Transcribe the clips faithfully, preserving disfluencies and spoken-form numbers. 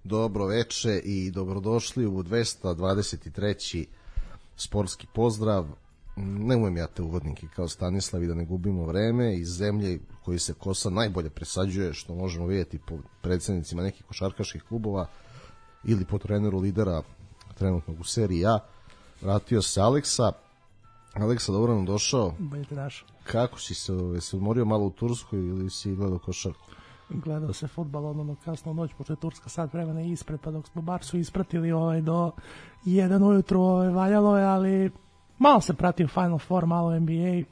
Dobro veče i dobrodošli u dvesta dvadeset treći sportski pozdrav. Ne umem ja te uvodnike kao Stanislav i da ne gubimo vreme. Iz zemlje koji se kosa najbolje presađuje, što možemo vidjeti po predsednicima nekih košarkaških klubova ili po treneru lidera trenutnog u seriji A, vratio se Aleksa. Aleksa, dobro nam došao. Bolje te našao. Kako si se, se odmorio malo u Turskoj ili si gledao košarku? Gledao se fudbal ono kasno noć, pošto je Turska sad vremena ispred, pa dok smo Barsu ispratili ovaj, do jedan ujutru ovaj, valjalo je, ali malo se pratio Final Four, malo N B A.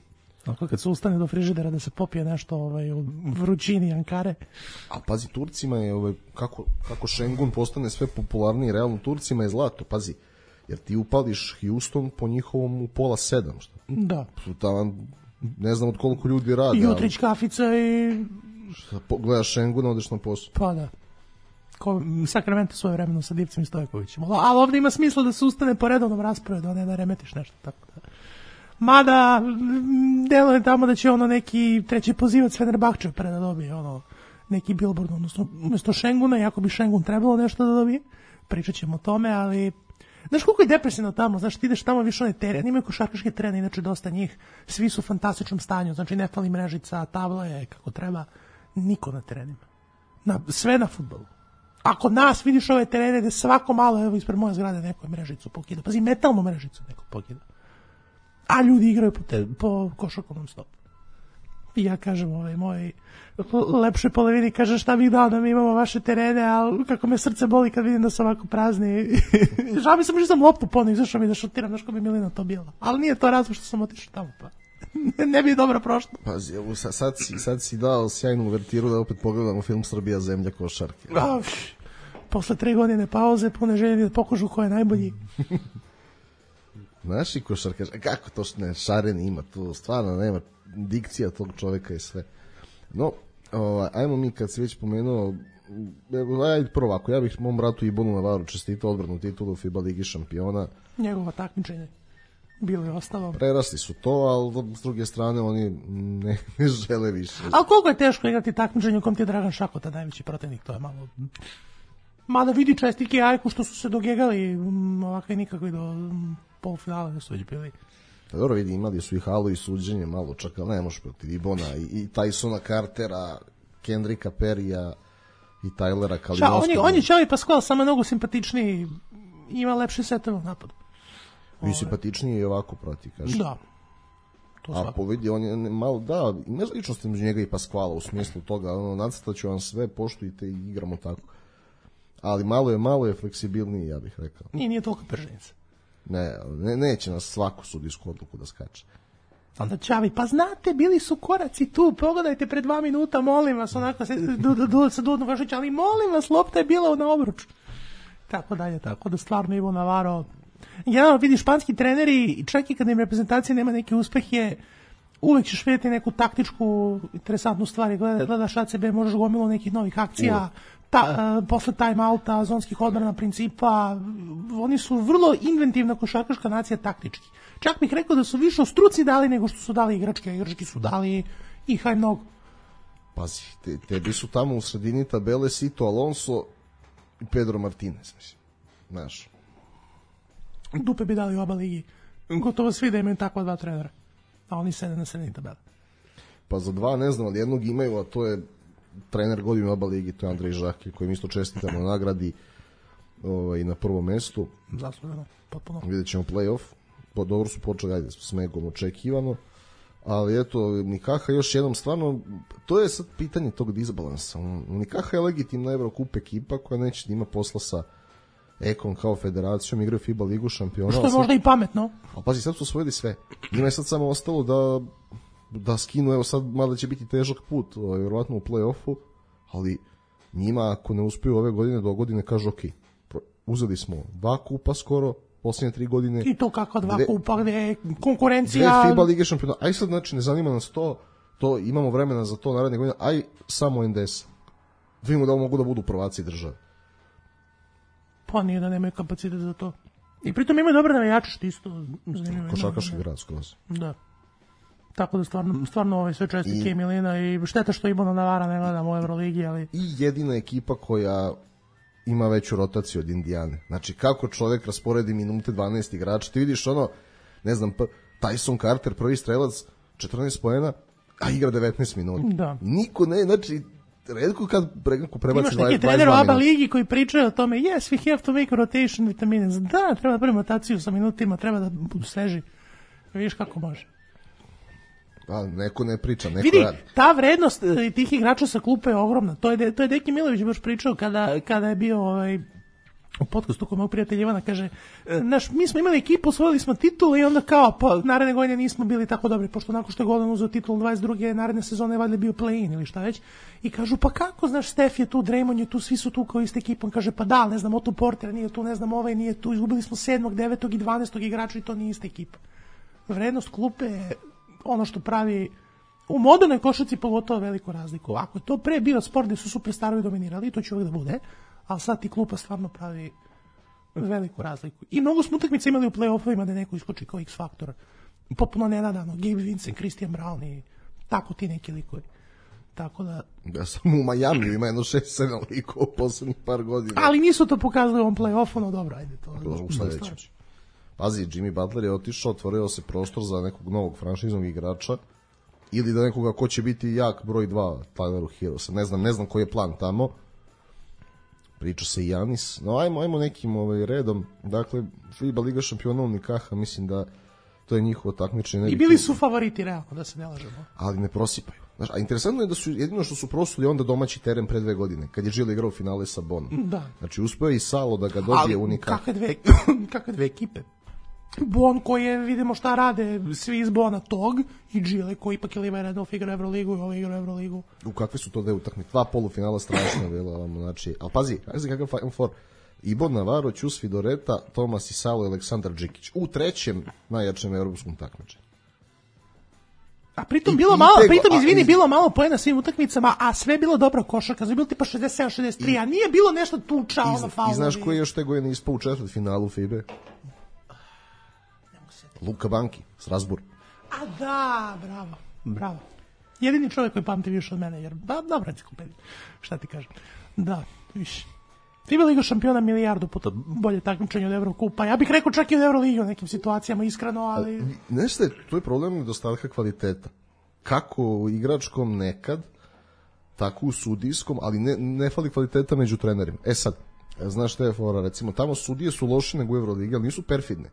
Ako kad se ustane do frižidera da se popije nešto ovaj, u vrućini Ankare. A pazi, Turcima je, ovaj, kako, kako Šengun postane sve popularniji, realno Turcima je zlato, pazi. Jer ti upališ Houston po njihovom u pola sedam, što? Da. Tam, ne znam od koliko ljudi radi. Jutrić kafica i... Šta, gledaš Šenguna, odeš na posao. Pa da. Ko, Sacramento svoje vremeno sa Divcem i Stojkovićem. Ali ovdje ima smisla da se ustane po redovnom rasporedu, a ne da remetiš nešto. Tako da. Mada, delo je tamo da će ono neki treći pozivac Fenerbahče pre da dobije ono, neki billboard, odnosno umjesto Šenguna, iako bi Šengun trebalo nešto da dobije. Pričat ćemo o tome, ali... Znaš koliko je depresivno tamo, znaš, ti ideš tamo više one teren, imaju košarkaške terene, inače dosta njih, svi su u fantastičnom stanju, znači ne fali mrežica, tabla je kako treba, niko na terenima. Na, sve na fudbalu. Ako nas vidiš ove terene gde svako malo, evo ispred moje zgrade neko je mrežicu pokida, pazi, metalnu mrežicu neko pokida. A ljudi igraju po, te, po košarkovnom stopu. I ja kažem, ovaj moj lepše polovini, kaže šta bih dao da mi imamo vaše terene, ali kako me srce boli kad vidim da su ovako prazni. Žao mi sam što sam loptu ponovno izašao mi da šutiram, znaš ko bi Milina to bila. Ali nije to razlog što sam otišao tamo, pa ne bi dobro prošlo. Pazi, evo, sad, si, sad si dao sjajnu uvertiru da opet pogledamo film Srbija zemlja košarke. A, posle tri godine pauze, pune želje da pokažu ko je najbolji. Naši košarkaš, kako to što ne, Šaren ima tu, stvarno nema dikcija tog čoveka i sve. No, o, ajmo mi kad si već pomenuo, ajde prvo ovako, ja bih mom bratu Ibonu Navaru čestitao odbranu titulu u FIBA Ligi šampiona. Njegovo takmičenje bilo je ostalo. Prerasli su to, ali s druge strane oni ne, ne žele više. Ali koliko je teško igrati takmičenje u kom ti je Dragan Šakota najveći protivnik, to je malo... Mada vidi čestike Ajku što su se dogegali ovakve nikakvi do polufinala da su već bili. Pa dobro vidi, imali su i halu i suđenje malo čak, ali ne možeš protiv Ibona i, i Tysona Cartera, Kendricka Perrya i Tylera Kalinowskog. On je, on je Čavi Pascual, samo mnogo simpatičniji, ima lepše setove u napadu. I simpatičniji je ovako protiv, kaže. Da. To a povidi, on je malo, da, ima ličnost među njega i Pascuala u smislu toga, ono, nacrtaću vam sve, poštujte i igramo tako. Ali malo je, malo je fleksibilniji, ja bih rekao. Nije, nije toliko prženica. Ne, ne, neće nas svaku sudijsku odluku da skače. Onda Čavi, pa znate, bili su koraci tu, pogledajte pre dva minuta, molim vas, onako se du, se Dudno Vašić, ali molim vas, lopta je bila na obruču. Tako dalje, tako da stvarno Ivo Navaro. Generalno, vidi, španski treneri, čak i kad im reprezentacija nema neke uspehe, uvek ćeš vidjeti neku taktičku, interesantnu stvar, Gleda, gledaš A C B, možeš gomilo nekih novih akcija, ta, uh, posle time-outa, zonskih odbrana principa, oni su vrlo inventivna košarkaška nacija taktički. Čak bih rekao da su više o struci dali nego što su dali igračke, igrački su dali i haj mnogo. Pazi, te, tebi su tamo u sredini tabele Sito Alonso i Pedro Martinez, mislim, znaš. Dupe bi dali u oba ligi, gotovo svi da imaju takva dva trenera, a oni sede na sredini tabele. Pa za dva ne znam, ali jednog imaju, a to je trener godine u oba ligi, to je Andrej Žake, kojim isto čestitamo nagradi ovaj, na prvom mestu. Zasluženo, potpuno. Vidjet ćemo play-off, po, dobro su počeli, ajde, s Megom očekivano, ali eto, Nikaha još jednom, stvarno, to je sad pitanje tog disbalansa. Nikaha je legitimna Evrokup ekipa koja neće da ima posla sa Ekom kao federacijom, igraju FIBA ligu šampiona. Što je možda i pametno. A pazi, sad su osvojili sve. Njima je sad samo ostalo da da skinu, evo sad mada će biti težak put, ovaj, vjerovatno u play-offu, ali njima ako ne uspiju ove godine do godine kažu ok, uzeli smo dva kupa skoro, posljednje tri godine. I to kakva dva dve, kupa gde je konkurencija... Dve FIBA Lige šampiona. Aj sad, znači, ne zanima nas to, to imamo vremena za to naredne godine, aj samo N D S. Vidimo da mogu da budu prvaci države. Pa nije da nemaju kapacitet za to. I pritom imaju dobre navijače, što isto zanimljivo. Košarkaški grad skroz. Da. Tako da stvarno, stvarno ovaj sve čestitke Milina i šteta što Ibona Navara ne gledamo u Euroligi, ali... I jedina ekipa koja ima veću rotaciju od Indijane. Znači, kako čovjek rasporedi minute dvanaest igrača, ti vidiš ono, ne znam, Tyson Carter, prvi strelac, četrnaest poena, a igra devetnaest minuta. Da. Niko ne, znači, redko kad prebaci dvadeset dva minuta. Imaš neki trener u A B A ligi koji pričaju o tome, yes, we have to make a rotation with the minutes. Da, treba da pravimo rotaciju sa minutima, treba da budu sveži. Vidiš kako može. A, neko ne priča, neko vidi, radi. Ta vrednost tih igrača sa klupe je ogromna. To je, to je Deki Milović baš pričao kada, kada je bio ovaj, u podcastu kod mog prijatelja Ivana, kaže, naš, mi smo imali ekipu, osvojili smo titul i onda kao, pa naredne godine nismo bili tako dobri, pošto nakon što je Golden uzeo titul dvadeset druge naredne sezone je valjda bio play-in ili šta već. I kažu, pa kako, znaš, Steph je tu, Draymond je tu, svi su tu kao ista ekipa. On kaže, pa da, ne znam, Otto Porter nije tu, ne znam, ovaj nije tu, izgubili smo sedmog, devetog i dvanaestog igrača i to nije ista ekipa. Vrednost klupe je ono što pravi u modernoj košarci pogotovo veliku razliku. Ako je to pre bio sport gde su superstarovi dominirali, to će uvijek da bude, ali sad ti klupa stvarno pravi veliku razliku. I mnogo smo utakmice imali u play-offovima da neko iskoči kao X-faktor. Popuno nenadano, Gabe Vincent, Christian Brown i tako ti neki likovi. Tako da... Ja sam u Majamiju, ima jedno šest sedam likova u poslednjih par godina. Ali nisu to pokazali u ovom play-offu, no dobro, ajde to. U sledećem. Pazi, Jimmy Butler je otišao, otvorio se prostor za nekog novog franšiznog igrača ili da nekoga ko će biti jak broj dva Tyleru Heroesa. Ne znam, ne znam koji je plan tamo. Priča se i Janis. No, ajmo, ajmo nekim ovaj, redom. Dakle, FIBA Liga šampiona u Nikaha, mislim da to je njihovo takmičenje. I bili su favoriti, realno, da se ne lažemo. Ali ne prosipaju. Znaš, a interesantno je da su jedino što su prosuli onda domaći teren pre dve godine, kad je Žile igrao finale sa Bonom. Da. Znači, uspeo je i Salo da ga dobije u Nikaha. Ali kakve dve, kakve dve ekipe? Bon koji je, vidimo šta rade svi iz Bona tog i Žile koji ipak je Liva Redolf igra Euroligu i ovaj igra Euroligu. U kakve su to dve utakmice? Dva polufinala strašno bila, znači, ali pazi, pazi kakav Final Four. Ibon Navarro, Ćus Fidoreta, Tomas Isalo i Aleksandar Džikić u trećem najjačem evropskom takmičenju. A pritom I, bilo i malo, tego, pritom izvini, a, bilo malo poena svim utakmicama, a sve je bilo dobra košarka, znači bilo tipa šezdeset sedam šezdeset tri, i, a nije bilo nešto tuča, ono faulovi. I znaš koji je još tego je ispao u četvrtfinalu FIBE? Luka Banki, Strasbourg. A da, bravo, bravo. Jedini čovjek koji pamti više od mene, jer ba, dobra enciklopedija, šta ti kažem. Da, više. FIBA Liga šampiona milijardu puta bolje takmičenje od Evrokupa. Ja bih rekao čak i od Euroligi u nekim situacijama, iskreno, ali... Nešto je, to je problem nedostatka kvaliteta. Kako u igračkom nekad, tako u sudijskom, ali ne, ne fali kvaliteta među trenerima. E sad, znaš šta je fora, recimo, tamo sudije su loše nego u Euroligi, ali nisu perfidne.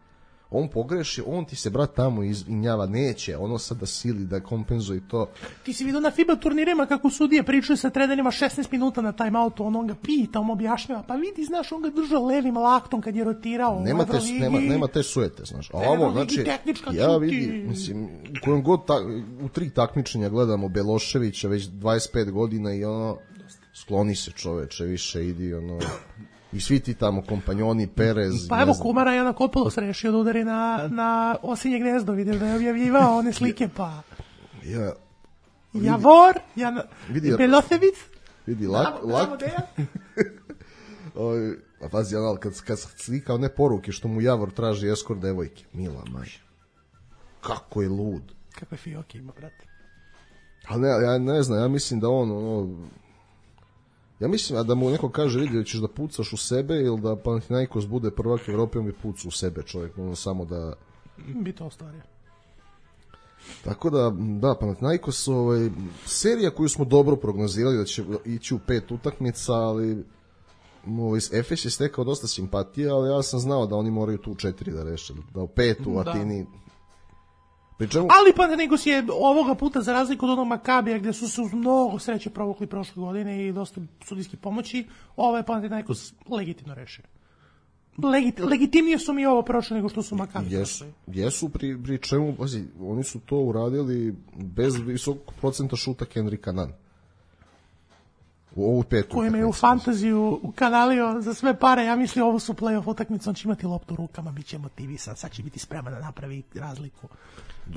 On pogreši, on ti se brat tamo izvinjava, neće, ono sad da sili, da kompenzuje to. Ti si vidio na FIBA turnirima kako sudije pričaju sa trenerima šesnaest minuta na timeoutu, on, on ga pita, on objašnjava, pa vidi, znaš, on ga držao levim laktom kad je rotirao nema u Euroligi. Nema, nema te suete, znaš. A ovo, znači, ja vidim, mislim, u kojem god, ta, u tri takmičenja gledamo Beloševića već dvadeset pet godina i ono, skloni se čoveče, više idi, ono... I svi ti tamo kompanjoni, Perez... Pa evo Kumara je Janakopoulos rešio da udari na, na osinje gnezdo, vidiš da je objavljivao one slike, pa... Ja, vidi, Javor, Jan... Belosevic... Vidi, lak... lak... Oj, a pazi, anal, kad, kad slika one poruke što mu Javor traži eskort devojke, mila maj. Kako je lud. Kako je fioke ima, brate. Ali ne, ja ne znam, ja mislim da on... ono, ja mislim da mu neko kaže, vidi da ćeš da pucaš u sebe ili da Panathinaikos bude prvak Evrope, on bi pucao u sebe čovjek, ono samo da... Bi to ostvario. Tako da, da, Panathinaikos, ovaj, serija koju smo dobro prognozirali da će ići u pet utakmica, ali ovaj, Efes je stekao dosta simpatije, ali ja sam znao da oni moraju tu četiri da reše, da u petu u Atini... Pričemu... Ali Panathinaikos je ovoga puta, za razliku od onog Makabija gde su se uz mnogo sreće provukli prošle godine i dosta sudijske pomoći, ovo je Panathinaikos legitimno rešio. Legit, legitimnije su mi ovo prošle nego što su Makabi jesu, jesu pri, pri čemu, pazi, oni su to uradili bez visokog procenta šuta Kendricka Nunn. U ovu petu. Koji me u fantaziju ukanalio za sve pare, ja mislim ovo su play-off utakmice, on će imati loptu u rukama, bit će motivisan, sad će biti spreman da napravi razliku.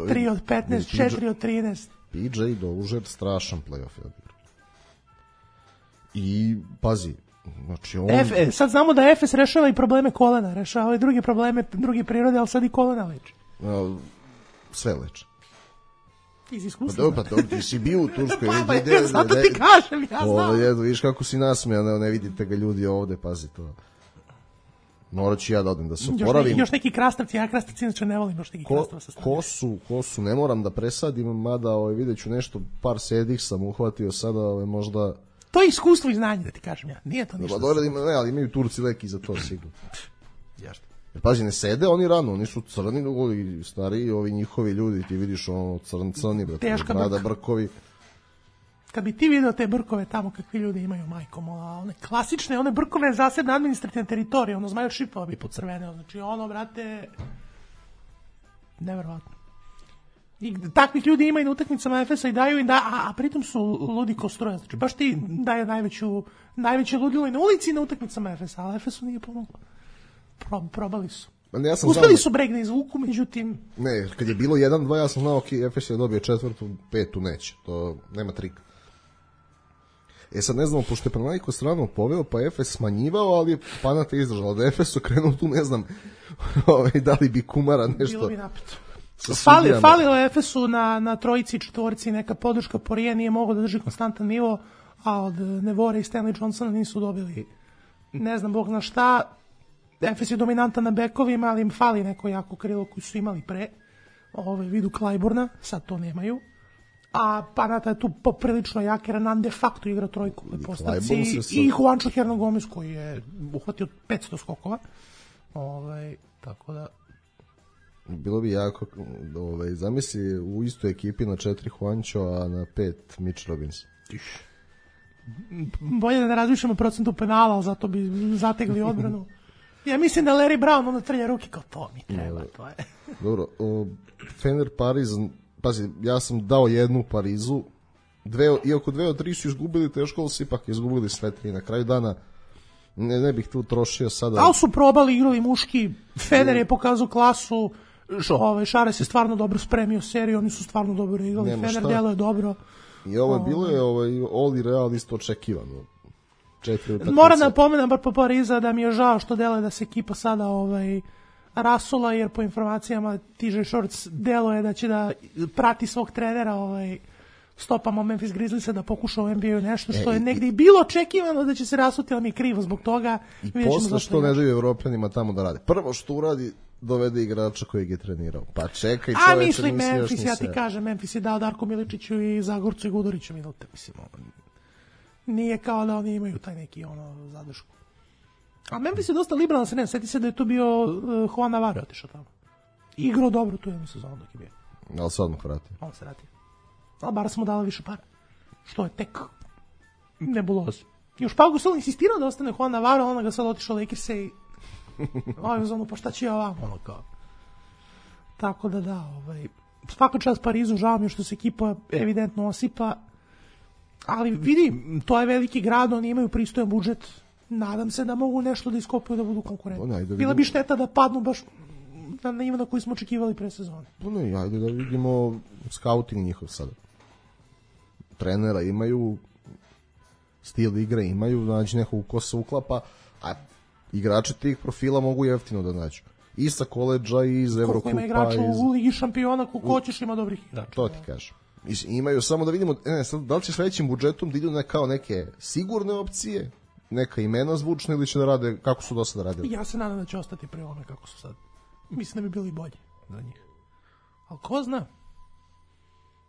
tri od petnaest, četiri od trinaest. P J Dozier, strašan play-off je odigrao. I, pazi, znači on... F, sad znamo da Efes rešava i probleme kolena, rešava i druge probleme, druge prirode, ali sad i kolena leči. A, sve leči. Iz iskustva. Pa dobro, pa dobro, ti si bio u Turskoj. Pa je, zato ti kažem, ja znam. Ovo, jedu, vidiš kako si nasmijan, ne, ne vidite ga ljudi ovde, pazi to. Morat ću ja da odem da se oporavim. Još, još neki krastavci, ja krastavci inače ne volim, još neki ko, krastava sa strane. Kosu, kosu ne moram da presadim, mada ovaj, vidjet ću nešto, par sedih sam uhvatio sada, ovaj, možda... To je iskustvo i znanje, da ti kažem ja. Nije to ništa. Dobro, ima, ne, ali imaju Turci leki za to sigurno. Jašto? Jer pazi, ne sede oni rano, oni su crni, ovi stariji, ovi njihovi ljudi, ti vidiš ono crn, crni, brate, brada, brkovi. Kad bi ti video te brkove tamo kakvi ljudi imaju, majko mola, one klasične, one brkove zasebne administrativne teritorije, ono zmaju šipova bi pocrveneo, znači ono, brate, neverovatno. I takvih ljudi ima i na utakmicama Efesa i daju im da, a, a pritom su ludi ko struja, znači baš ti daje najveću, najveće ludilo i na ulici i na utakmicama Efesa, ali Efesu nije pomoglo. Pro, probali su. Ja sam uspeli znao... su breg na izvuku, međutim... Ne, kad je bilo jedan dva, ja sam znao, ok, Efes je dobio četvrtu, petu neće, to nema trika. E sad ne znamo, pošto je Panathinaikos stranu poveo, pa Efes smanjivao, ali je Panate izdržala. Da Efes okrenuo tu, ne znam, ovaj, da li bi Kumara nešto... Bilo bi napeto. Fali, falilo je Efesu na, na trojici i četvorici neka podrška, Porije nije mogao da drži konstantan nivo, a od Nevore i Stanley Johnsona nisu dobili, ne znam, bog na šta. Efes je dominantan na bekovima, ali im fali neko jako krilo koji su imali pre, ovaj, vidu Klajburna, sad to nemaju. A Panata je tu poprilično jak, jer Renan de facto igra trojku u postavci i, sad... i Juancho Hernangomez koji je uhvatio petsto skokova. Ovaj, tako da... Bilo bi jako, ovaj, zamisli u istoj ekipi na četiri Juancho, a na pet Mitch Robbins. Bolje da ne razmišljamo procentu penala, ali zato bi zategli odbranu. Ja mislim da Larry Brown ono trlja ruke kao to mi treba, to je. Dobro, o, Fener Pariz, pazi, ja sam dao jednu Parizu, dve, iako dve od tri su izgubili, teško ali su ipak izgubili sve tri na kraju dana. Ne, ne bih tu trošio sada. Ali su probali, igrali muški, Fener je pokazao klasu, ovaj, Šares je stvarno dobro spremio seriju, oni su stvarno dobro igrali, Nema Fener djeluje dobro. I ovo je bilo je ovaj, Oli Real isto očekivano. Moram da pomenem bar po Pariza da mi je žao što deluje da se ekipa sada ovaj, rasula, jer po informacijama T J Shorts deluje da će da prati svog trenera ovaj, stopamo Memphis Grizzliesa da pokuša u N B A-u nešto što e, je negdje i bilo očekivano da će se rasuti, ali mi je krivo zbog toga. I posle što ne daju Evropljanima tamo da rade. Prvo što uradi, dovede igrača kojeg je trenirao. Pa čekaj, čoveče, a mislim Memphis, ja ti kažem, Memphis je dao Darku Miličiću i Zagorcu i Guduriću minute, mislim, ono, nije kao da oni imaju taj neki ono zadršku. A Memphis je dosta liberalan, se ne, sjeti se da je tu bio uh, Juan Navarro otišao tamo. Igrao dobro tu jednu sezonu dok je bio. Ali se odmah vratio. On se vratio. Ali bar smo dali više para. Što je tek nebuloz. Još Pau Gasol insistirao da ostane Juan Navarro, ona ga sad otišao Lakers i ovaj uz ono, pa šta će ja vam, ono kao. Tako da da, ovaj, svaka čast Parizu, žao mi je što se ekipa evidentno osipa, ali vidi, to je veliki grad, oni imaju pristojan budžet, nadam se da mogu nešto da iskopuju da budu konkurentni. Bila bi šteta da padnu baš na nivo na koji smo očekivali pre sezone. No, no, ajde da vidimo scouting njihov sada. Trenera imaju, stil igre imaju, nađi nekog ko se uklapa, a igrači tih profila mogu jeftino da nađu. I sa koleđa, i iz Evrokupa. Koliko ima igrača iz... u Ligi šampiona, koliko hoćeš ima dobrih igrača. To ti kažem. Imaju samo da vidimo, ne, sad, da li će s većim budžetom da idu ne, kao neke sigurne opcije, neka imena zvučna, ili će da rade kako su do sada radili? Ja se nadam da će ostati pri ovome kako su sad. Mislim da bi bili bolji za njih. Ali ko zna?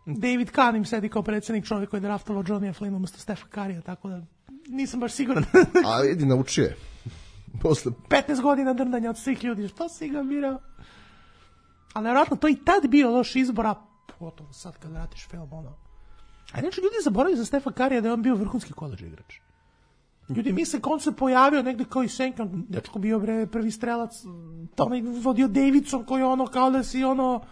David Kahn im sedi kao predsjednik, čovjek koji je draftovao Johnny Flynn umesto Stefa Karija, tako da nisam baš siguran. A vidi, naučio je. Posle... petnaest godina drndanja od svih ljudi, što si ga birao? Ali nevjerojatno, to i tad bio loš izbor, a potom sad kad vratiš film, ono. A inače ljudi zaboravaju za Stefa Karija da je on bio vrhunski koledž igrač. Ljudi misle kao on se pojavio negde kao i Senka, dečko bio bre prvi strelac, to je vodio Davidson koji ono kao da si ono,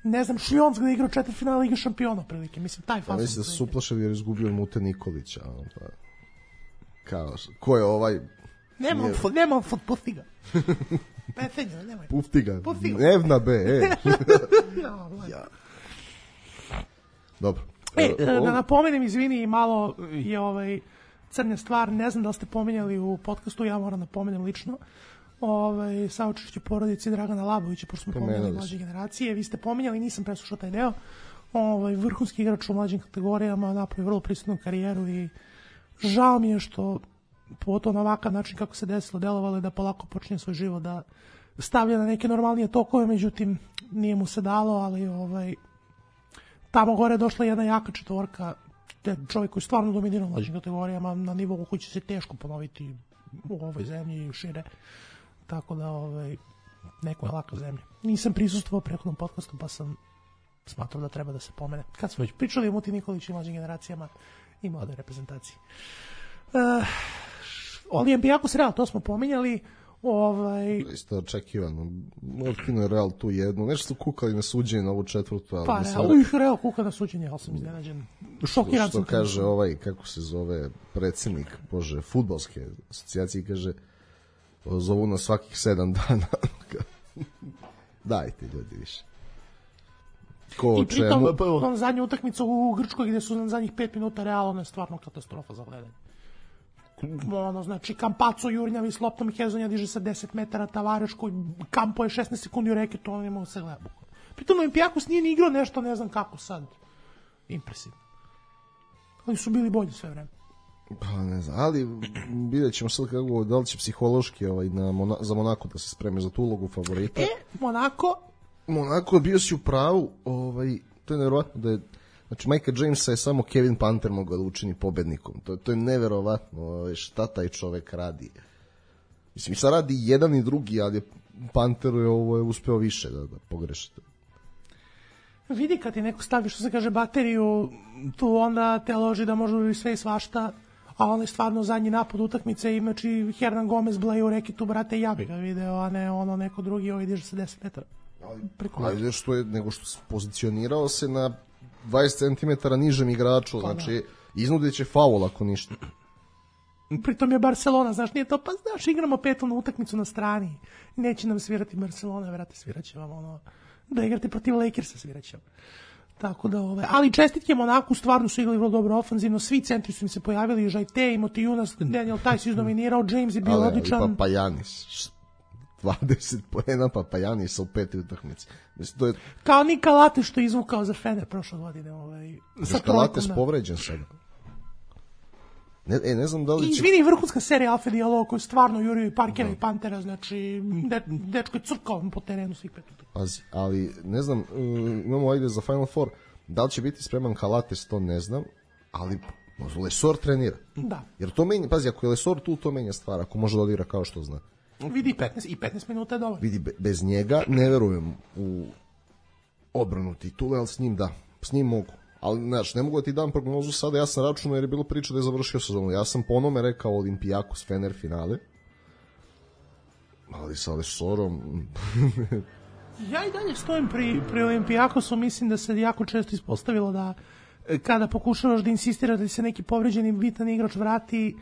ne znam, Šljonsk da je igrao četiri finala Lige šampiona prilike, mislim taj fazon. Mislim da su uplašili jer je izgubio Mute Nikolića. Pa... kao, ko je ovaj... Nemam, je... nemam fut, pusti ga. Petenja, nemoj. Pufti ga. Pufti ga. Evna be, e. ja. Dobro. E, da napomenem, izvini, malo je ovaj crnja stvar, ne znam da li ste pominjali u podcastu, ja moram da pomenem lično, ovaj, saučešće porodici Dragana Labovića, pošto smo pominjali mlađe generacije, vi ste pominjali, nisam preslušao taj deo, ovaj, vrhunski igrač u mlađim kategorijama, napravio vrlo prisutnu karijeru i žao mi je što pogotovo na ovakav način kako se desilo, delovalo je da polako počne svoj život da stavlja na neke normalnije tokove, međutim nije mu se dalo, ali ovaj, tamo gore je došla jedna jaka četvorka, te čovjek koji stvarno dominira u mlađim kategorijama na nivou koji će se teško ponoviti u ovoj zemlji i šire, tako da ovaj, neko je laka zemlja. Nisam prisustvovao prethodnom podcastu pa sam smatrao da treba da se pomene. Kad smo već pričali o Muti Nikoliću i mlađim generacijama i mladoj reprezentaciji. Uh, Olimpijakos Real, to smo pominjali. Ovaj... Isto očekivano. Otkino je Real tu jednu. Nešto su kukali na suđenje na ovu četvrtu. Ali pa sad... Real, Real kuka na suđenje, ali sam iznenađen. Šokiran što sam. Što kaže sam... ovaj, kako se zove, predsjednik, bože, fudbalske asocijacije, kaže, zovu na svakih sedam dana. Dajte ljudi više. Ko I pritom, čemu... on zadnja utakmica u Grčkoj gde su na zadnjih pet minuta Real, ono je stvarno katastrofa za gledanje. Ono, znači, Kampaco jurnjavi s loptom, Hezonja diže sa deset metara, Tavareš koji kampo je šesnaest sekundi u reketu, ono ne mogu se gleda. Pritom Olimpijakos nije ni igrao nešto, ne znam kako sad. Impresivno. Ali su bili bolji sve vreme. Pa ne znam, ali vidjet ćemo sad kako, da li će psihološki ovaj, na Mona, za Monako da se spreme za tu ulogu favorita. E, Monako... Monako, bio si u pravu, ovaj, to je nevjerovatno da je, znači Majka Jamesa je samo Kevin Panter mogao da učini pobednikom, to, to je neverovatno, ovaj, šta taj čovek radi. Mislim, sad radi jedan i drugi, ali Panteru je ovo je uspeo više da, da pogreši. Vidi kad ti neko stavi, što se kaže, bateriju, tu onda te loži da može sve i svašta, a on je stvarno zadnji napad utakmice, imači Hernan Gomez bleje u rekitu, brate, ja bi ga video, a ne ono neko drugi, ovaj diže sa deset metara. Ali što je, nego što se pozicionirao se na dvadeset centimetara nižem igraču, pa, znači da. Iznudit će faul ako ništa. Pritom je Barcelona, znaš, nije to, pa znaš, igramo petovnu utakmicu na strani, neće nam svirati Barcelona, vrate, svirat će vam ono, da igrate protiv Lakersa, svirat će vam. Tako da, ove, ali čestitke Monaku, stvarno su igrali vrlo dobro ofanzivno, svi centri su im se pojavili, Žajte, Motijunas, Daniel Tajs izdominirao, James je bio ali, odličan. Ali pa Janis, dvadeset poena, pa pa Janis u peti utakmici. Mislim, to je... Kao Nika Late što je izvukao za Fener prošle godine. Ovaj, sa Lates povređen sada. Ne, e, ne znam da li će... Izvini, vrhunska serija Alfa Diallo koju stvarno jurio i Parkera i Pantera, znači de, dečko je crkao po terenu svih pet utakmica. Pazi, ali ne znam, uh, imamo ajde za Final Four, da li će biti spreman Kalates, to ne znam, ali možda Lesor trenira. Da. Jer to menja, pazi, ako je Lesor tu, to menja stvar, ako može da odigra kao što zna. Vidi petnaest i petnaest minuta je dovoljno. Vidi, be, bez njega ne verujem u odbranu titule, ali s njim da, s njim mogu. Ali, znaš, ne mogu da ti dam prognozu sada, ja sam računao jer je bilo priča da je završio sezonu. Ja sam ponome rekao Olimpijakos Fener finale, ali sa Lesorom... Ja i dalje stojim pri, pri Olimpijakosu, mislim da se jako često ispostavilo da kada pokušavaš da insistiraš da se neki povređeni bitan igrač vrati,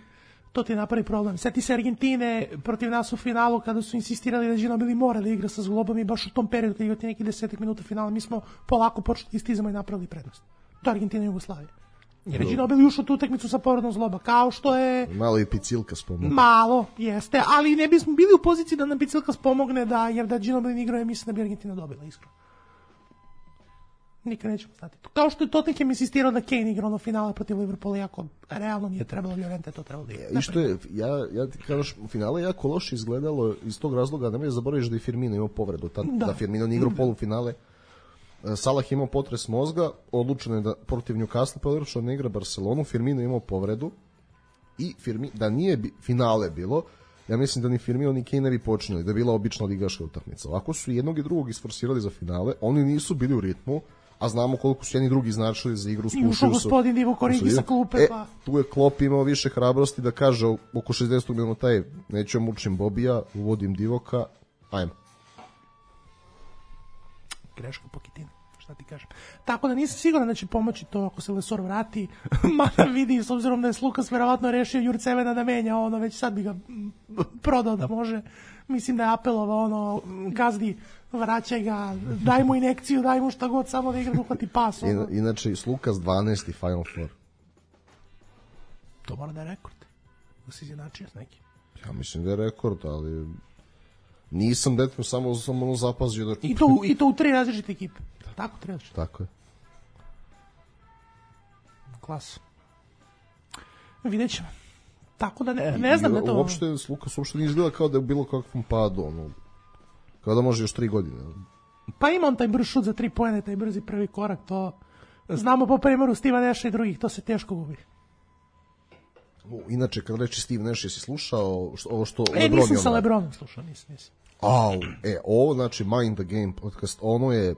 to ti napravi problem. Sjeti se Argentine protiv nas u finalu kada su insistirali da Ginobili mora da igra sa zglobom i baš u tom periodu kada igrati neki desetak minuta finala mi smo polako počeli istizamo i napravili prednost. To je Argentina i Jugoslavija. Jer je Ginobili ušao tu utakmicu sa povredom zgloba, kao što je... Malo i Picilka spomogne. Malo, jeste, ali ne bismo bili u poziciji da nam Picilka spomogne, da, jer da Ginobili igrao je, mislim da bi Argentina dobila, iskreno. Nikad nećemo znati. Kao što je Tottenham insistirao da Kane igra ono finale protiv Liverpoola, jako realno nije trebalo, Llorente to trebalo da igra. I što je, ja, ja ti kažeš, finale je jako loše izgledalo iz tog razloga, nemoj zaboraviš da je Firmino imao povredu, tad, da. da Firmino nije igrao polufinale. Salah imao potres mozga, odlučeno je da protiv Newcastle područno ne igra Barcelonu, Firmino imao povredu i Firmi, da nije bi, finale bilo, ja mislim da ni Firmino ni Kane ne bi počinjali, da je bila obična ligaška utakmica. Ovako su jednog i drugog isforsirali za finale, oni nisu bili u ritmu, a znamo koliko su jedni drugi značili za igru, slušaju se. I gospodin Divo Korigi sa klupe, e, pa... Tu je Klopp imao više hrabrosti da kaže oko šezdesetog minuta je, neću mučim Bobija, uvodim Divoka, ajmo. Greško Pochettino. šta ti kažem. Tako da nisam siguran da će pomoći to ako se Lesor vrati, mada vidi, s obzirom da je Slukas verovatno rešio Jurcevena da menja ono, već sad bi ga prodao da može. Mislim da je apelovao ono, gazdi, vraćaj ga, daj mu injekciju, daj mu šta god, samo da igra da uhvati pas. Ono. Inače, Slukas dvanaesti Final Four. To mora da je rekord. Da si izjednačio s nekim. Ja mislim da je rekord, ali nisam detaljno samo, samo ono zapazio da... I to, I to u tri različite ekipe. Tako treba. Tako je. Klas. Vidjet ćemo. Tako da ne, ne znam da to... Uopšte, Lukas uopšte nije izgleda kao da je bilo kakvom padu, ono, kao da može još tri godine. Pa ima on taj brz šut za tri poene, taj brzi prvi korak, to znamo po primeru Steva Nasha i drugih, to se teško gubi. Inače, kad reči Steve Nash, jesi slušao što, ovo što... E, Lebron nisam sa Lebronom slušao, nisam, nisam. Au, e, ovo, znači, Mind the Game podcast, ono je...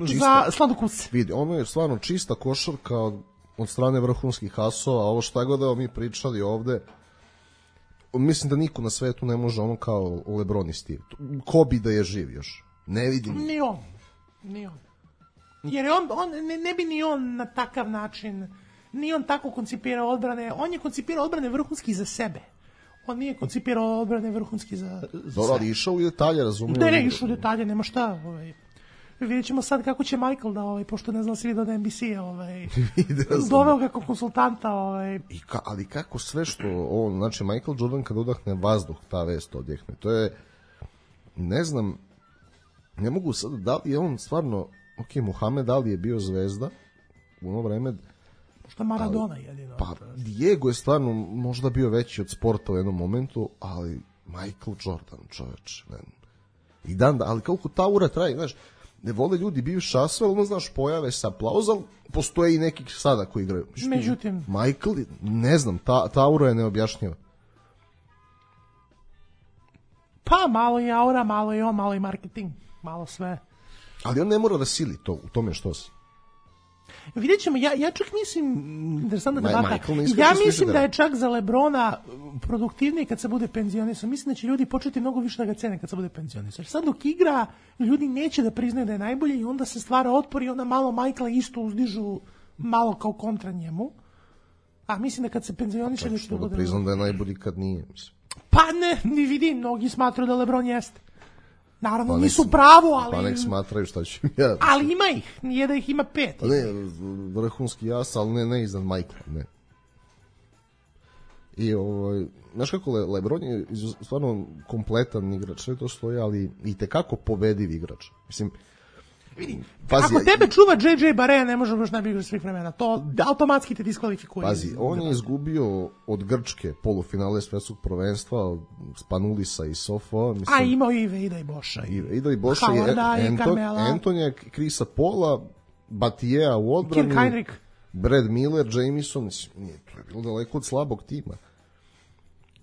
Čista, za sladokusce. Vidi, ono je stvarno čista košarka od, od strane vrhunskih asova, a ovo šta god da mi pričali ovde, mislim da niko na svetu ne može ono kao Lebron i Steve. Ko bi da je živ još? Ne vidim. Ni on. Ni on. Jer on, on ne, ne bi ni on na takav način, ni on tako koncipirao odbrane, on je koncipirao odbrane vrhunski za sebe. On nije koncipirao odbrane vrhunski za, za Dobro, ali išao u detalje, razumijem. Ne, ne, išao u detalje, nema šta. Ovaj. Vidjet ćemo sad kako će Michael da, ovaj, pošto ne znam se vidio da N B C ovaj, doveo ga kao konsultanta. Ovaj. I ka, ali kako sve što, on, znači Michael Jordan kad udahne vazduh, ta vest odjehne, to je, ne znam, ne mogu sad, da li je on stvarno, ok, Muhammed Ali je bio zvezda u ono vreme, što Maradona jedino. Pa Diego je stvarno možda bio veći od sporta u jednom momentu, ali Michael Jordan, čoveč, ne. I dan da, ali koliko ta ura traje, znaš, ne vole ljudi bivši asve, ono, znaš, pojave se aplauz, ali postoje i neki sada koji igraju. Međutim, Michael, ne znam, ta, ta aura je neobjašnjiva. Pa malo je aura, malo je on, malo je marketing, malo sve. Ali on ne mora da sili to, u tome što se. Vidjet ćemo, ja, ja čak mislim, interesantna Ma, debata, ja mislim da je čak za Lebrona produktivniji kad se bude penzionisan. Mislim da će ljudi početi mnogo više da ga cene kad se bude penzionisan. Sad dok igra, ljudi neće da priznaju da je najbolji i onda se stvara otpor i onda malo Michaela isto uzdižu malo kao kontra njemu. A mislim da kad se penzioniše... Pa što da bude... priznam da je najbolji kad nije, mislim. Pa ne, ni vidi, mnogi smatraju da Lebron jeste. Naravno, pa nisu pravo, ali... Pa nek smatraju šta ću ja. Ali ima ih, nije da ih ima pet. Pa ne, vrhunski jas, ali ne, ne iznad Michaela, ne. I ovaj, znaš kako Le, Lebron je stvarno kompletan igrač, sve to stoji, ali i tekako pobediv igrač. Mislim, pazi, ako tebe čuva J J Barea, ne može baš najbolji igrač svih vremena. To automatski te diskvalifikuje. Pazi, on je izgubio od Grčke polufinale svetskog prvenstva, od Spanulisa i Sofo. Mislim, a imao i Veida i Boša. I Veida i Boša i Anton, Antonija, Krisa Pola, Batijea u odbrani. Kirk Heinrich. Brad Miller, Jameson. Nije, to je bilo daleko od slabog tima.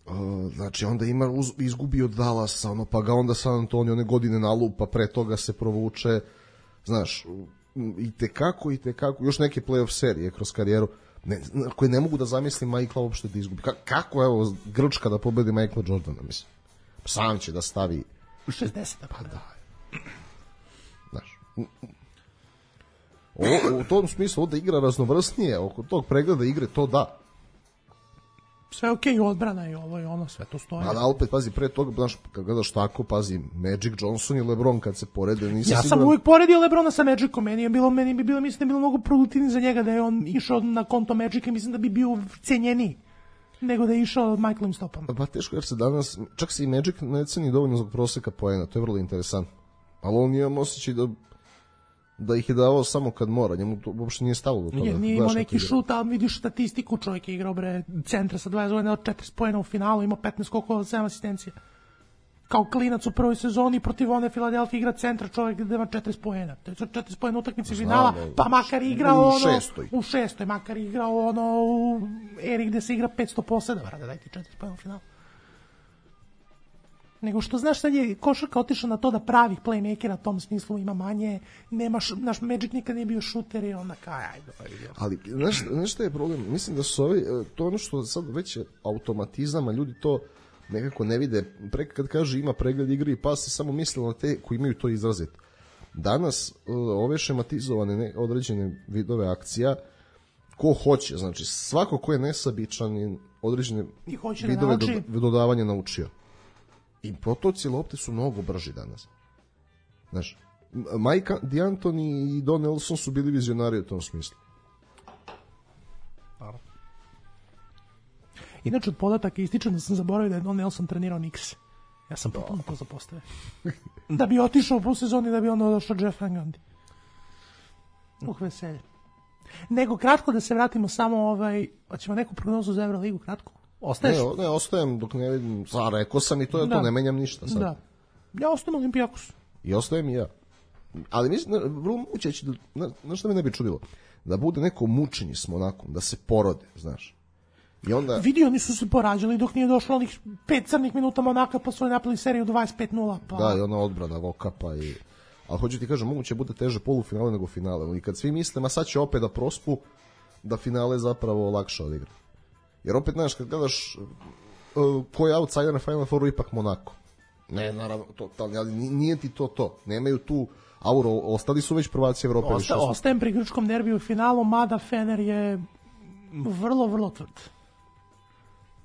Uh, znači onda ima uz, izgubio od Dallasa, ono, pa ga onda San Antonio one godine nalupa, pre toga se provuče, znaš, i tekako, i tekako, još neke playoff serije kroz karijeru, ne, koje ne mogu da zamislim Michaela uopšte da izgubi. Ka, kako, evo, Grčka da pobedi Michaela Jordana, mislim. Sam će da stavi... šezdeset. Pa da. Znaš. O, u tom smislu da igra raznovrsnije, oko tog pregleda igre, to da. Sve okej, okay, odbrana i ovo i ono, sve to stoji. Ali opet, pazi, pre toga, znaš, kad gledaš tako, pazi, Magic Johnson i LeBron kad se porede, nisam ja siguran... sam uvijek poredio LeBrona sa Magicom, meni je bilo, meni bi bilo, mislim da je bilo mnogo produktivnije za njega da je on išao na konto Magica, mislim da bi bio cenjeniji nego da je išao Michaelovim stopama. Pa teško, jer se danas, čak se i Magic ne ceni dovoljno zbog proseka poena, to je vrlo interesantno. Ali on imam osjećaj da da ih je davao samo kad mora, njemu to uopšte nije stalo do toga. Nije, nije imao neki šut, ali vidiš statistiku, čovjek je igrao bre centra sa dvadeset godina od četrdeset poena u finalu, imao petnaest skokova, sedam asistencija. Kao klinac u prvoj sezoni protiv one Filadelfije igra centra, čovjek gde ima četrdeset poena. To je četrdeset poena utakmice finala, pa makar igrao ono... U šestoj. U šestoj, makar igrao ono u eri gde se igra petsto po sedam, rada, daj ti četrdeset poena u finalu. Nego što znaš, sad je košarka otišla na to da pravih playmakera u tom smislu ima manje, nemaš, naš Magic nikad nije bio šuter i onda kaj, ajde. Ali, znaš, znaš šta je problem? Mislim da su ovi, to ono što sad već je automatizam, a ljudi to nekako ne vide. Pre kad kaže ima pregled igre i pas, se samo misle na te koji imaju to izraziti. Danas ove šematizovane ne, određene vidove akcija, ko hoće, znači svako ko je nesabičan je određene vidove do, dodavanja naučio. I protoci lopte su mnogo brži danas. Znaš, Mike D'Antoni i Don Nelson su bili vizionari u tom smislu. Inače, od podataka ističem da sam zaboravio da je Don Nelson trenirao Knicks. Ja sam potpuno to zapostavio. Da bi otišao po sezoni, da bi onda došao Jeff Van Gundy. Uh, veselje. Nego, kratko da se vratimo samo, ovaj, hoćemo neku prognozu za Euroligu, kratko? Ostaješ? Ne, ne, ostajem dok ne vidim. Zar, rekao sam i to, da. To ne menjam ništa sad. Da. Ja ostajem Olimpijakos. I ostajem i ja. Ali mislim, vrlo moguće će da, na, na što mi ne bi čudilo, da bude neko mučenje s Monakom, da se porode, znaš. I onda... Vidi, oni su se porađali dok nije došlo onih pet crnih minuta Monaka, pa su napali seriju dvadeset pet nula. Pa... Da, i ona odbrana Vokapa i... Ali hoću ti kažem, moguće bude teže polufinale nego finale. I kad svi misle, ma sad će opet da prospu, da finale zapravo lakše odigra. Jer opet, znaš, kad gledaš uh, ko je outsider na Final Fouru, ipak Monako. Ne, naravno, totalni, ali nije ti to to. Nemaju tu auro, ostali su već prvaci Evrope. Osta, ostajem pri grčkom derbiju u finalu, mada Fener je vrlo, vrlo tvrd.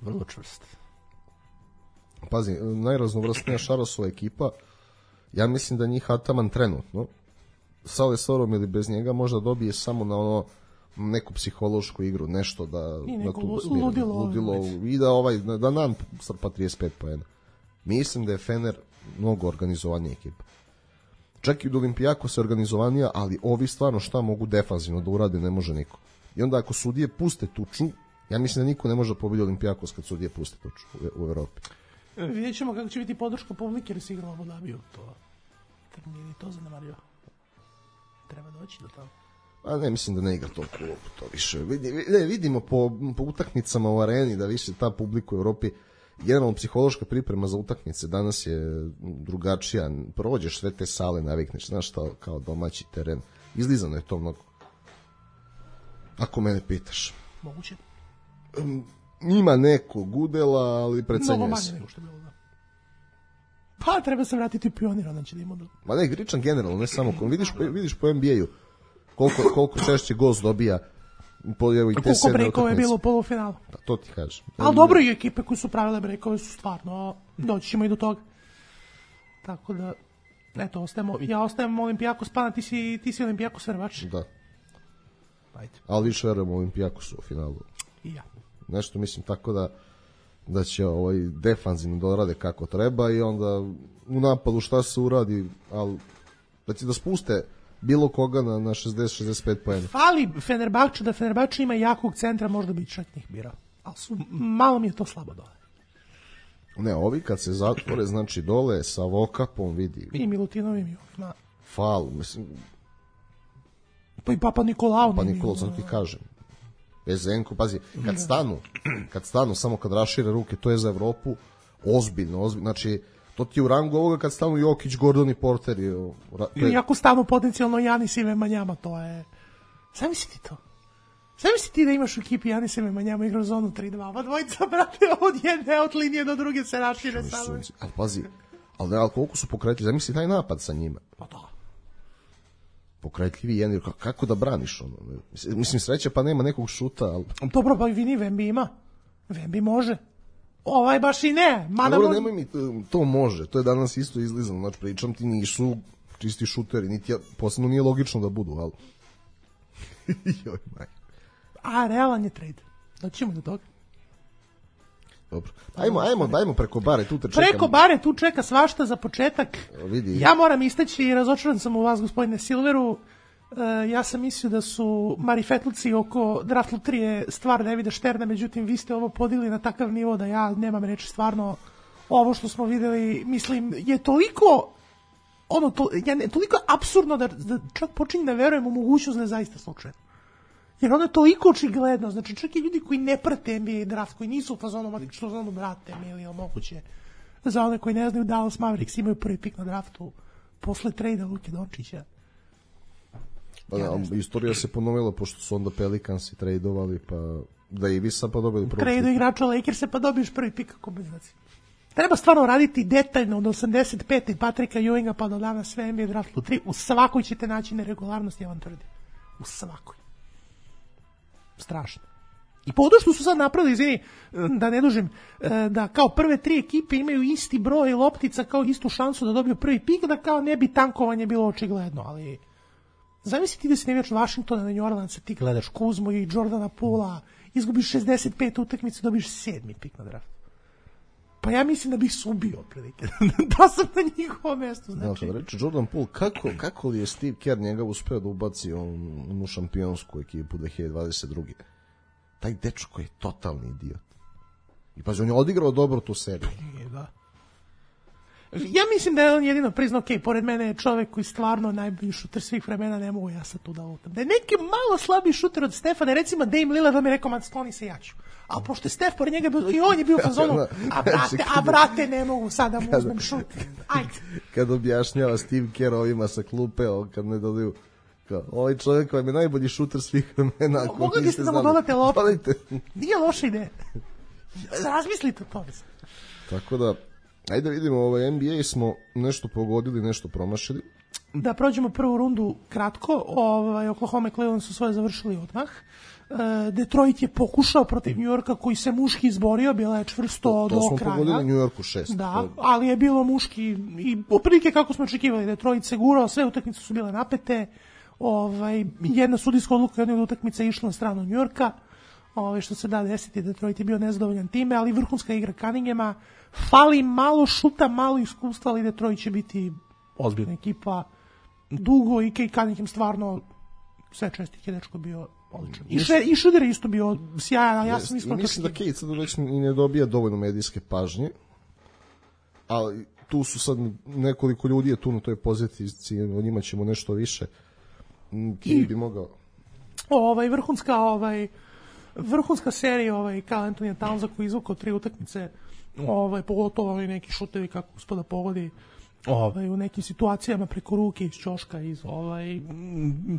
Vrlo čvrst. Pazi, najraznovrsnija Šarosova ekipa, ja mislim da njih Ataman trenutno, sa Lesorom ili bez njega, možda dobije samo na ono neku psihološku igru, nešto da... I neko tu ludilo. ludilo I da, ovaj, da nam strpa trideset pet poena. Mislim da je Fener mnogo organizovanija ekipa. Čak i od Olimpijako se organizovanija, ali ovi stvarno šta mogu defanzivno da urade, ne može niko. I onda ako sudije puste tuču, ja mislim da niko ne može pobediti Olimpijakos kad sudije puste tuču u, u Evropi. Vidjet ćemo kako će biti podrška publike jer se igralo u Abu Dhabiju. To nije to zanemario. Treba doći do toga. A ne, mislim da ne igra toliko to više. Vidi, ne, vidimo po, po utakmicama u areni da više ta publika u Evropi, generalno psihološka priprema za utakmice danas je drugačija. Prođeš sve te sale, navikneš, znaš šta, kao domaći teren. Izlizano je to mnogo. Ako mene pitaš. Moguće. Um, ima nekog udela, ali precenjuje se. Mnogo manje nego što je bilo, da. Pa treba se vratiti u Pionir, onda će da ima... Ma ne, Gričan generalno, ne samo... Vidiš, vidiš po N B A-u koliko, koliko češće gost dobija po evo i te koliko brejkova je bilo u polufinalu. Da, to ti kažem. Ali dobro, i ekipe koje su pravile brejkove su stvarno, doći ćemo i do toga. Tako da, eto, ostajemo, ja ostajem Olimpijakos, pa ti si, ti si Olimpijakos verovač. Da. Ajde. Ali više verujem Olimpijakosu u finalu. I ja. Nešto mislim tako da da će ovaj defanzivno da rade kako treba i onda u napadu šta se uradi, ali da će da spuste bilo koga na, na šezdeset šezdeset pet poena. Fali Fenerbahče, da Fenerbahče ima jakog centra, možda bi čak njih birao. Ali su, malo mi je to slabo dole. Ne, ovi kad se zatvore, znači dole sa Vokapom vidi. I Milutinovim i ovima. Fal, mislim. Pa i Papa Nikolao. Pa Nikolao, sad ti kažem. Bezenko, pazi, kad stanu, kad stanu, samo kad rašire ruke, to je za Evropu ozbiljno, ozbiljno. Znači, to ti je u rangu ovoga kad stanu Jokić, Gordon i Porter. I, je... I ako stanu potencijalno Janis i Vemanjama, to je... Zamisli ti to. Zamisli ti da imaš u ekipi Janis i Vemanjama igra zonu tri dva, pa dvojica, brate, od jedne, od linije do druge se rašire samo. Ali pazi, ali, ali koliko su pokretili, zamisli taj napad sa njima. Pa da. Pokretljivi jedan, kako da braniš ono? Mislim, sreće pa nema nekog šuta, ali... Dobro, pa vini, Vembi ima. Vembi može. Ovaj baš i ne. Mada dobro, nemoj mi, to može. To je danas isto izlizano. Znači, pričam ti, nisu čisti šuteri. Niti ja, posebno nije logično da budu, ali... Joj, maj. A, realan je trade. Doćemo do toga. Dobro. Ajmo, ajmo, ajmo preko bare, tu te čekam. Preko bare, tu čeka svašta za početak. Vidi. Ja moram istaći i razočaran sam u vas, gospodine Silveru. Uh, ja sam mislio da su marifetluci oko draft lutrije stvar Davida Šterna, međutim vi ste ovo podigli na takav nivo da ja nemam reći, stvarno ovo što smo videli, mislim, je toliko ono, to, ja ne, toliko apsurdno da, da čak počinjem da verujem u mogućnost da je zaista slučajno. Jer ono je toliko očigledno, znači čak i ljudi koji ne prate N B A draft, koji nisu u fazonu, što znamo, brate, mi ili moguće, za one koji ne znaju, Dallas Mavericks imaju prvi pik na draftu posle trejda Luke Dončića. Pa da, ja istorija se ponovila, pošto su onda Pelicansi trejdovali, pa da i vi sad pa dobili prvi trejdu igrača Lakersa, pa dobiješ prvi pik kako bez znači. treba stvarno raditi detaljno od osamdeset pete Patrika Ewinga pa do danas sve N B A Draft Lottery. U svakoj ćete naći neregularnost, ja vam tvrdim. U svakoj. Strašno. I po što su sad napravili, izvini, da ne dužim, da kao prve tri ekipe imaju isti broj loptica, kao istu šansu da dobiju prvi pik, da kao ne bi tankovanje bilo očigledno, ali zamisli ti da si nevijač Washingtona na New Orleans, ti gledaš Kuzmu i Jordana Poola, izgubiš šezdeset pet utakmica, dobiš sedmi pik na draftu. Pa ja mislim da bih se ubio prilike. Da sam na njihovom mjestu. Znači. Ja, kad reče Jordan Poole, kako, kako li je Steve Kerr njega uspeo da ubaci on, u šampionsku ekipu dve hiljade dvadeset druge. Taj dečko je totalni idiot. I pazi, on je odigrao dobro tu seriju. Da. Ja mislim da je on jedino priznao, ok, pored mene je čovek koji stvarno najbolji šuter svih vremena, ne mogu ja sad tu da lutam. Da je neki malo slabiji šuter od Stefana, recimo Dame Lillard, da mi je rekao, man, skloni se, ja ću. A pošto je Stef pored njega bio, i on je bio u fazonu, a brate, a brate, ne mogu sad da mu uzmem šut. Ajde. Kad objašnjava Steve Kerr ovima sa klupe, kad ne dodaju, kao, ovaj čovjek vam je najbolji šuter svih vremena. Mogli biste da mu dodate loptu. Nije loša ideja. Razmislite o tome. Tako da, ajde vidimo, ovaj N B A smo nešto pogodili, nešto promašili. Da prođemo prvu rundu kratko. Ovaj, Oklahoma i Cleveland su svoje završili odmah. Detroit je pokušao protiv New Yorka koji se muški izborio, bila je čvrsto to, to do kraja. To smo pogodili New Yorku šest. Da, ali je bilo muški i oprilike kako smo očekivali. Detroit se gurao, sve utakmice su bile napete. Ovaj, jedna sudijska odluka jedna od utakmica je išla na stranu New Yorka. Ovaj, što se da desiti, Detroit je bio nezadovoljan time, ali vrhunska igra Cunninghama. Fali malo šuta, malo iskustva, ali Detroit će biti ozbiljna ekipa. Dugo i Kay Cunningham stvarno sve čestih je dečko bio odličan. I, še, i Šuder je isto bio sjajan, ja sam iskreno. Mislim da Kate sad već i ne dobija dovoljno medijske pažnje, ali tu su sad nekoliko ljudi je tu na toj poziciji, o njima ćemo nešto više. Kate bi mogao. Ovaj, vrhunska, ovaj, vrhunska serija ovaj, Karl Anthony Townsa koji izvukao tri utakmice, ovaj, pogotovo ovaj neki šutevi kako gospoda pogodi, ovaj, u nekim situacijama preko ruke iz ćoška, iz ovaj,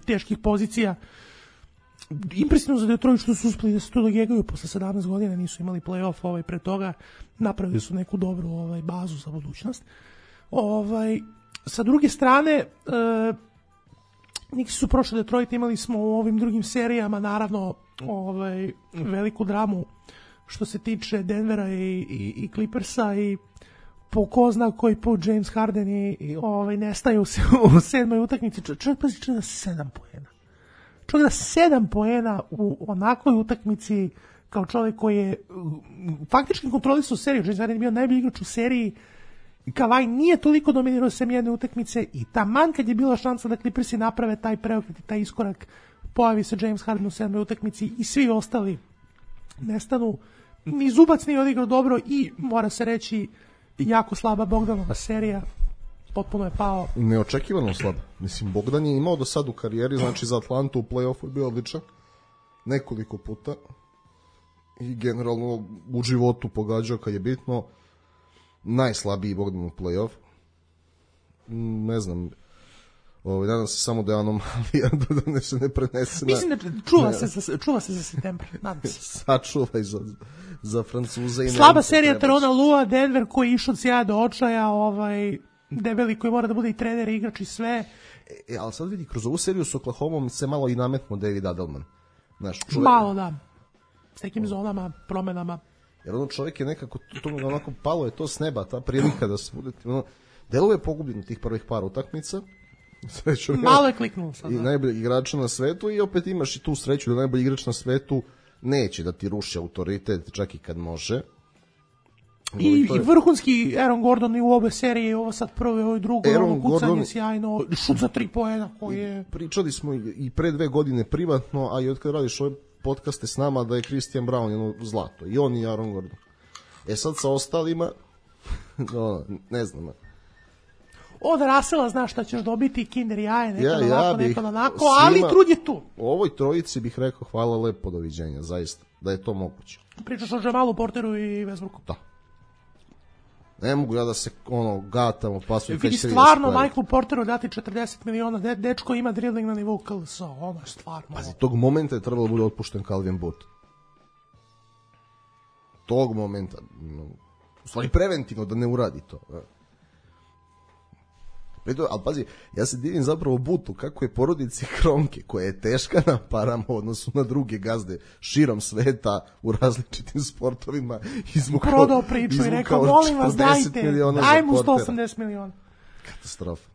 teških pozicija. Impresivno za Detroit što su uspeli da se tu dogegaju posle sedamnaest godina, nisu imali play-off ovaj, pre toga, napravili su neku dobru ovaj, bazu za budućnost. Ovaj, sa druge strane, e, Niksi su prošli Detroit, imali smo u ovim drugim serijama naravno ovaj, veliku dramu što se tiče Denvera i, i, i Clippersa i po ko zna koji put James Harden i, i ovaj, nestaje u, u sedmoj utakmici. Čovjek pazi čovjek da sedam poena. Čovjek da sedam poena u onakvoj utakmici kao čovjek koji je faktički kontrolisao seriju. James Harden je bio najbolji igrač u seriji. Kavaj nije toliko dominirao sem jedne utakmice i taman kad je bila šansa da Clippersi naprave taj preokret i taj iskorak, pojavi se James Harden u sedmoj utakmici i svi ostali nestanu. Ni Zubac nije odigrao dobro i mora se reći jako slaba Bogdanova serija, potpuno je pao. Neočekivano slaba. Mislim, Bogdan je imao do sad u karijeri, znači za Atlantu u play-offu je bio odličan nekoliko puta i generalno u životu pogađao kad je bitno. Najslabiji Bogdan u play-off. Ne znam, ovaj, nadam se samo da je anomalija da ne se ne prenese. Mislim da čuva se za, čuva se za septembar, nadam se. Sačuvaj za, za Francuze. I slaba serija Terona Lua, Denver koji je išao od sjaja do očaja, ovaj, debeli koji mora da bude i trener, i igrač i sve. E, ali sad vidi, kroz ovu seriju s Oklahomom se malo i nametno David Adelman. Znaš, čuvaj, malo da, s nekim zonama, promenama. Jer ono čovjek je nekako, to mu onako palo je to s neba, ta prilika da se bude, ono, deluje je pogubljen tih prvih par utakmica. Srećom, malo je kliknulo sad. I najbolji igrač na svetu i opet imaš i tu sreću da najbolji igrač na svetu neće da ti ruši autoritet čak i kad može. I, i je... vrhunski Aaron Gordon i u ove serije, ovo sad prvo i ovo drugo, ovo kucanje Gordon... sjajno, šut za tri poena koji je... Pričali smo i pre dve godine privatno, a i od kad radiš ove podcaste s nama da je Christian Brown jedno zlato. I on i Aaron Gordon. E sad sa ostalima, no, ne znam. Od Rasela znaš šta ćeš dobiti, kinder jaje, nekad ja, onako, ja nekad onako, svima, ali trud je tu. U ovoj trojici bih rekao hvala lepo, doviđenja, zaista, da je to moguće. Pričaš o Jamalu Porteru i Westbrooku. Da. Ne mogu ja da se ono gatamo pasu i vidi stvarno Michaelu Porteru dati četrdeset miliona, de, dečko ima dribbling na nivou K L S-a, ono je stvarno. Pazi, tog momenta je trebalo bude otpušten Calvin Booth. Tog momenta. u stvari preventivno da ne uradi to. Prito, ali pazi, ja se divim zapravo Butu kako je porodici Kronke, koja je teška na parama u odnosu na druge gazde širom sveta u različitim sportovima, izvukao, prodao priču i rekao, molim vas, dajte, daj mu sto osamdeset miliona. Katastrofa.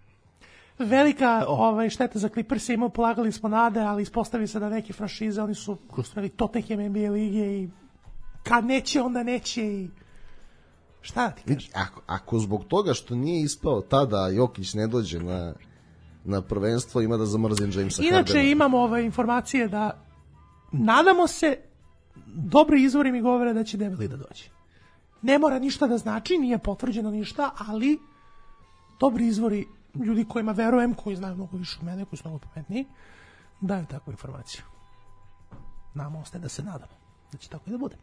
Velika ovaj, šteta za Clippers je imao, polagali smo nade, ali ispostavi se da neke franšize, oni su ustvari Tottenham N B A lige i kad neće, onda neće i šta da ti kažeš? Ako, ako zbog toga što nije ispao tada Jokić ne dođe na, na prvenstvo, ima da zamrzim Jamesa Hardena. Inače imamo ove informacije da nadamo se, dobri izvori mi govore da će Debeli da dođe. Ne mora ništa da znači, nije potvrđeno ništa, ali dobri izvori, ljudi kojima verujem, koji znaju mnogo više od mene, koji su mnogo pametniji, daju takvu informaciju. Nama ostaje da se nadamo da će tako i da bude.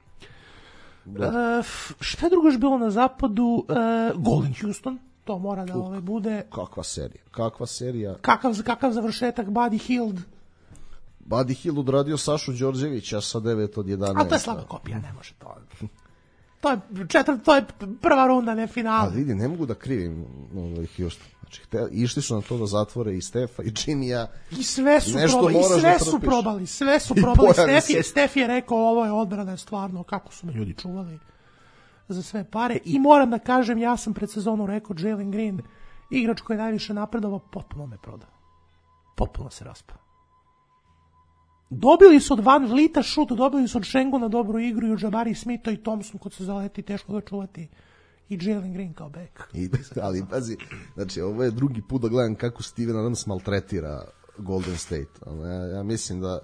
Da. Uh, šta je drugo još bilo na zapadu? Uh, Golden Houston, to mora da ove bude. Kakva serija, kakva serija. Kakav, kakav završetak, Buddy Hield. Buddy Hield odradio Sašu Đorđevića sa devet od jedanaest. A to je slaba kopija, ne može to. To je, četvr, to je prva runda, ne finale. A vidi, ne mogu da krivim ovaj Houston. Znači, te, išli su na to da zatvore i Stefa i Jimmya. I sve su probali, i sve da su probali, sve su probali. Stef je, Stef je rekao, ovo je odbrana, je stvarno, kako su me ljudi čuvali za sve pare. I moram da kažem, ja sam pred sezonu rekao, Jalen Green, igrač koji je najviše napredovao, potpuno me prodao. Potpuno se raspao. Dobili su od Van Vlita šut, dobili su od Šenguna dobru igru i od Jabari Smitha i Thompson kod se zaleti, teško ga čuvati. I Jalen Green kao back. I, ali pazi, znači ovo je drugi put da gledam kako Steven Adams maltretira Golden State. Ja, ja mislim da...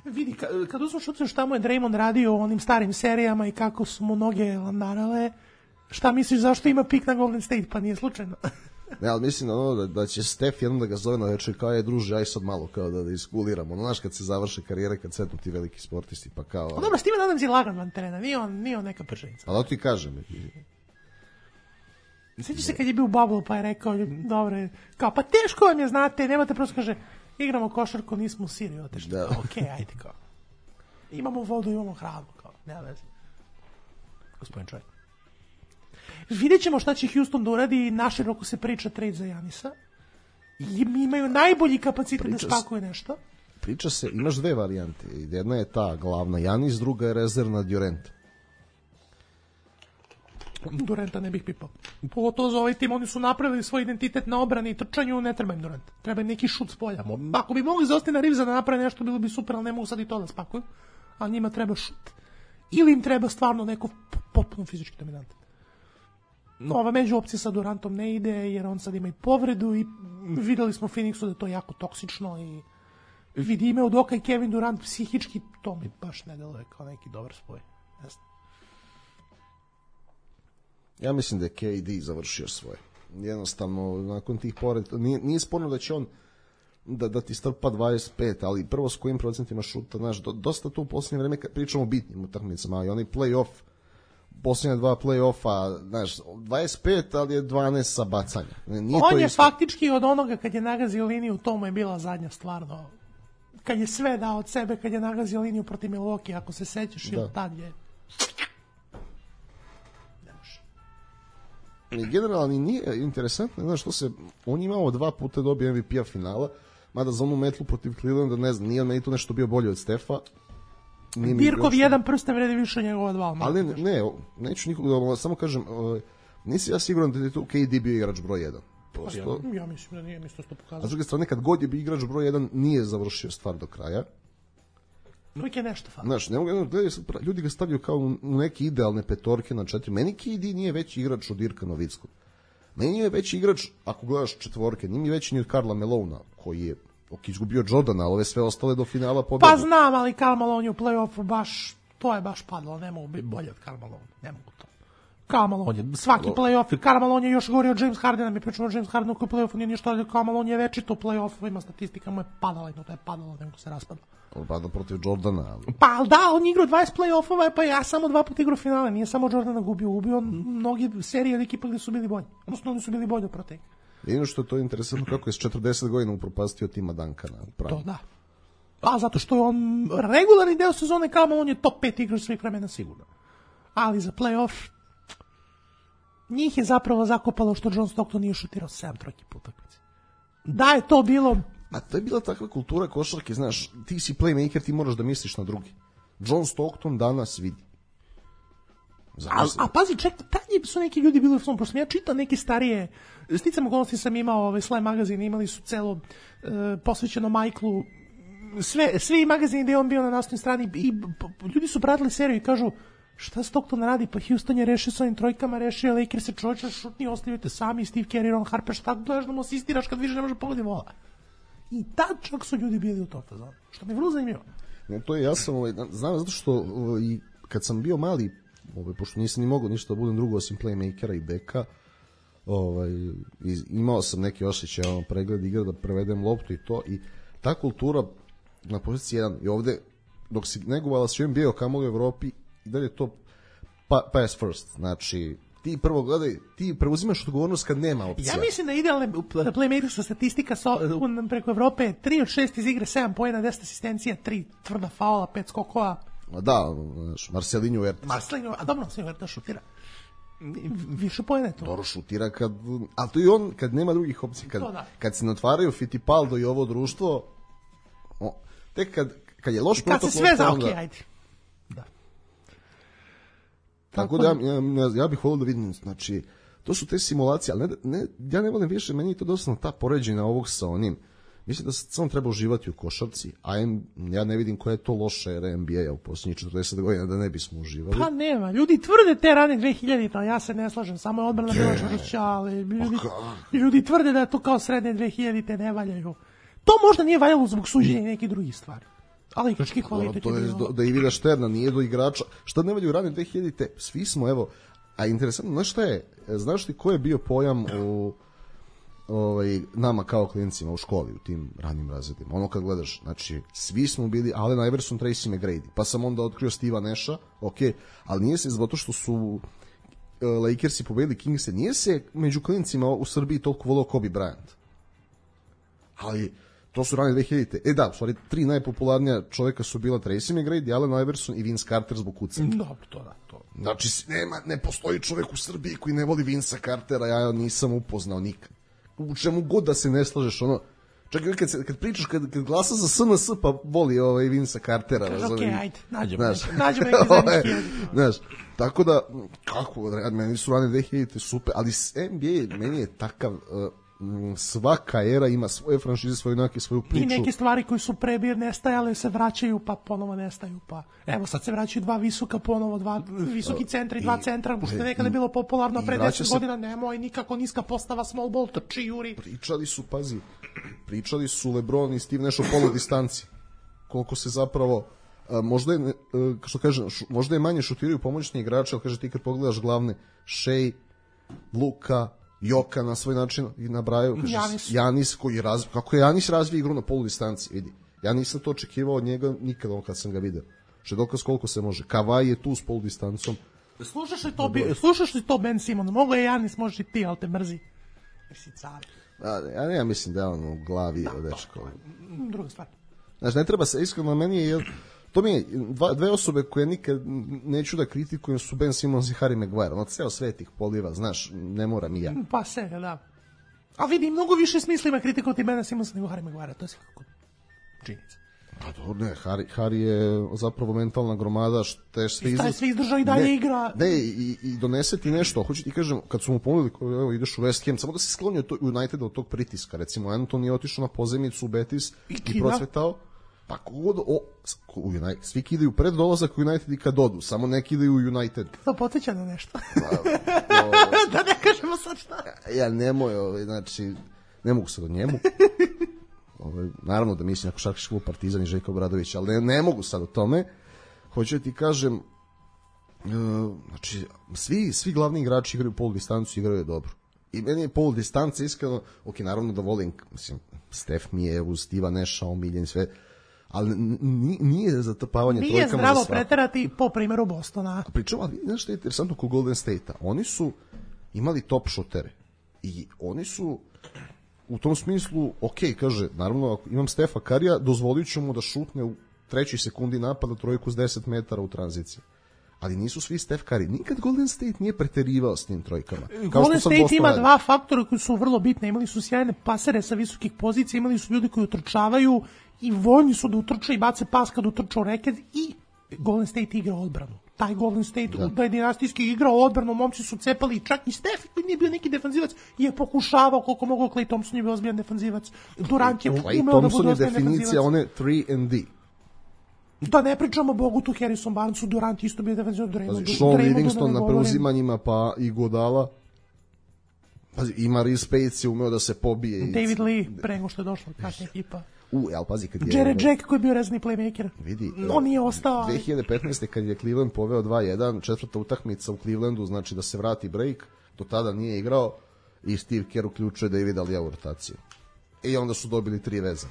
Vidi, kad, kad uzmeš učinu šta mu je Draymond radio u onim starim serijama i kako su mu noge landarale, šta misliš zašto ima pik na Golden State? Pa nije slučajno. Ne, ali mislim da, ono, da, da će Steph jednom da ga zove na večer kao je druže, aj sad malo kao da, da iskuliramo. Ono, znaš, kad se završe karijere, kad setnu ti veliki sportisti, pa kao... A dobro, Steven Adams je lagan van terena, nije on, nije on neka prženica. Ali da ti kažem... Sjećaš se kad je bio u Bubble pa je rekao, dobro, kao, pa teško vam je, znate, nemate prosto, kaže, igramo košarku, nismo u Siriju otešli. Da. Okej, okay, ajde, kao. Imamo vodu, imamo hranu, kao, nema veze. Gospodin čovjek. Vidjet ćemo šta će Houston da uradi, naširoko se priča trade za Janisa. I imaju najbolji kapacitet priča da spakuju nešto. Priča se, imaš dve varijante. Jedna je ta glavna Janis, druga je rezervna Durant. Duranta ne bih pipao. Pogotovo za ovaj tim, oni su napravili svoj identitet na obrani i trčanju, ne treba im Durant. Treba im neki šut s polja. Ako bi mogli za Austina Reevesa da naprave nešto, bilo bi super, ali ne mogu sad i to da spakuju. A njima treba šut. Ili im treba stvarno neko potpuno fizički dominantan. Ova među opcija sa Durantom ne ide, jer on sad ima i povredu i videli smo u Phoenixu da je to jako toksično i vidi ime od oka i Kevin Durant psihički, to mi baš ne deluje kao neki dobar spoj. Jasno. Ja mislim da je K D završio svoje. Jednostavno, nakon tih povreda, nije, nije sporno da će on da, da ti strpa dvadeset pet, ali prvo s kojim procentima šuta, znaš, do, dosta tu u posljednje vreme pričamo o bitnim utakmicama, ali onaj play-off, posljednje dva play-offa, znaš, dvadeset pet, ali je dvanaest sa bacanja. Nije on to je isto. Faktički od onoga kad je nagazio liniju, to mu je bila zadnja stvarno. Kad je sve dao od sebe, kad je nagazio liniju protiv Milwaukee, ako se sećaš, da. Ili tad je... Generalno nije interesantno, znaš što se, on je imao dva puta dobio M V P-a finala, mada za onu metlu protiv Clevelanda, ne znam, nije on meni tu nešto bio bolje od Stefa. Dirkov jedan prsten vredi više od njegova dva. Ali ne, ne, neću nikog da, samo kažem, nisi ja siguran da je tu K D bio igrač broj jedan. Prosto, ja, ja mislim da nije, mislim to pokazao. A s druge strane, kad god je bio igrač broj jedan, nije završio stvar do kraja. Uvijek je nešto fali. Znaš, ne mogu, gledaju, ljudi ga stavljaju kao u neke idealne petorke na četiri. Meni K D nije veći igrač od Dirka Nowitzkog. Meni je veći igrač, ako gledaš četvorke, nije mi veći ni od Karla Malona, koji je ok, izgubio Jordana, ali ove sve ostale do finala pobedu. Pa znam, ali Karl Malone u play-offu baš, to je baš padlo, ne mogu biti bolje od Karl Malone, ne mogu to. Karl Malone je svaki play-off, Karl Malone je još govorio od James Hardena, mi pričamo od James Hardenu koji u play-offu nije ništa, ali Karl Malone je večito u play-offu, ima statistika, mu je padala, no to je padalo, nego se raspadlo. Pada protiv Jordana. Ali... Pa da, on igrao dvadeset play-offova, pa ja samo dva puta igrao finale, nije samo Jordana gubio, gubio on mnogi serije od ekipa gde su bili bolji, odnosno oni su bili bolji protiv. Jedino što je to interesantno kako je s četrdeset godina upropastio tima Duncana. To da. A zato što je on regularni deo sezone, kao on je top pet igrač svih vremena sigurno. Ali za play-off njih je zapravo zakopalo što John Stockton nije šutirao sedam trojki po utakmici. Da je to bilo... A to je bila takva kultura košarke, znaš, ti si playmaker, ti moraš da misliš na drugi. John Stockton danas vidi. A, a pazi, ček, tada su neki ljudi bili u svom, pošto sam ja čitao neke starije, sticam okolnosti sam imao ovaj Slam magazin, imali su celo e, posvećeno Michaelu, sve, svi magazini gde je on bio na naslovnoj strani i p, ljudi su pratili seriju i kažu šta Stockton radi, pa Houston je rešio s ovim trojkama, rešio Lakers se čovječa šutni, ostavite sami, Steve Kerr, Ron Harper, šta gledaš da mu asistiraš kad više ne može pogodi vola. I tad čak su ljudi bili u to fazonu, što mi je vrlo zanimljivo. Ne, to je, ja sam, ovaj, znam zato što ovaj, i kad sam bio mali, ovaj, pošto nisam ni mogao ništa da budem drugo osim playmakera i beka, ovaj, imao sam neki osjećaj, ono, pregled igra da prevedem loptu i to, i ta kultura na poziciji jedan, i ovde, dok si negovala si N B A kamoli u Evropi, i dalje je to pa, pass first, znači ti prvo gledaj, ti preuzimaš odgovornost kad nema opcija. Ja mislim da idealna playmakerska statistika so, un, preko Evrope je tri od šest iz igre, sedam poena, deset asistencija, tri tvrda faula, pet skokova. Da, znaš, Marcelinho Huerta. Marcelinho, a dobro, Marcelinho Huerta šutira. Više poena je to. Dobro šutira, kad, ali to i on kad nema drugih opcija, kad, da. Kad se natvaraju Fittipaldo i ovo društvo, o, tek kad, kad je loš protokol... Kad se sve za, okej, okay, ajde. Da. Tako da ja, ja, ja bih volio da vidim, znači, to su te simulacije, ali ne, ne, ja ne volim više, meni je to dosta ta poređenja ovog sa onim. Mislim da samo treba uživati u košarci, a ja ne vidim koja je to loša era N B A u posljednjih četrdeset godina da ne bismo uživali. Pa nema, ljudi tvrde te rane dve hiljadite, ali ja se ne slažem, samo je odbrana bila čvršća, ali ljudi, ljudi tvrde da to kao srednje dve hiljadite ne valjaju. To možda nije valjalo zbog suđenja i nekih drugih stvari. Ali igrački kvalitet je bilo. Da Ivida Šterna nije do igrača. Šta ne valjaju rane dve hiljadite? Svi smo, evo, a interesantno, znaš šta je? Znaš ti ko je bio pojam u ovaj, nama kao klinicima u školi, u tim ranim razredima? Ono kad gledaš, znači, svi smo bili Allen Iverson, Tracy McGrady, pa sam onda otkrio Steve'a Nasha, ok, ali nije se zato što su uh, Lakersi pobedili Kingse, nije se među klinicima u Srbiji toliko volio Kobe Bryant. Ali to su rane dve hiljadite. E da, u stvari, tri najpopularnija čovjeka su bila Tracy McGrady, Allen Iverson i Vince Carter zbog kucanja. Dobro, to da, to. Znači, nema, ne postoji čovjek u Srbiji koji ne voli Vinca Cartera, ja nisam upoznao nikad. U čemu god da se ne slažeš, ono, čak i kad, se, kad pričaš, kad, kad glasa za S N S, pa voli ovaj Vinca Cartera. Kaže, okej, okay, ajde, nađemo neki, nađemo neki zajednički. Znaš, tako da, kako, meni su rane dve hiljadite super, ali N B A meni je takav... Uh, svaka era ima svoje franšize, svoju neke, svoju priču. I neke stvari koji su prebir nestajale se vraćaju, pa ponovo nestaju, pa evo sad se vraćaju dva visoka, ponovo dva visoki centri, dva centra, što je nekada bilo popularno pre deset se... godina, nemoj nikako niska postava, small ball, trči, juri. Pričali su, pazi, pričali su LeBron i Steve Nash o polu distanci. Koliko se zapravo, a, možda je, a, što kažem, š, možda je manje šutiraju pomoćni igrači, ali kaže ti kad pogledaš glavne, Shea, Luka, Joka na svoj način i nabraju, kaže, Janis. Janis koji razvi, kako je Janis razvija igru na polu distanci, vidi. Ja nisam to očekivao od njega nikada kad sam ga video. Što je dokaz koliko se može. Kavaj je tu s polu distancom. Slušaš li to, bi, slušaš li to Ben Simon? Mogu je Janis, možeš i ti, ali te mrzi. Jer si car. Ja ne, ja mislim da je on u glavi da, dečko. Druga stvar. Znači, ne treba se, iskreno, meni je, to mi je, dva, dve osobe koje nikad neću da kritikujem su Ben Simmons i Harry Maguire. Ono, ceo svet ih poliva, znaš, ne moram i ja. Pa se, da. A vidi, mnogo više smisla ima kritikovati Bena Simmonsa nego Harry Maguire, to je svakako činjenica. Pa dobro, ne, Harry, Harry je zapravo mentalna gromada, što je sve izdržao. sve izdržao i dalje ne, igra. Ne, i, i donese ti nešto, hoću ti kažem, kad su mu ponudili, evo, ideš u West Ham, samo da se sklonio to, United od tog pritiska, recimo, Anton je otišao na pozemicu u Betis i, i procvetao. Pa kogod, o, United, svi kidaju pred dolazak u United i kad odu, samo ne kidaju u United. To podsjeća na nešto. Pa, o, da ne kažemo sad šta. Ja nemoj, ovaj, znači, ne mogu sad o njemu. Ovaj, naravno da mislim na košarkaški klub Partizan i Željko Obradović, ali ne, ne mogu sad o tome. Hoću da ti kažem, uh, znači, svi, svi glavni igrači igraju polu distancu, igraju dobro. I meni je polu distanca iskreno, ok, naravno da volim, mislim, Steph mi je uz Steve'a Nasha omiljen sve, ali nije zatrpavanje nije trojkama za svako. Nije zdravo preterati po primjeru Bostona. Pričam, ali znaš što je interesantno kod Golden State-a? Oni su imali top šutere i oni su u tom smislu, ok, kaže, naravno, ako imam Stefa Karija, dozvolit ću mu da šutne u trećoj sekundi napada trojku s deset metara u tranziciji. ali nisu svi Steph Curry. Nikad Golden State nije preterivao s tim trojkama. Golden State ima dva faktora koji su vrlo bitne. Imali su sjajne pasere sa visokih pozicija, imali su ljudi koji utrčavaju i voljni su da utrče i bace pas kad utrče u reket i Golden State igra odbranu. Taj Golden State da, da je dinastijski igrao odbranu, momci su cepali, čak i Steph koji nije bio neki defanzivac je pokušavao koliko mogao. Klay Thompson je bio ozbiljan defanzivac. Durant je umeo da bude ozbiljan defanzivac. Klay Thompson je definicija one tri and D. Da ne pričamo Bogutu, Harrison Barnesu, Durant isto bio defenzivac. Pazi, Sean Livingston na preuzimanjima, pa i Godala. Pazi, i Maurice Pace je umeo da se pobije. David i... Lee, pre nego što je došla kasnija ekipa. U, jel, pazi, kad je... Jared Jack koji je bio rezni playmaker. Vidi. On nije ostao. dve hiljade petnaeste kad je Cleveland poveo dva jedan, četvrta utakmica u Clevelandu, znači da se vrati break, do tada nije igrao i Steve Kerr uključuje Davida Lee u rotaciju. I onda su dobili tri veze.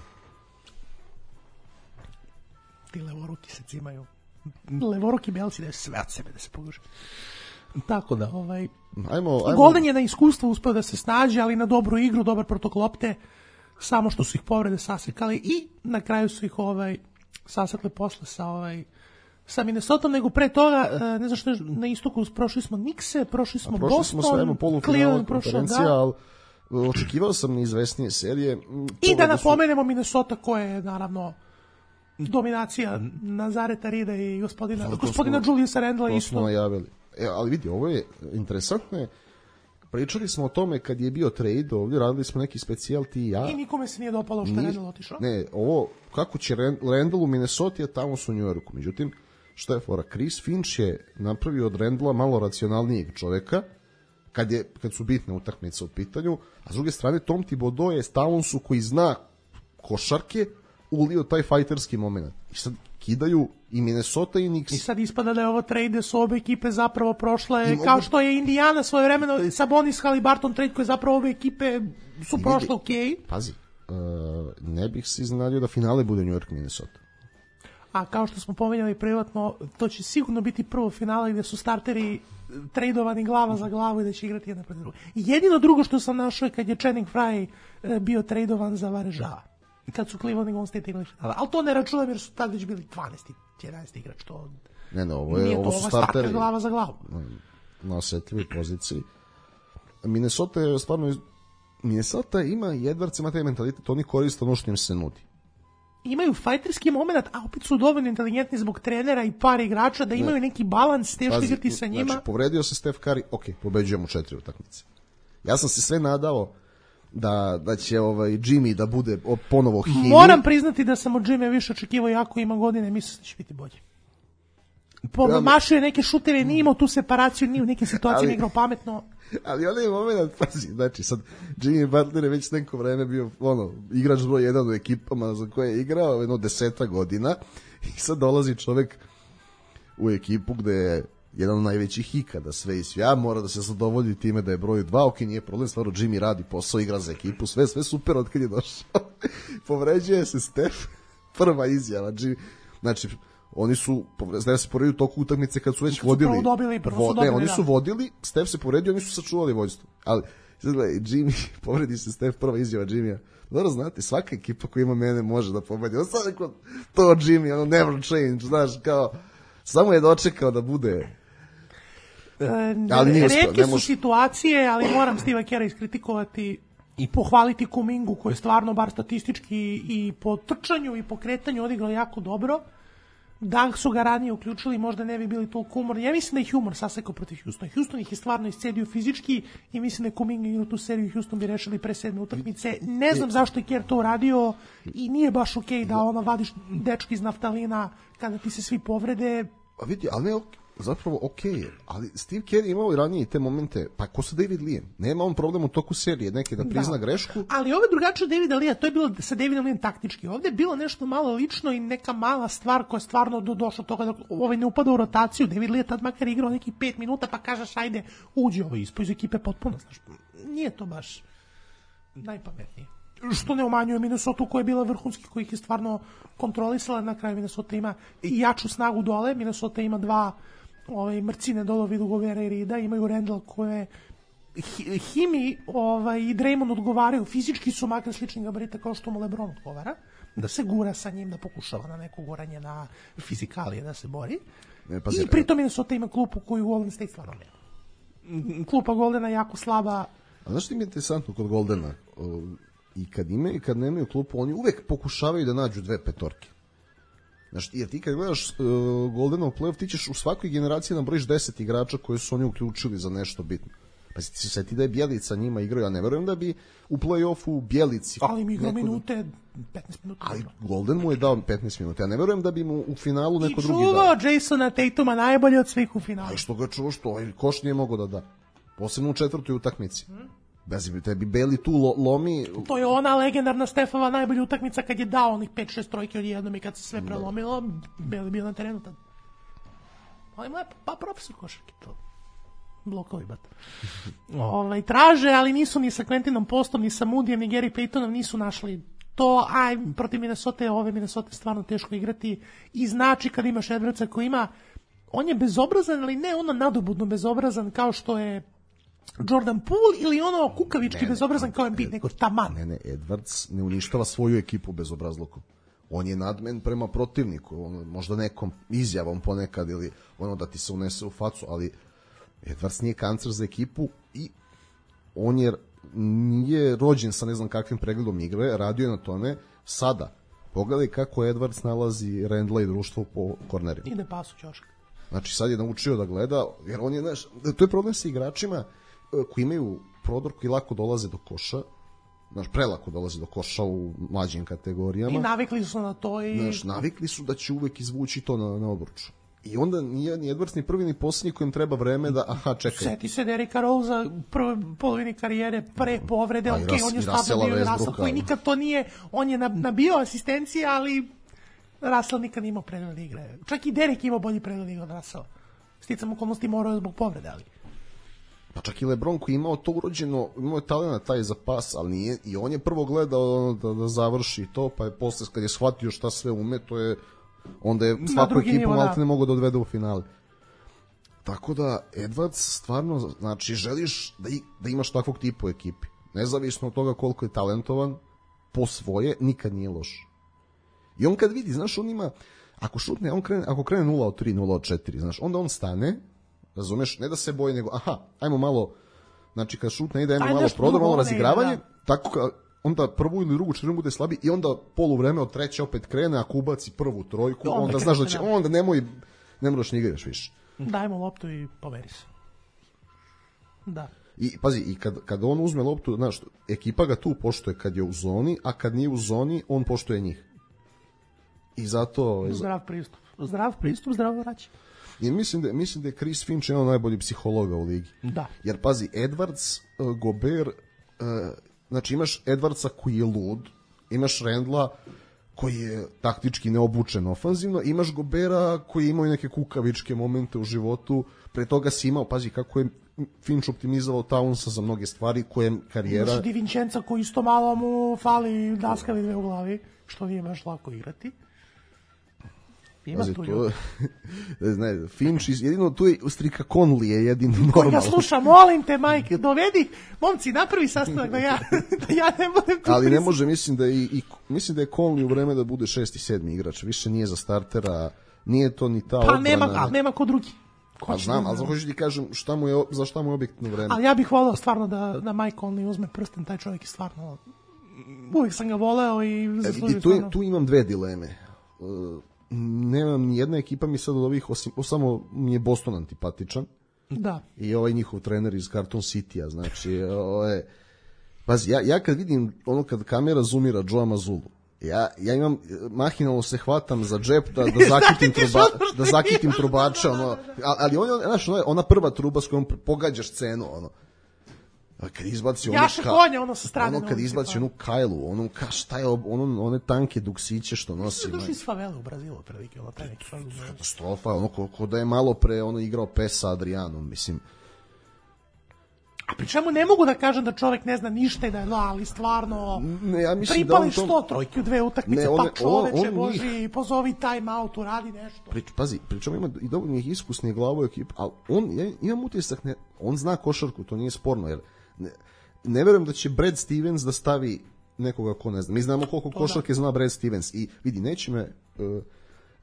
Ti levoruki se cimaju. Levoruki belci da sve od sebe da se poguže. Tako da, ovaj... Ajmo, ajmo. Golden je na iskustvo uspeo da se snađe, ali na dobru igru, dobar protok lopte, samo što su ih povrede sasekali i na kraju su ih ovaj sasekli posle sa ovaj sa Minnesotom, nego pre toga, ne znam što je na istoku, prošli smo Knickse, prošli smo prošli Boston, smo sve polufinalu konferencija, da. Ali očekivao sam neizvesnije serije. I da napomenemo su... Minnesota koja je naravno dominacija Nazareta Rida i gospodina, no, gospodina smo, Juliusa Randla isto. Smo najavili. E, ali vidi, ovo je interesantno. Pričali smo o tome kad je bio trade ovdje, radili smo neki specijal ti i ja. I nikome se nije dopalo što je Randall otišao. Ne, ovo, kako će Randall u Minnesota, tamo su u New Yorku. Međutim, što je fora? Chris Finch je napravio od Randalla malo racionalnijeg čoveka, kad, je, kad su bitne utakmice u pitanju, a s druge strane Tom Thibodeau je Townsu koji zna košarke, ulio taj fajterski moment. I sad kidaju i Minnesota i Knicks. I sad ispada da je ovo trade su obe ekipe zapravo prošle, mogu... kao što je Indiana svoje vremeno, Sabonis Haliburton trade koje zapravo obe ekipe su ne prošle ok. Pazi, uh, ne bih se iznenadio da finale bude New York Minnesota. A kao što smo pomenjali privatno, to će sigurno biti prvo finale gde su starteri tradovani glava za glavu i da će igrati jedna protiv druga. Jedino drugo što sam našao je kad je Channing Frye bio tradovan za Varežava. Kad su Cleveland i Golden State igrali. Ali to ne računam jer su tad već bili dvanaesti jedanaesti igrač. To ne, ne, ovo, je, nije ovo to, su starteri glava za glavu. Na osetljivoj poziciji. Minnesota je stvarno... Minnesota ima i Edwards ima taj mentalitet, oni koriste ono što im se nudi. Imaju fajterski moment, a opet su dovoljno inteligentni zbog trenera i par igrača da imaju ne. neki balans, teško igrati sa njima. Znači, povredio se Steph Curry, ok, pobeđujemo četiri utakmice. Ja sam se sve nadao da, da će ovaj Jimmy da bude ponovo hini. Moram priznati da sam od Jimmy više očekivao, jako ima godine, mislim da će biti bolje. Pomašuje neke šutere, nije imao tu separaciju, nije u nekim situacijama igrao pametno. Ali onaj moment, pazi, znači sad Jimmy Butler je već neko vreme bio ono, igrač broj jedan u ekipama za koje je igrao jedno deseta godina i sad dolazi čovek u ekipu gde je jedan od najvećih ikada sve i svja, mora da se zadovolji time da je broj dva, ok, nije problem, stvarno Jimmy radi posao, igra za ekipu, sve, sve super od kad je došao. Povređuje se Steph, prva izjava, Jimmy, znači oni su Steph se povredio u toku utakmice kad su već kad vodili. Su dobili, prvo su dobili, ne, oni su vodili, Steph se povredio, oni su sačuvali vođstvo. Ali sad gledaj, Jimmy, povredi se Steph, prva izjava Jimmya. Dobro znate, svaka ekipa koja ima mene može da pobedi. On sad rekao, to Jimmy, ono never change, znaš, kao samo je dočekao da bude. E, ali nije uspio, retke su može... situacije, ali moram Steva Kera iskritikovati i pohvaliti Kumingu koji je stvarno bar statistički i po trčanju i po kretanju odigrao jako dobro. Da su ga ranije uključili, možda ne bi bili toliko umorni. Ja mislim da je humor sasekao protiv Houstona. Houston ih je stvarno iscedio fizički i mislim da je Kuminga igrao tu seriju. Houston bi rešili pre sedme utakmice. Ne znam zašto je Kerr to uradio i nije baš okej okay da ono vadiš dečki iz naftalina kada ti se svi povrede. A vidi, ali ne, zapravo okej okay, ali Steve Kerr imao i ranije te momente, pa ko sa David Lee? Nema on problem u toku serije, neki da prizna da. grešku. Ali ovo je drugačije od Davida Lee, to je bilo sa Davidom Lee taktički. Ovde je bilo nešto malo lično i neka mala stvar koja je stvarno do, došla toga da ovaj ne upada u rotaciju. David Lee je tad makar igrao nekih pet minuta pa kažeš ajde, uđi ovo ispod iz ekipe potpuno. Znaš, nije to baš najpametnije. Što ne umanjuje Minnesota koja je bila vrhunski, koji ih je stvarno kontrolisala. Na kraju Minnesota ima i jaču snagu dole. Minnesota ima dva ovaj mrcine dole vidu Govera i Rida, imaju Randall koje Himi ovaj, i Draymond odgovaraju, fizički su makar slični gabarita kao što mu LeBron odgovara, da se gura sa njim, da pokušava na neko guranje na fizikalije da se bori. Ne, pazi, I pritom Minnesota ima klupu koju Golden State stvarno nema. Klupa Goldena je jako slaba. A znaš što mi je interesantno kod Goldena? O, I kad imaju i kad nemaju klupu, oni uvek pokušavaju da nađu dve petorke. Znaš, jer ti kad gledaš uh, Goldenov play-off, ti ćeš u svakoj generaciji nabrojiš deset igrača koje su oni uključili za nešto bitno. Pa si ti se seti da je Bjelica njima igrao, ja ne verujem da bi u play-offu Bjelici... Ali mi igrao minute, petnaest minuta. Ali Golden mu je dao petnaest minuta, ja ne verujem da bi mu u finalu neko drugi dao. I čuvao Jasona Tatuma najbolje od svih u finalu. A što ga čuo, što ovaj koš nije mogao da da. Posebno u četvrtoj utakmici. Hmm? Bez bi tebi Beli tu lo, lomi... To je ona legendarna Stefova najbolja utakmica kad je dao onih pet šest trojke odjednom i kad se sve prelomilo, Beli bio na terenu tad. Ali mu je pa profesor košarke to. Blokovi, bat. Ovaj, traže, ali nisu ni sa Quentinom Postom, ni sa Moodyjem, ni Gary Paytonom nisu našli to, aj, protiv Minnesota, ove Minnesota stvarno teško igrati i znači kad imaš Edwardsa koji ima, on je bezobrazan, ali ne ono nadobudno bezobrazan kao što je Jordan Poole ili ono kukavički ne, bezobrazan ne, kao Embiid, nego taman. Ne, ne, Edwards ne uništava svoju ekipu bezobrazlukom. On je nadmen prema protivniku, on, možda nekom izjavom ponekad ili ono da ti se unese u facu, ali Edwards nije kancer za ekipu i on je nije rođen sa ne znam kakvim pregledom igre, radio je na tome. Sada, pogledaj kako Edwards nalazi Randla i društvo po kornerima. Ide pas u ćošak. Znači sad je naučio da gleda, jer on je, znaš, to je problem sa igračima koji imaju prodor, koji lako dolaze do koša, znaš, prelako dolaze do koša u mlađim kategorijama. I navikli su na to i... Znaš, navikli su da će uvek izvući to na, na obruču. I onda nije ni Edwards ni prvi ni posljednji kojem treba vreme da, aha, čekaj. Seti se Derricka Rosea prve polovini karijere, pre povrede, ok, on je stabilno bio Russell, koji nikad to nije, on je nabio asistencije, ali Russell nikad imao pregled igre. Čak i Derrick imao bolji pregled igre od Russella. Sticam okolnosti morao zbog povrede, ali... Pa čak i LeBron koji imao to urođeno, imao je talent taj za pas, ali nije, i on je prvo gledao da, da završi to, pa je posle kad je shvatio šta sve ume, to je onda je svaku ekipu malte ne mogu da odvede u finale. Tako da Edwards stvarno, znači želiš da, i, da imaš takvog tipa u ekipi. Nezavisno od toga koliko je talentovan, po svoje nikad nije loš. I on kad vidi, znaš, on ima, ako šutne, on krene, ako krene nula od tri, nula od četiri, znaš, onda on stane, razumeš, ne da se boji, nego aha, ajmo malo, znači kad šutne ide, ajmo Aj, malo prodor, malo razigravanje, da. Tako kad onda prvu ili drugu četvrtinu bude slabi i onda polu vreme od treće opet krene, ako ubaci prvu trojku, onda, onda znaš da će, onda nemoj, ne moraš ni igraš više. Dajmo loptu i pomeri se. Da. I pazi, i kad, kad on uzme loptu, znaš, ekipa ga tu poštuje kad je u zoni, a kad nije u zoni, on poštuje njih. I zato... Zdrav pristup. Zdrav pristup, zdravo vraća. I mislim da, mislim da je Chris Finch jedan od najboljih psihologa u ligi. Da. Jer pazi, Edwards, uh, Gobert, uh, znači imaš Edwardsa koji je lud, imaš Randla koji je taktički neobučen ofanzivno, imaš Gobera koji ima neke kukavičke momente u životu, pre toga si imao, pazi kako je Finch optimizovao Townsa za mnoge stvari koje karijera... Imaš Di Vincenza koji isto malo mu fali daskali dve u glavi, što nije baš lako igrati. Ima Pazi, tu to, ne, Finch, jedino tu je Strika Conley je jedino normalno. Ja slušam, molim te, majke, dovedi, momci, napravi sastanak da ja, da ja ne budem tu. Ali ne može, mislim da, i, i, mislim da je Conley u vreme da bude šesti, sedmi igrač, više nije za startera, nije to ni ta odbrana. Pa nema, ali nema ko drugi. Ko a znam, ali hoću ti kažem šta mu je, za šta mu je objektno vreme. Ali ja bih voleo stvarno da, da Mike Conley uzme prsten, taj čovjek je stvarno, uvijek sam ga voleo i zaslužio e, tu, stvarno. Tu imam dve dileme. Uh, nemam ni jedna ekipa mi sad od ovih, osim, samo mi je Boston antipatičan. Da. I ovaj njihov trener iz Carton City-a, znači, ovaj, pazi, ja, ja kad vidim ono kad kamera zoomira Joe Mazulu, ja, ja imam, mahinalno se hvatam za džep da, da zakitim, truba, da zakitim trubača, ono, ali on, znaš, ona prva truba s kojom pogađaš scenu, ono, kad izbaci ono Jaše konja, ono sa strane. Ono kad izbaci onu Kajlu, ono ka šta je ono one tanke duksiće što nosi. Ono došli iz favele u Brazilu prilike, ono taj neki katastrofa, ono ko, ko da je malo pre ono igrao pes sa Adrianom, mislim. A pri čemu ne mogu da kažem da čovjek ne zna ništa i da je no, ali stvarno ne, ja mislim pripališ da on sto trojke u dve utakmice, pa čoveče Boži, pozovi time out, uradi nešto. Pri, pazi, pričamo ima i dovoljno iskusnih glavu ekipa, ali on, ja imam utisak, ne, on zna košarku, to nije sporno, jer ne, ne verujem da će Brad Stevens da stavi nekoga ko ne zna. Mi znamo koliko to košarke da. Zna Brad Stevens i vidi, neće me uh,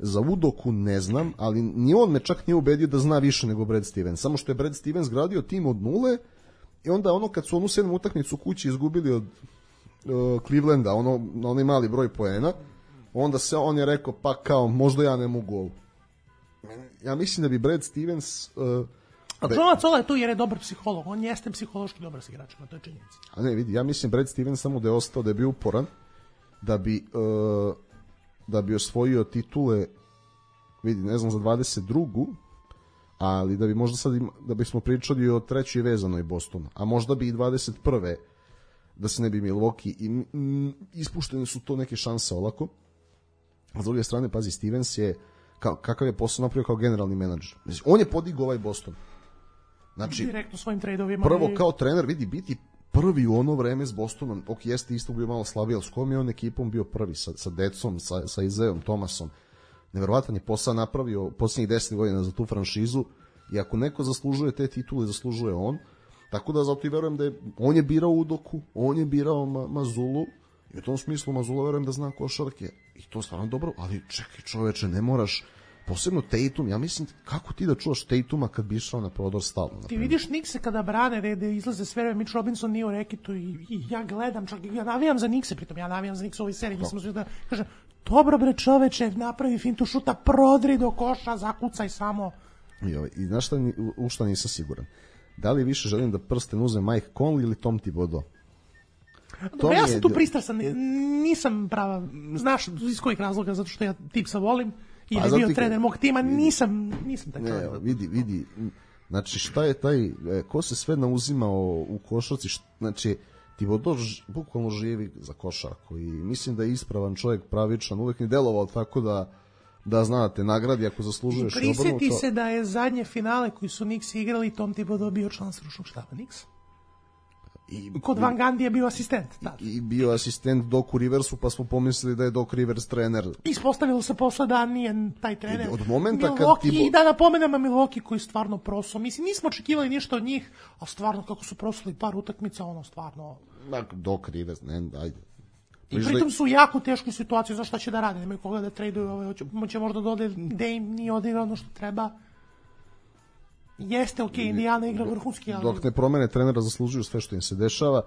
Za Udoku ne znam, ali ni on me čak nije ubedio da zna više nego Brad Stevens. Samo što je Brad Stevens gradio tim od nule i onda ono kad su onu sedmu utakmicu kući izgubili od uh, Clevelanda, ono, na onaj mali broj poena, onda se on je rekao pa kao možda ja ne mogu ovo. Ja mislim da bi Brad Stevens... Uh, A Joe Mazzulla je tu jer je dobar psiholog, on jeste psihološki dobar s igračima, to je činjenica. A ne, vidi, ja mislim Brad Stevens samo da je ostao, da je bio uporan, da bi... Uh, da bi osvojio titule, vidi, ne znam, za dvadeset drugu, ali da bi možda sad ima, da bismo pričali o trećoj vezanoj Bostonu, a možda bi i dvadeset prve da se ne bi Milwaukee i mm, ispuštene su to neke šanse olako. A s druge strane, pazi, Stevens je kao, kakav je posao napravio kao generalni menadžer. On je podigao ovaj Boston. Znači, direktno svojim trejdovima. Prvo kao trener, vidi, biti prvi u ono vreme s Bostonom, ok, jeste isto bio malo slabiji, ali s kojom je on ekipom bio prvi, sa, sa decom, sa, sa Isaiahom Thomasom. Neverovatan je posao napravio posljednjih deset godina za tu franšizu i ako neko zaslužuje te titule, zaslužuje on. Tako da zato i verujem da je, on je birao Udoku, on je birao Ma, Mazzullu i u tom smislu Mazzulla verujem da zna košarke i to je stvarno dobro, ali čekaj čoveče, ne moraš, posebno Tatum, ja mislim, kako ti da čuvaš Tatuma kad bi išao na prodor stalno? Ti vidiš Knickse kada brane, da izlaze sve vreme, Mitch Robinson nije u reketu i, i ja gledam, čak ja navijam za Knickse, pritom ja navijam za Knickse u ovoj seriji, mislim da kažem, dobro bre čoveče, napravi fintu šuta, prodri do koša, zakucaj samo. I, ovaj, i znaš šta, u šta nisam siguran? Da li više želim da prsten uze Mike Conley ili Tom Thibodeau? Dobro, ja sam tu pristrasan, nisam prava, znaš iz kojih razloga, zato što ja Tipsa volim, i je bio trener mog tima, nisam, nisam taj čovjek. Ne, vidi, vidi, znači šta je taj, ko se sve nauzimao u košarci, znači Thibodeau bukvalno živi za košarku i mislim da je ispravan čovjek, pravičan, uvek ni delovao tako da da znate, nagradi ako zaslužuješ. I prisjeti se da je zadnje finale koji su Knicks igrali, Tom Thibodeau bio član stručnog štaba Knicks. I, Kod Van Gundy je bio asistent. Da. I bio asistent Doku Riversu, pa smo pomislili da je Doc Rivers trener. Ispostavilo se posle da nije taj trener. I od momenta Milwaukee, kad Thibodeau... I da napomenemo Milwaukee koji stvarno proso. Mislim, nismo očekivali ništa od njih, a stvarno kako su prosili par utakmica, ono stvarno... Doc Rivers, ne, ajde. I pritom su u jako teškoj situaciji, znaš šta će da rade, nemaju koga da traduju, ovaj, će možda da ode Dame, nije odigrao ono što treba. Jeste, ok, Indiana igra vrhunski, ali... Dok ne promene trenera, zaslužuju sve što im se dešava.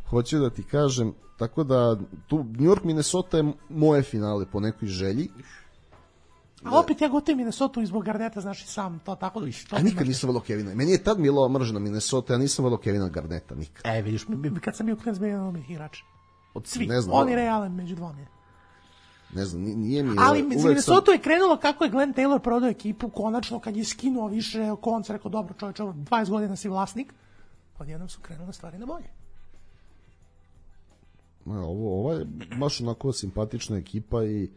Hoću da ti kažem, tako da tu New York, Minnesota je moje finale po nekoj želji. A opet ja gotovim Minnesota zbog Garneta, znaš i sam to tako da... A nikad nisam volio Kevina. Meni je tad Milova mržena Minnesota, ja nisam volio Kevina Garneta, nikad. E, vidiš, kad sam bio klinac, bio jedan od mojih igrača. Od svih, ne znam, on i Ray Allen među dvoma. Ne znam, nije mi... Ali Minnesota sam... je krenulo kako je Glenn Taylor prodao ekipu, konačno kad je skinuo više konca, rekao, dobro čovječe, dvadeset godina si vlasnik, odjednom su krenule stvari na bolje. Ovo, ovo je baš onako simpatična ekipa i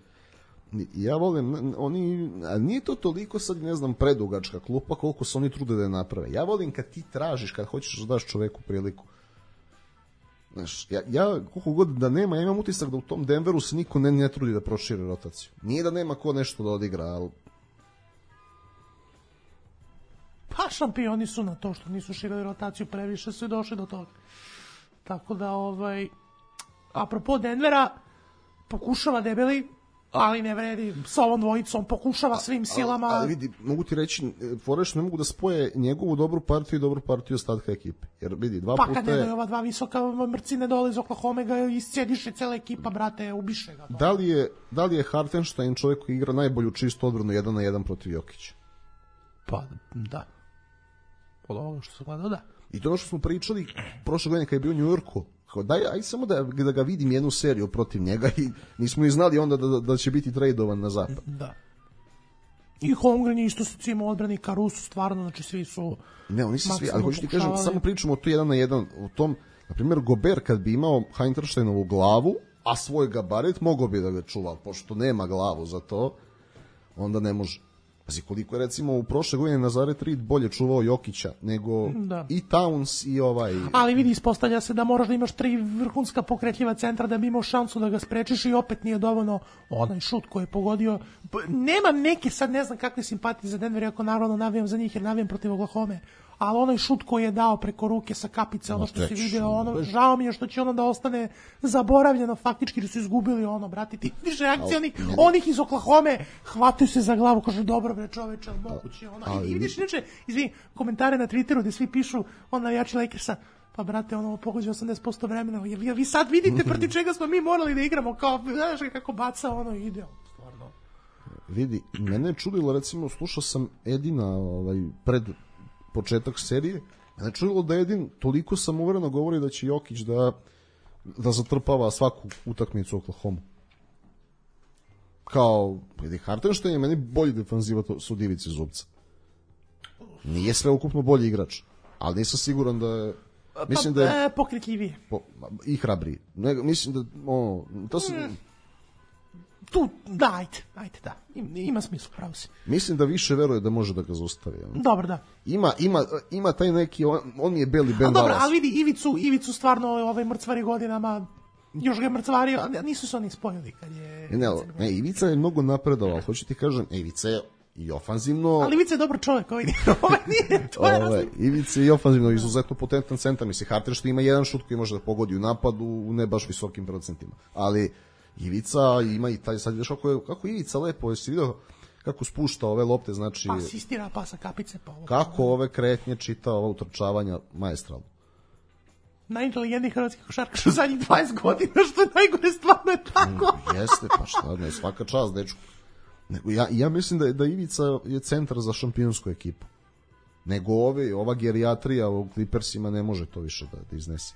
ja volim, oni, a nije to toliko sad, ne znam, predugačka klupa koliko se oni trude da je naprave. Ja volim kad ti tražiš, kad hoćeš da daš čoveku priliku. Znaš, ja, ja koliko god da nema, ja imam utisak da u tom Denveru se niko ne, ne trudi da proširi rotaciju. Nije da nema ko nešto da odigra, ali... Pa šampioni su na to što nisu širili rotaciju, previše su i došli do toga. Tako da, ovaj... Apropo Denvera, pokušava debeli, ali ne vredi, sa ovom dvojicom pokušava svim silama. Ali vidi, mogu ti reći, Foreš ne mogu da spoje njegovu dobru partiju i dobru partiju ostatka ekipe. Jer vidi, dva pa, puta kad ne doje ova dva visoka mrcine dole iz Oklahoma, ga iscijediše cela ekipa, brate, ubiše ga. Da li je, da li je Hartenstein čovjek koji igra najbolju čistu odbranu jedan na jedan protiv Jokića? Pa, da. Od ovoga što se gledao, da. I to ono što smo pričali prošle godine kad je bio u New Yorku, daj, aj samo da, da ga vidim jednu seriju protiv njega i nismo i znali onda da, da će biti tradovan na zapad. Da. I Holmgren je isto sa cimo odbrani, Caruso stvarno, znači svi su... Ne, oni su svi, ali hoću ti kažem, samo pričamo o to jedan na jedan, o tom, na primjer, Gobert kad bi imao Hintersteinovu glavu, a svoj gabarit, mogao bi da ga čuva, pošto nema glavu za to, onda ne može. Pazi, koliko je recimo u prošle godine Nazaret Reed bolje čuvao Jokića nego da. I Towns i ovaj... Ali vidi, ispostavlja se da moraš da imaš tri vrhunska pokretljiva centra da bi imao šansu da ga sprečiš i opet nije dovoljno onaj šut koji je pogodio. Nemam neke, sad ne znam kakve simpatije za Denver, ako naravno navijam za njih jer navijam protiv Oklahoma, ali onaj šut koji je dao preko ruke sa kapice, ono što si video, ono, žao mi je što će ono da ostane zaboravljeno faktički, jer su izgubili ono, brati, ti vidiš reakcije onih, onih iz Oklahome, hvataju se za glavu, kažu, dobro bre čoveče, ali moguće, ono, i, i vidiš, inače, izvini, komentare na Twitteru gde svi pišu, on navijači Lakersa, pa brate, ono, pogođe osamdeset posto vremena, vi, vi sad vidite protiv čega smo mi morali da igramo, kao, znaš kako baca, ono, ide, stvarno. Vidi, mene je čudilo, recimo, slušao sam Edina ovaj, pred početak serije, mene je čudilo da Edin toliko samouvereno govori da će Jokić da, da zatrpava svaku utakmicu Oklahoma. Kao, vidi, Hartenstein je meni bolji defanziva su Divici Zubca. Nije sve ukupno bolji igrač, ali nisam siguran da je... Mislim pa, da je... E, pokretljiviji. Po, I hrabriji. Ne, mislim da... Ono, to se... Mm. Tu, da, ajde, ajde, da. Ima smisla, pravo si. Mislim da više veruje da može da ga zaustavi. Dobro, da. Ima, ima, ima taj neki, on, on je beli Ben Wallace. Dobro, ali vidi, Ivicu, Ivicu stvarno ovaj mrcvari godinama, još ga je mrcvario, nisu se oni spojili kad je... Ne, ne, ne, Ivica je mnogo napredovao, hoću ti kažem, Ivica je i ofanzivno... Ali Ivica je dobar čovjek, ovaj nije, to je različno. Ivica je i ofanzivno izuzetno potentan centar, misli, Hartenstein ima jedan šut koji može da pogodi u napadu u ne baš visokim procentima, ali Ivica ima i taj, sad vidiš kako je, kako Ivica lepo, jesi vidio kako spušta ove lopte, znači... Pa asistira, pa sa kapice, pa ovo. Kako ove kretnje čita, ova utrčavanja maestralno. Najinteligentniji hrvatski košarkaš u zadnjih dvadeset godina, što je najgore, stvarno je tako. Mm, jeste, pa šta, ne, svaka čast, dečku. Nego, ja, ja mislim da, da Ivica je centar za šampionsku ekipu. Nego ove, ova gerijatrija u Clippersima ne može to više da, da iznese.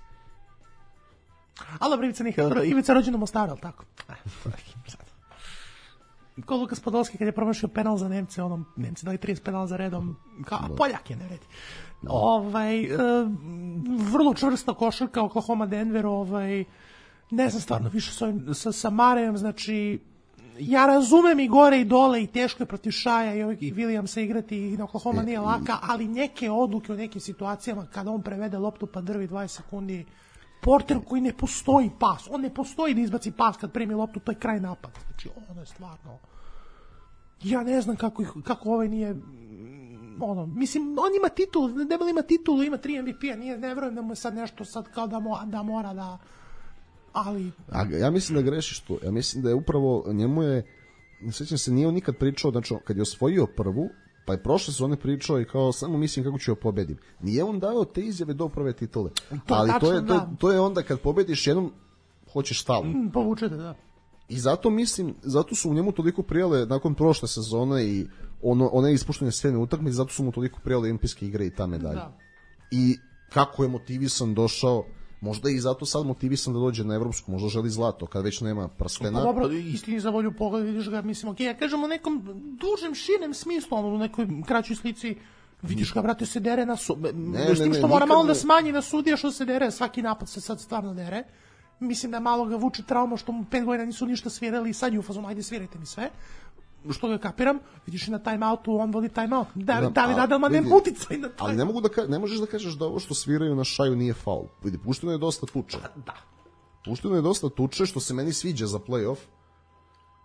Ali dobro, Ivica, Ivica rođen u Mostaru, ali tako? Ko Lukas Podolski kad je promašio penal za Nemce, onom, Nemci dali trideset penala za redom, kao, a Poljak je, ne vredi. Ovaj, e, vrlo čvrsta košarka, Oklahoma, Denver, ovaj, ne znam stvarno, više sa, sa, sa Marejem, znači, ja razumem i gore i dole i teško je protiv Šaja i, ovih, i Williamsa igrati i na Oklahoma nije laka, ali neke odluke u nekim situacijama kada on prevede loptu pa drvi dvadeset sekundi, Porter koji ne postoji pas, on ne postoji da izbaci pas kad primi loptu, to je kraj napada. Znači, ono je stvarno... Ja ne znam kako, ih, kako ovaj nije... Ono, mislim, on ima titul, Debel ima titulu, ima tri M V P-a, nije, ne verujem da mu je sad nešto sad kao da, mo, da mora da... Ali... A, ja mislim da grešiš tu, ja mislim da je upravo, njemu je, ne sjećam se, nije on nikad pričao, znači, kad je osvojio prvu, pa je prošle sezone pričao i kao samo mislim kako ću joj pobedim. Nije on dao te izjave do prve titule. To, ali tačno, to je, to, da. to je onda kad pobediš jednom, hoćeš stalno. Mm, povučete, da. I zato mislim, zato su u njemu toliko prijale nakon prošle sezone i ono, one ispuštene sve utakmice, zato su mu toliko prijale olimpijske igre i ta medalja. Da. I kako je motivisan došao, možda i zato sad motivisan da dođe na evropsku, možda želi zlato, kad već nema prstena. Pa dobro, istini za volju pogled, vidiš ga, mislim, ok, ja kažem u nekom dužem, širem smislu, ono, u nekoj kraćoj slici, vidiš ga, brate, se dere na sudije, s tim što mora malo da smanji na sudije što se dere, svaki napad se sad stvarno dere. Mislim da malo ga vuče trauma što mu pet godina nisu ništa svirali i sad je u fazonu, ajde svirajte mi sve. Što ga kapiram, vidiš i na time-outu, on vodi time-out. Da, David Adelman nema uticaj na time-out. Ali ne, mogu da ka, ne možeš da kažeš da ovo što sviraju na Šaju nije faul. Vidi, pušteno je dosta tuče. Da. Pušteno je dosta tuče, što se meni sviđa za play-off.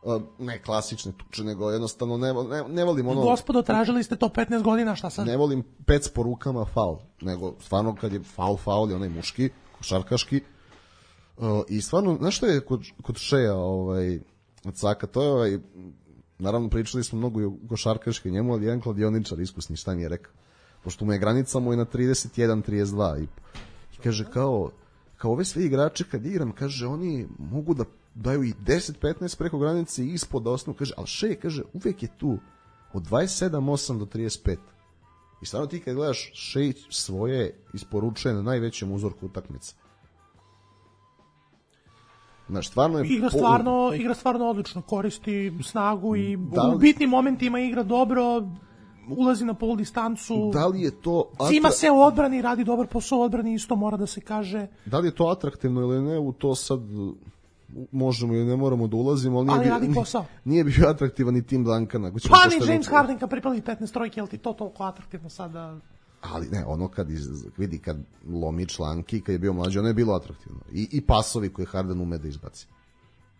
Uh, ne klasične tuče, nego jednostavno ne, ne, ne volim ono... Gospodo, tražili ste to petnaest godina, šta sad? Ne volim pec po rukama faul, nego stvarno kad je faul, faul je onaj muški, košarkaški. Uh, I stvarno, znaš što je kod, kod Šeja, ovaj, od Saka, to je ovaj... Naravno, pričali smo mnogo i o košarkaškoj njemu, ali jedan kladioničar iskusni, šta mi je rekao. Pošto mu je granica mu je na trideset jedan trideset dva. I, i kaže, kao, kao ove sve igrače kad igram, kaže, oni mogu da daju i deset petnaest preko granice i ispod da osnovu. Kaže, ali Šej, kaže, uvek je tu od dvadeset sedam osam do trideset pet. I stvarno ti kad gledaš, Šej svoje isporučuje na najvećem uzorku utakmica. Znaš, stvarno je... Igra stvarno, po... igra stvarno odlično, koristi snagu i da li... u bitnim momentima igra dobro, ulazi na pol distancu. Da li je to... Atra... Cima se u odbrani, radi dobar posao u odbrani, isto mora da se kaže. Da li je to atraktivno ili ne, u to sad možemo ili ne moramo da ulazimo, ali nije, ali bio, radi posao. Nije bio atraktivan ni tim Duncana. Pa ni James Harden kad pripali petnaest trojke, jel ti to toliko atraktivno sada... Ali ne, ono kad iz, vidi kad lomi članki, kad je bio mlađi, ono je bilo atraktivno. I, i pasovi koje Harden ume da izbaci.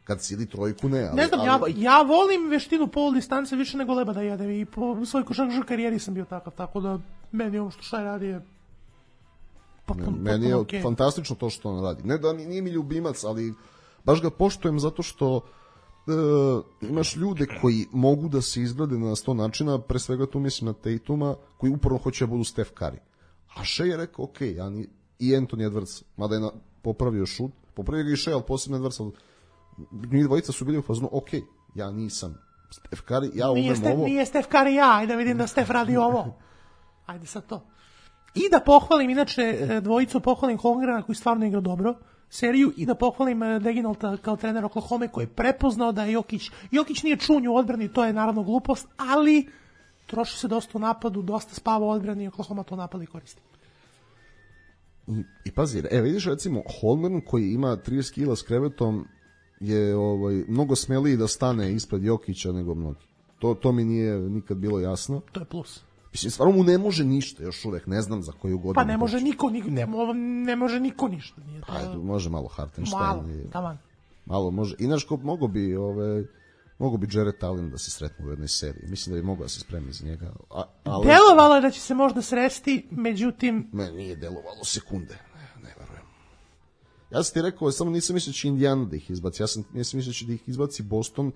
Kad sili trojku, ne. Ali, ne znam, ali... ja, ja volim veštinu polu distance više nego Leba da jedem i po svojoj košarkaškoj karijeri sam bio takav, tako da meni ovo što šta radi je potpuno, meni je okay. fantastično to što on radi. Ne da nije mi ljubimac, ali baš ga poštujem zato što e, imaš ljude koji mogu da se izgrade na sto načina, pre svega tu mislim na Tatuma, koji uporno hoće da budu Steph Curry. A Shea je rekao, ok, ja ni, i Anthony Edwards, mada je na, popravio šut, popravio ga i Shea, ali posebno Edwards, ali njih dvojica su bili u fazonu, ok, ja nisam Steph Curry, ja umem Steph, ovo. Nije Steph Curry ja, ajde vidim da Steph radi ovo. Ajde sad to. I da pohvalim, inače, dvojicu pohvalim Holmgrena koji stvarno igra dobro seriju i da pohvalim Deginolta kao trener Oklahoma koji je prepoznao da je Jokić, Jokić nije čunj u odbrani, to je naravno glupost, ali troši se dosta u napadu, dosta spava u odbrani i Oklahoma to napad i koristi. I, i pazi, evo vidiš recimo Holmgren koji ima trideset kila s krevetom je ovaj, mnogo smeliji da stane ispred Jokića nego mnogi. To, to mi nije nikad bilo jasno. To je plus. Mislim, stvarno mu ne može ništa, još uvek, ne znam za koju godinu. Pa ne može niko, ni, ne, ne može niko ništa. Nije to... Ajde, može malo Hartenstein. Malo, taman. Malo može. Inače, mogo bi, ove, mogo bi Jarrett Allen da se sretnu u jednoj seriji. Mislim da bi mogao da se spremi za njega. A, ali... Delovalo je da će se možda sresti, međutim... Meni nije delovalo sekunde, ne, ne verujem. Ja sam ti rekao, samo nisam mislio da će Indiana da ih izbaci. Ja sam nisam mislio da će da ih izbaci Boston.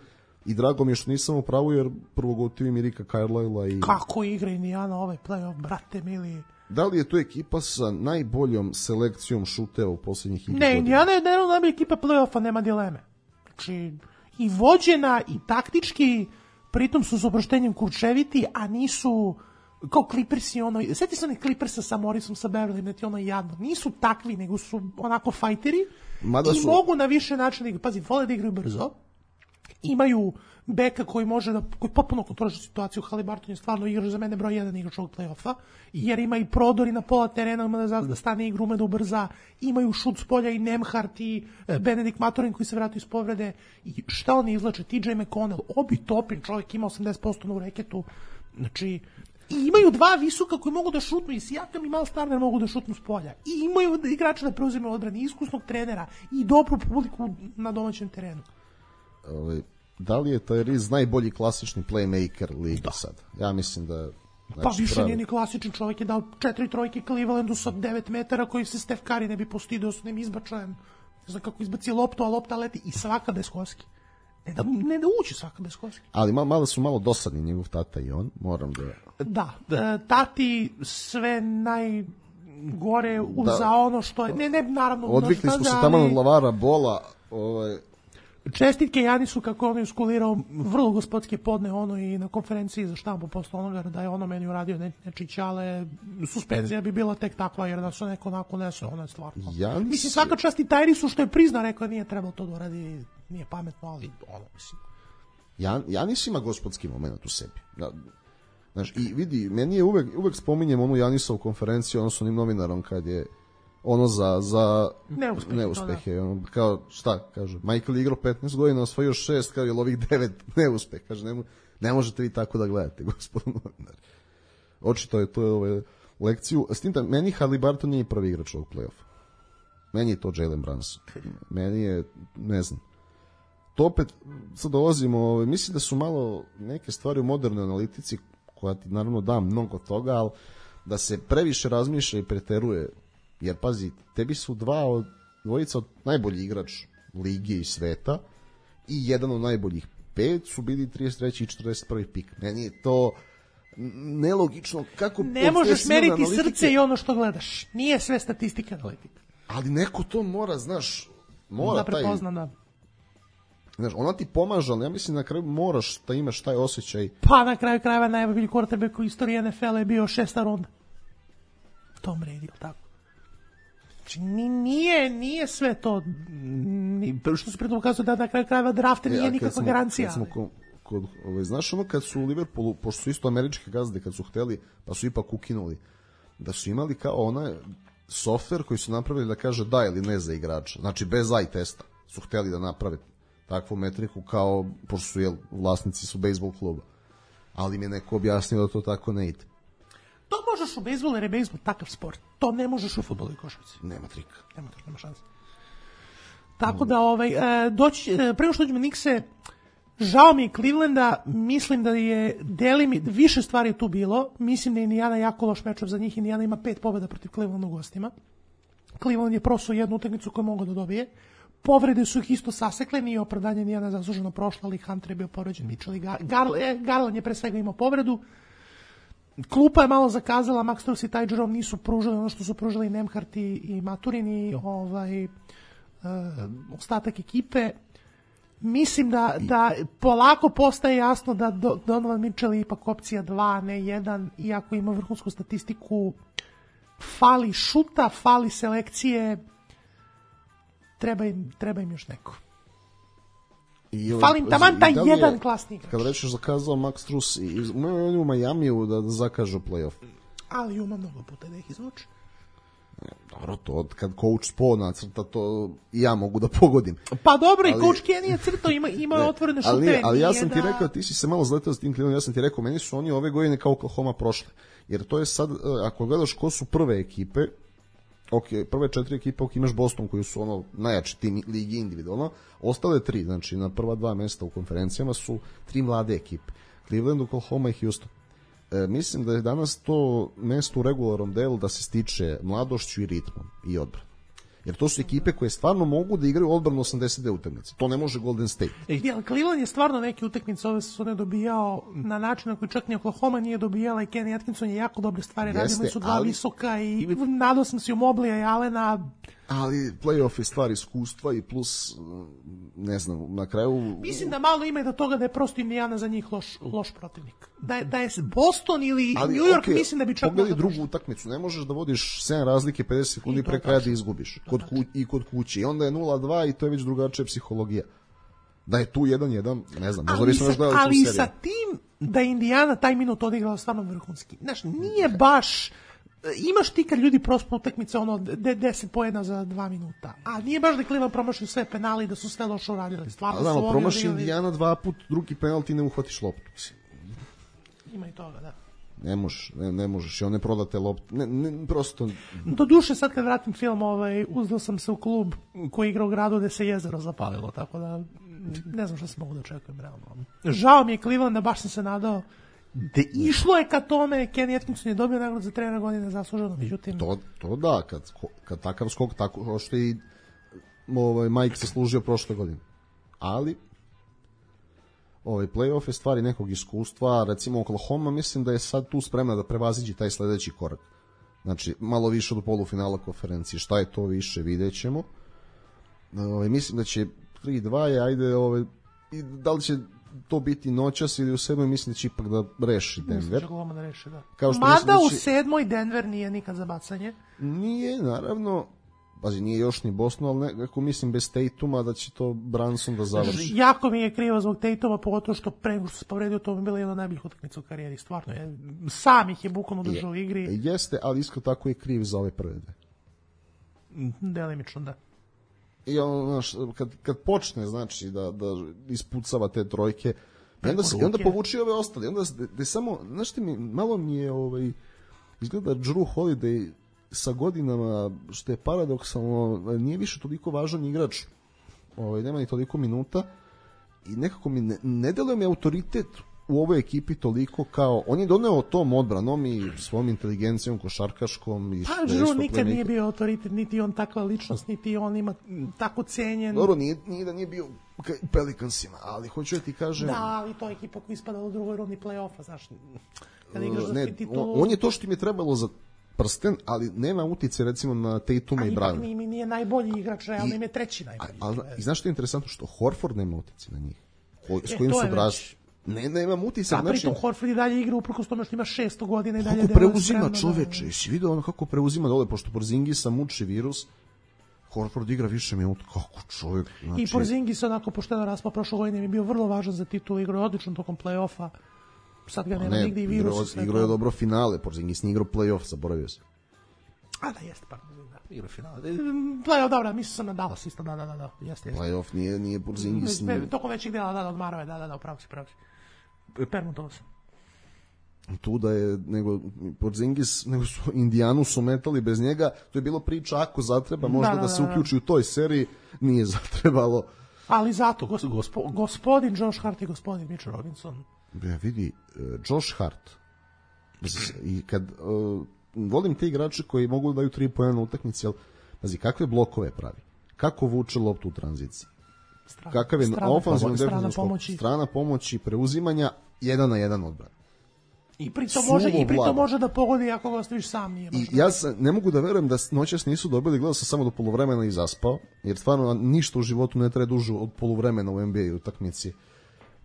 I drago mi je što nisam u pravu, jer prvo gotivim mi Rika Carlisle i... Kako igra Indiana ovaj play-off, brate mili? Da li je to ekipa sa najboljom selekcijom šuteva u posljednjih godina? Ne, Indiana je jedna najbolja ekipa play-offa, nema dileme. Znači, i vođena, i taktički, pritom su s oproštenjem kurčeviti, a nisu kao Clippersi, ono... Sjeti se onih Clippersa sa Morrisom, sa Beverly, ne ti ono jadno. Nisu takvi, nego su onako fajteri Mada i su... mogu na više načina igrati. Pazi, vole da igraju brzo. Imaju beka koji može da, koji potpuno kontroliše situaciju. Haliburton je stvarno igrač za mene broj jedan igrač ovog play-offa, jer ima i prodori na pola terena, ima da, da stane igru, ume da ubrza, imaju šut s polja i Nemhart i Benedikt Maturin koji se vratio iz povrede i šta oni izlače, T J McConnell, Obi Toppin, čovjek ima osamdeset posto u reketu, znači i imaju dva visoka koji mogu da šutnu i Sijakam i Miles Turner mogu da šutnu s polja i imaju igrača da preuzimaju odbrani, iskusnog trenera i dobru publiku na domaćem terenu. Ovaj, da li je Tyrese najbolji klasični playmaker liga da. Sad? Ja mislim da... Znači, pa više pravi... nije ni klasičan, čovjek je dao četiri trojke Clevelandu sa devet metara koji se Steph Curry ne bi postidio s onim izbačajem. Ne znam kako izbaci loptu, a lopta leti i svaka bez koski. Ne da, ne da uči svaka bez koski. Ali malo, malo su malo dosadni njegov tata i on, moram da... Da, da tati sve najgore uza da. Ono što je... Ne, ne, naravno... Odvikli smo se tamo od Lavara Bola, ovaj... Čestitke Janisu kako on je uskulirao vrlo gospodske podne ono i na konferenciji za štampu posle onoga da je ono meni uradio ne, nečić, ale suspenzija bi bila tek takva jer da su neko onako nese, ono je stvarno. Janis... Mislim, svaka čast i Tyrisu što je prizna, rekao nije trebalo to da uradi, nije pametno, ali ono, mislim. Jan, Janis ima gospodski moment u sebi. Da, znaš, i vidi, meni je uvek, uvek spominjem onu Janisovu konferenciju, ono s onim novinarom kad je ono za, za neuspehe, neuspehe da. Ono, kao šta kaže Michael je igrao petnaest godina, osvojio šest, kao je ovih devet neuspeh, kaže ne, ne možete vi tako da gledate gospod novinar. Očito je to je ove lekciju, s tim da meni Haliburton nije prvi igrač ovog play-offa, meni je to Jalen Brunson, meni je ne znam to opet sad dolazimo, mislim da su malo neke stvari u modernoj analitici koja ti naravno da mnogo toga, ali da se previše razmišlja i preteruje. Jer pazi, tebi su dva od dvojica od najboljih igrač lige i sveta i jedan od najboljih pet su bili trideset treći i četrdeset prvi pik. Meni je to nelogično. Kako ne možeš meriti analitike... srce i ono što gledaš. Nije sve statistika analitika. Ali neko to mora, znaš, mora da prepozna, taj... da. Znaš, ona ti pomaže, ali ja mislim na kraju moraš da imaš taj osjećaj. Pa na kraju krajeva najbolji quarterback u istoriji N F L-a je bio šesta runda. Tom Brady, tako. Znači, nije, nije sve to, ni, što se pritom ukazuje da na kraju krajeva drafta nije ja, nikakva smo, garancija. Kad smo kod, kod, ovaj, znaš ono kad su u Liverpoolu, pošto su isto američke gazde, kad su hteli, pa su ipak ukinuli, da su imali kao onaj softver koji su napravili da kaže da ili ne za igrača, znači bez eye testa su hteli da naprave takvu metriku kao, pošto su jel, vlasnici su bejsbol kluba, ali mi je neko objasnio da to tako ne ide. To možeš u bejsbolu jer je bejsbol takav sport. To ne možeš u fudbalu i košarci. Nema trika. Nema trika, nema šanse. Tako da, ovaj, e, doći, e, prema što ćemo Knickse, žao mi je Clevelanda, mislim da je delimi, više stvari je tu bilo, mislim da je Indiana jako loš mečov za njih, Indiana ima pet pobjeda protiv Clevelanda u gostima. Cleveland je prosuo jednu utakmicu koju mogu da dobije. Povrede su ih isto sasekle, nije opravdanje Indiana zasluženo prošla, ali Hunter je bio povređen, Mitchell i Gar- Gar- Garland je pre svega imao povredu. Klupa je malo zakazala, Max Strus i Ty Jerome nisu pružili ono što su pružili Nemhart i, i Maturin i ovaj, uh, ostatak ekipe. Mislim da, da polako postaje jasno da Donovan Mitchell je ipak opcija dva, ne jedan, iako ima vrhunsku statistiku, fali šuta, fali selekcije, treba im, treba im još neko. I Fali im taman taj jedan klasni igrač. Kad rečeš zakazao Max Strus i u Majamiju da, da zakažu play-off. Ali ima mnogo puta da ih izvuče. Dobro, to kad coach Spo nacrta, to i ja mogu da pogodim. Pa dobro, ali, i coach Kenny je crtao, ima, ima ne, otvorene šute. Ali, ali ja sam ti da... rekao, ti si se malo zletao s tim Clevelandom, ja sam ti rekao, meni su oni ove godine kao Oklahoma prošle. Jer to je sad, ako gledaš ko su prve ekipe, ok, prve četiri ekipe, ok, imaš Boston koji su ono najjači tim ligi individualno, ostale tri, znači na prva dva mesta u konferencijama su tri mlade ekipe. Cleveland, Oklahoma i Houston. E, mislim da je danas to mesto u regularnom delu da se stiče mladošću i ritmom i odbranom. Jer to su ekipe koje stvarno mogu da igraju odbranu osamdeset dve utakmice. To ne može Golden State. E, Cleveland je stvarno neke utakmice ove sezone dobijao na način na koji čak ni Oklahoma nije dobijala i Kenny Atkinson je jako dobre stvari radio, imali su dva ali, visoka i nadao sam se u Moblija i Allena. Ali playoff je stvar iskustva i plus, ne znam, na kraju... Mislim da malo ima i do toga da je prosto Indiana za njih loš, loš protivnik. Da je, da je Boston ili ali, New York, okay, mislim da bi čak... Pogledaj drugu utakmicu, ne možeš da vodiš sedam razlike pedeset sekundi pre kraja da izgubiš. Kod ku, I kod kući. I onda je nula dva i to je već drugačija psihologija. Da je tu jedan jedan, ne znam, možda bismo još gledali tu seriju. Ali sa tim da je Indiana taj minut odigrala stvarno vrhunski. Znaš, nije baš... Imaš ti kad ljudi prospu utakmice ono deset poena za dva minuta, a nije baš da Cleveland promašio sve penali i da su sve loše uradili. Stvarno da, su oni promaši odigrali... Indiana dva put, drugi penal ti ne uhvatiš loptu. Ima i toga, da. Ne možeš, ne, ne možeš, i one prodate loptu, ne, ne, prosto... Do duše, sad kad vratim film, ovaj, uzdao sam se u klub koji igra u gradu gde se jezero zapalilo, tako da ne znam šta se mogu da očekujem, realno. Žao mi je Clevelanda, baš sam se nadao. De, išlo je ka tome, Kenny Atkinson je dobio nagradu za trenera godine zasluženo, međutim... To, to da, kad, kad takav skok, tako što i ovaj, Mike se služio prošle godine. Ali, ovaj, playoff je stvari nekog iskustva, recimo Oklahoma, mislim da je sad tu spremna da prevaziđi taj sledeći korak. Znači, malo više do polufinala konferencije. Šta je to više, vidjet ćemo. Ovaj, mislim da će tri dva je, ajde, ovaj, i da li će to biti noćas ili u sedmoj, mislim da će ipak da reši Denver. Mislim da reši, da. Kao što Mada da će... u sedmoj Denver nije nikad za bacanje. Nije, naravno. Pazi, nije još ni Boston, ali nekako mislim bez Tatuma da će to Brunson da završi. Jako mi je krivo zbog Tatuma, pogotovo što pre nego što se povredio, to bi bila jedna od najboljih utakmica u karijeri, stvarno. Je, sam ih je bukvalno držao u igri. Jeste, ali isto tako je kriv za ove prve dve. Delimično, da. I on, znaš, kad, kad počne, znači, da, da ispucava te trojke, i onda, se, onda povuči ove ostale, onda da samo, znaš ti mi, malo mi je, ovaj, izgleda Drew Holiday sa godinama, što je paradoksalno, nije više toliko važan igrač, ovaj, nema ni toliko minuta, i nekako mi ne, ne deluje mi autoritet u ovoj ekipi toliko kao, on je doneo tom odbranom i svom inteligencijom košarkaškom i pa Drew nikad nije bio autoritet, niti on takva ličnost, niti on ima tako cenjen. Dobro, nije, nije da nije bio u Pelicansima, ali hoću da ti kažem... Da, ali to je ekipa koja ispada u drugoj rundi play-offa, znaš, kada igraš za ne, titulu... On, on je to što im je trebalo za prsten, ali nema utice recimo na Tatuma i Browna. A ipak nije, nije najbolji igrač, realno im je treći najbolji. Ali, i znaš što je interesantno? Što Horford nema utice na njih. Ko, s kojim e, su odrasli. Ne, nema utisak. Da, pritom Horford i dalje igra uprkos tome što ima šesto godina i dalje... Kako preuzima čoveče? Jesi vidio ono kako preuzima dole, pošto Porzingisa muči virus, Horford igra više minuta. Kako čovjek? Znači... I Porzingis onako pošteno raspao prošle godine, mi bio vrlo važan za titulu, igrao odlično tokom play-offa. Sad ga nema ne, nigde i virus. Igrao, igrao je dobro finale, Porzingis nije igrao play-off, zaboravio se. A da, jeste, pa igrao finale. Play-off, dobro, mislio sam na Dallas isto, da, da, da, da, jeste, jeste. Play-off nije, nije Porzingis. Nije... Tokom većih dela, da, da, odmarao je, da, da, da, upravo si, upravo si. Permutovao sam. tu da je, nego Porzingis, nego su Indijanu su metali bez njega, to je bilo priča ako zatreba možda da, da, da, da se uključi u toj seriji, nije zatrebalo. Ali zato, gospo, gospodin Josh Hart i gospodin Mitch Robinson. Ja vidi, Josh Hart, i kad, uh, volim te igrače koji mogu da daju tri poena na utakmici, ali, pazi, kakve blokove pravi, kako vuče loptu u tranziciji, strana, kakav je ofanzivno defensivno skok, strana pomoći, preuzimanja, jedan na jedan odbran. I pritom može, i pritom može da pogodi ako ga ostaviš sam. Nije I ja sam, ne mogu da verujem da noćas nisu dobili, gledao sam samo do poluvremena i zaspao, jer stvarno ništa u životu ne traje duže od poluvremena u N B A utakmici.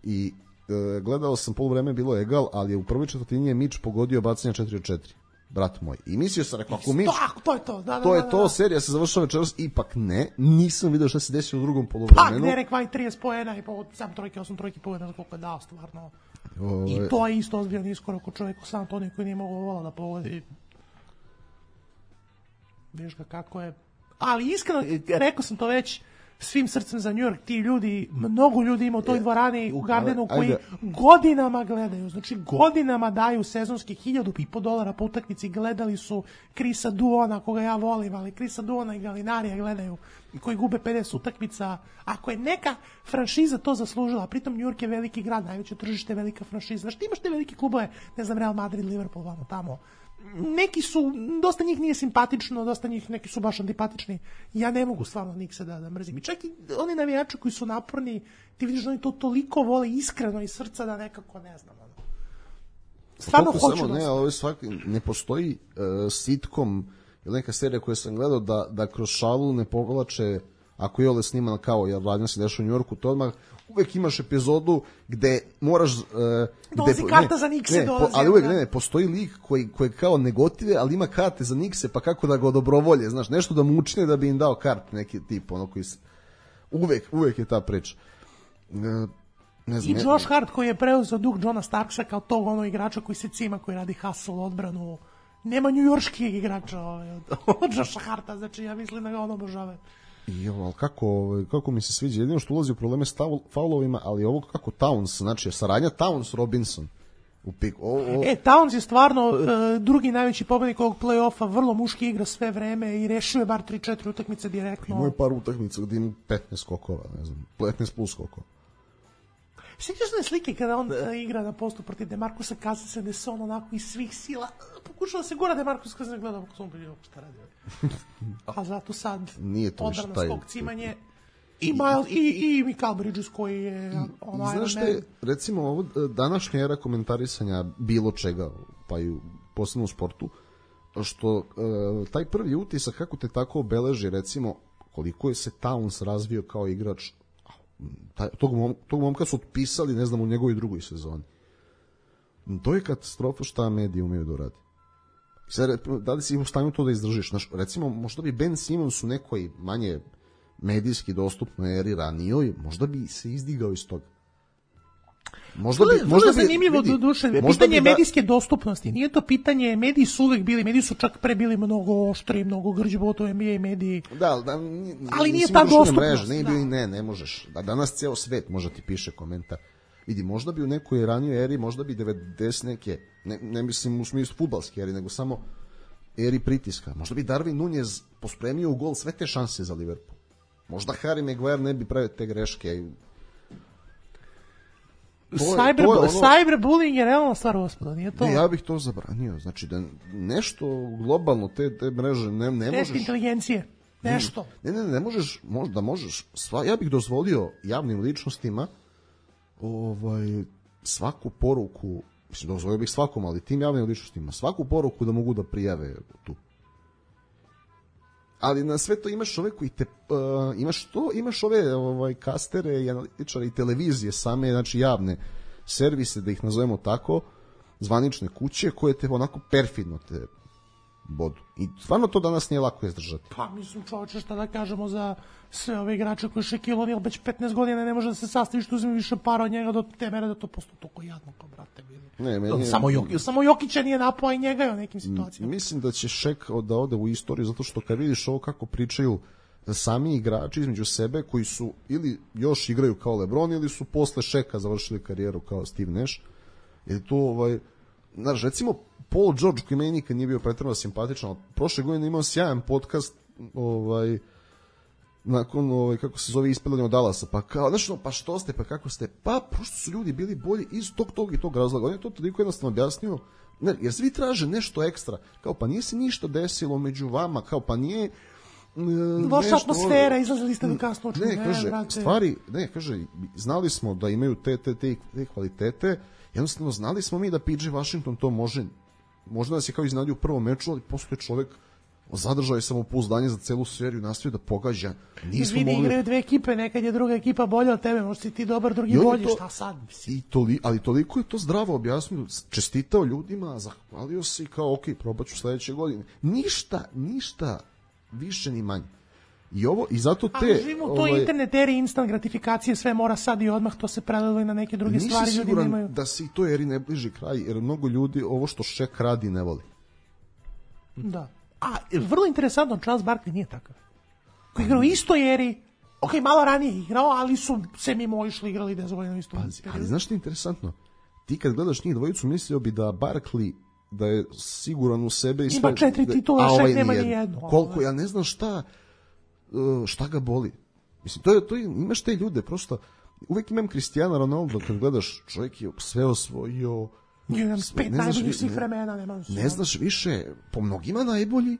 I e, gledao sam, poluvreme bilo egal, ali je u prvoj četvrtini je Mitch pogodio bacanja četiri od četiri. Brat moj. I mislio sam, rekao, ako Mitch, to je to, da, da, to je da, da, to, da. serija se završava večeras, ipak ne, nisam video šta se desilo u drugom poluvremenu. Pa, Derek White trideset poena i po sedam trojke, osam trojke poena, koliko je dao stvarno. Ove... I to je isto ozbiljan iskorak u čovjeku San Antonio koji nije mogao vola da pogodi. Viš ga kako je. Ali iskreno, rekao sam to već, svim srcem za New York, ti ljudi, mnogo ljudi ima u toj dvorani u Gardenu koji Ajde. godinama gledaju, znači godinama daju sezonski hiljadu i po dolara po utakmici, gledali su Chrisa Duona, koga ja volim, ali Chrisa Duona i Galinarija gledaju, koji gube pedeset utakmica. Ako je neka franšiza to zaslužila, pritom New York je veliki grad, najveće tržište, velika franšiza, znaš, ti imaš te velike klubove, ne znam, Real Madrid, Liverpool, vamo tamo, neki su, dosta njih nije simpatično, dosta njih neki su baš antipatični. Ja ne mogu stvarno Nikse da, da mrzim. I čak i oni navijači koji su naporni, ti vidiš da oni to toliko vole iskreno iz srca da nekako ne znam. Ono. Stvarno pa hoću samo, da... Ne, ali svaki, ne postoji uh, sitcom ili neka serija koju sam gledao da, da kroz šalu ne povlače, ako je ole sniman kao ja radim se dešava u Njorku, to odmah uvek imaš epizodu gde moraš uh, dolazi karta za Nikse, ne, dolazi, po, ali uvek ne, ne, postoji lik koji, koji kao negotive, ali ima karte za Nikse, pa kako da ga dobrovolje, znaš, nešto da mu učine da bi im dao karte, neki tip, ono koji se, uvek, uvek je ta priča. Uh, ne znam, i Josh Hart koji je preuzeo duh Johna Starksa kao tog ono igrača koji se cima, koji radi hustle, odbranu, nema njujorških igrača ovaj, od, od Josha Harta, znači ja mislim da ga ono obožava. I ovo, ali kako, kako mi se sviđa, jedino što ulazi u probleme s faulovima, ali ovo kako Towns, znači saradnja Towns-Robinson u piku. O, o. E, Towns je stvarno uh, drugi najveći pobednik ovog play-offa, vrlo muški igra sve vreme i rešio je bar tri četiri utakmice direktno. Imao je par utakmica gdje ima petnaest skokova, ne znam, petnaest plus skokova. Sjećaš da je slike kada on uh, igra na postu protiv DeMarcusa Cousins, gde se on onako iz svih sila pokušao da se gura DeMarcus Cousins, gleda kako sam bilo šta radi. A zato sad odbrana, skok, cimanje i, Miles, i, i Mikal Bridges koji je ono, znaš što je, recimo ovo današnja era komentarisanja bilo čega, pa i posebno u sportu, što uh, taj prvi utisak kako te tako obeleži, recimo koliko je se Towns razvio kao igrač, taj, tog, mom, tog momka su otpisali, ne znam, u njegovoj drugoj sezoni. To je katastrofa šta mediji umeju da uradi. Sad, da li si u stanju to da izdržiš? Znaš, recimo, možda bi Ben Simmons u nekoj manje medijski dostupnoj eri ranijoj, možda bi se izdigao iz toga. Možda bi, možda bi, zanimljivo vidi, do duše. Pitanje da... medijske dostupnosti. Nije to pitanje, mediji su uvek bili, mediji su čak pre bili mnogo oštri, mnogo grđi, to N B A mediji. Da, da, ali nije ta dostupnost. Mreže, ne, da. ne, ne možeš. Da, danas ceo svet može ti piše komentar. Vidi, možda bi u nekoj ranijoj eri, možda bi devedeset neke, ne, ne mislim u smislu fudbalske eri, nego samo eri pritiska. Možda bi Darwin Nunez pospremio u gol sve te šanse za Liverpool. Možda Harry Maguire ne bi pravio te greške. Cyber, ono... cyberbullying je realna stvar, gospodo, nije to? Ne, ja bih to zabranio. Znači da nešto globalno, te, te mreže ne, ne možeš... Test inteligencije, nešto. Ne, ne, ne, ne možeš, možda možeš, sva, ja bih dozvolio javnim ličnostima ovaj, svaku poruku, mislim, dozvolio bih svakom, ali tim javnim ličnostima, svaku poruku da mogu da prijave tu. Ali na sve to imaš ove koji te, uh, imaš to, imaš ove ovaj, kastere i analitičare i televizije same, znači javne servise, da ih nazovemo tako, zvanične kuće koje te onako perfidno te bodu. I stvarno to danas nije lako izdržati. Pa mislim, čovječe, šta da kažemo za sve ove igrače koji Shaquille O'Neal već petnaest godina ne može da se sastavi što uzme više para od njega do te mere da to postoji toliko jadno kao brate. Ne, meni, samo, Jokić, samo Jokića nije napao i njega je u nekim situacijama. Mislim da će Shaq da ode u istoriju zato što kad vidiš ovo kako pričaju sami igrači između sebe koji su ili još igraju kao LeBron ili su posle Shaq'a završili karijeru kao Steve Nash, jer to ovaj znaš, recimo Paul George koji meni nikad nije bio pretjerano simpatičan, ali prošle godine imao sjajan podcast ovaj nakon ovaj kako se zove ispadanje od Dallasa, pa kao znaš no, pa što ste, pa kako ste, pa prosto su ljudi bili bolji iz tog tog i tog razloga. On je to toliko jednostavno objasnio, ne, jer svi traže nešto ekstra, kao pa nije se ništa desilo među vama, kao pa nije loša atmosfera, izlazili ste do kasno očinu. Ne, kaže, ne, stvari, ne, kaže, znali smo da imaju te, te, te, te kvalitete, jednostavno znali smo mi da P J Washington to može, možda nas je kao iznadio u prvom meču, ali postoje čovek zadržao je samopouzdanje za celu seriju, nastavio da pogađa. Nismo vidi, mogli... igraju dve ekipe, nekad je druga ekipa bolja od tebe, možda si ti dobar, drugi bolji, to... šta sad? I toli... Ali toliko je to zdravo objasnio, čestitao ljudima, zahvalio se i kao, ok, probat ću sledeće godine. Ništa, ništa više ni manje. I ovo i zato te ali živimo u toj ovaj, internet eri instant gratifikacije, sve mora sad i odmah, to se prelilo i na neke druge stvari, ljudi nemaju. Da se i to eri ne bliži kraj, jer mnogo ljudi ovo što Šek radi ne voli. Da. A vrlo interesantno, Charles Barkley nije takav. Koji igrao u istoj eri, ok, malo ranije igrao, ali su se mimo išli igrali dezvoljeno isto. Pazi, ali znaš što je interesantno? Ti kad gledaš njih dvojicu, mislio bi da Barkley da je siguran u sebe i sve. Ima četiri titula, Šek ovaj nema ni jednu. Koliko, ja ne znam šta šta ga boli. Mislim, to je, to je, imaš te ljude, prosto, uvek imam Cristiano Ronaldo, kad gledaš, čovjek je sve osvojio, jedan pet najboljih svih vremena, nema ne, ne znaš više, po mnogima najbolji,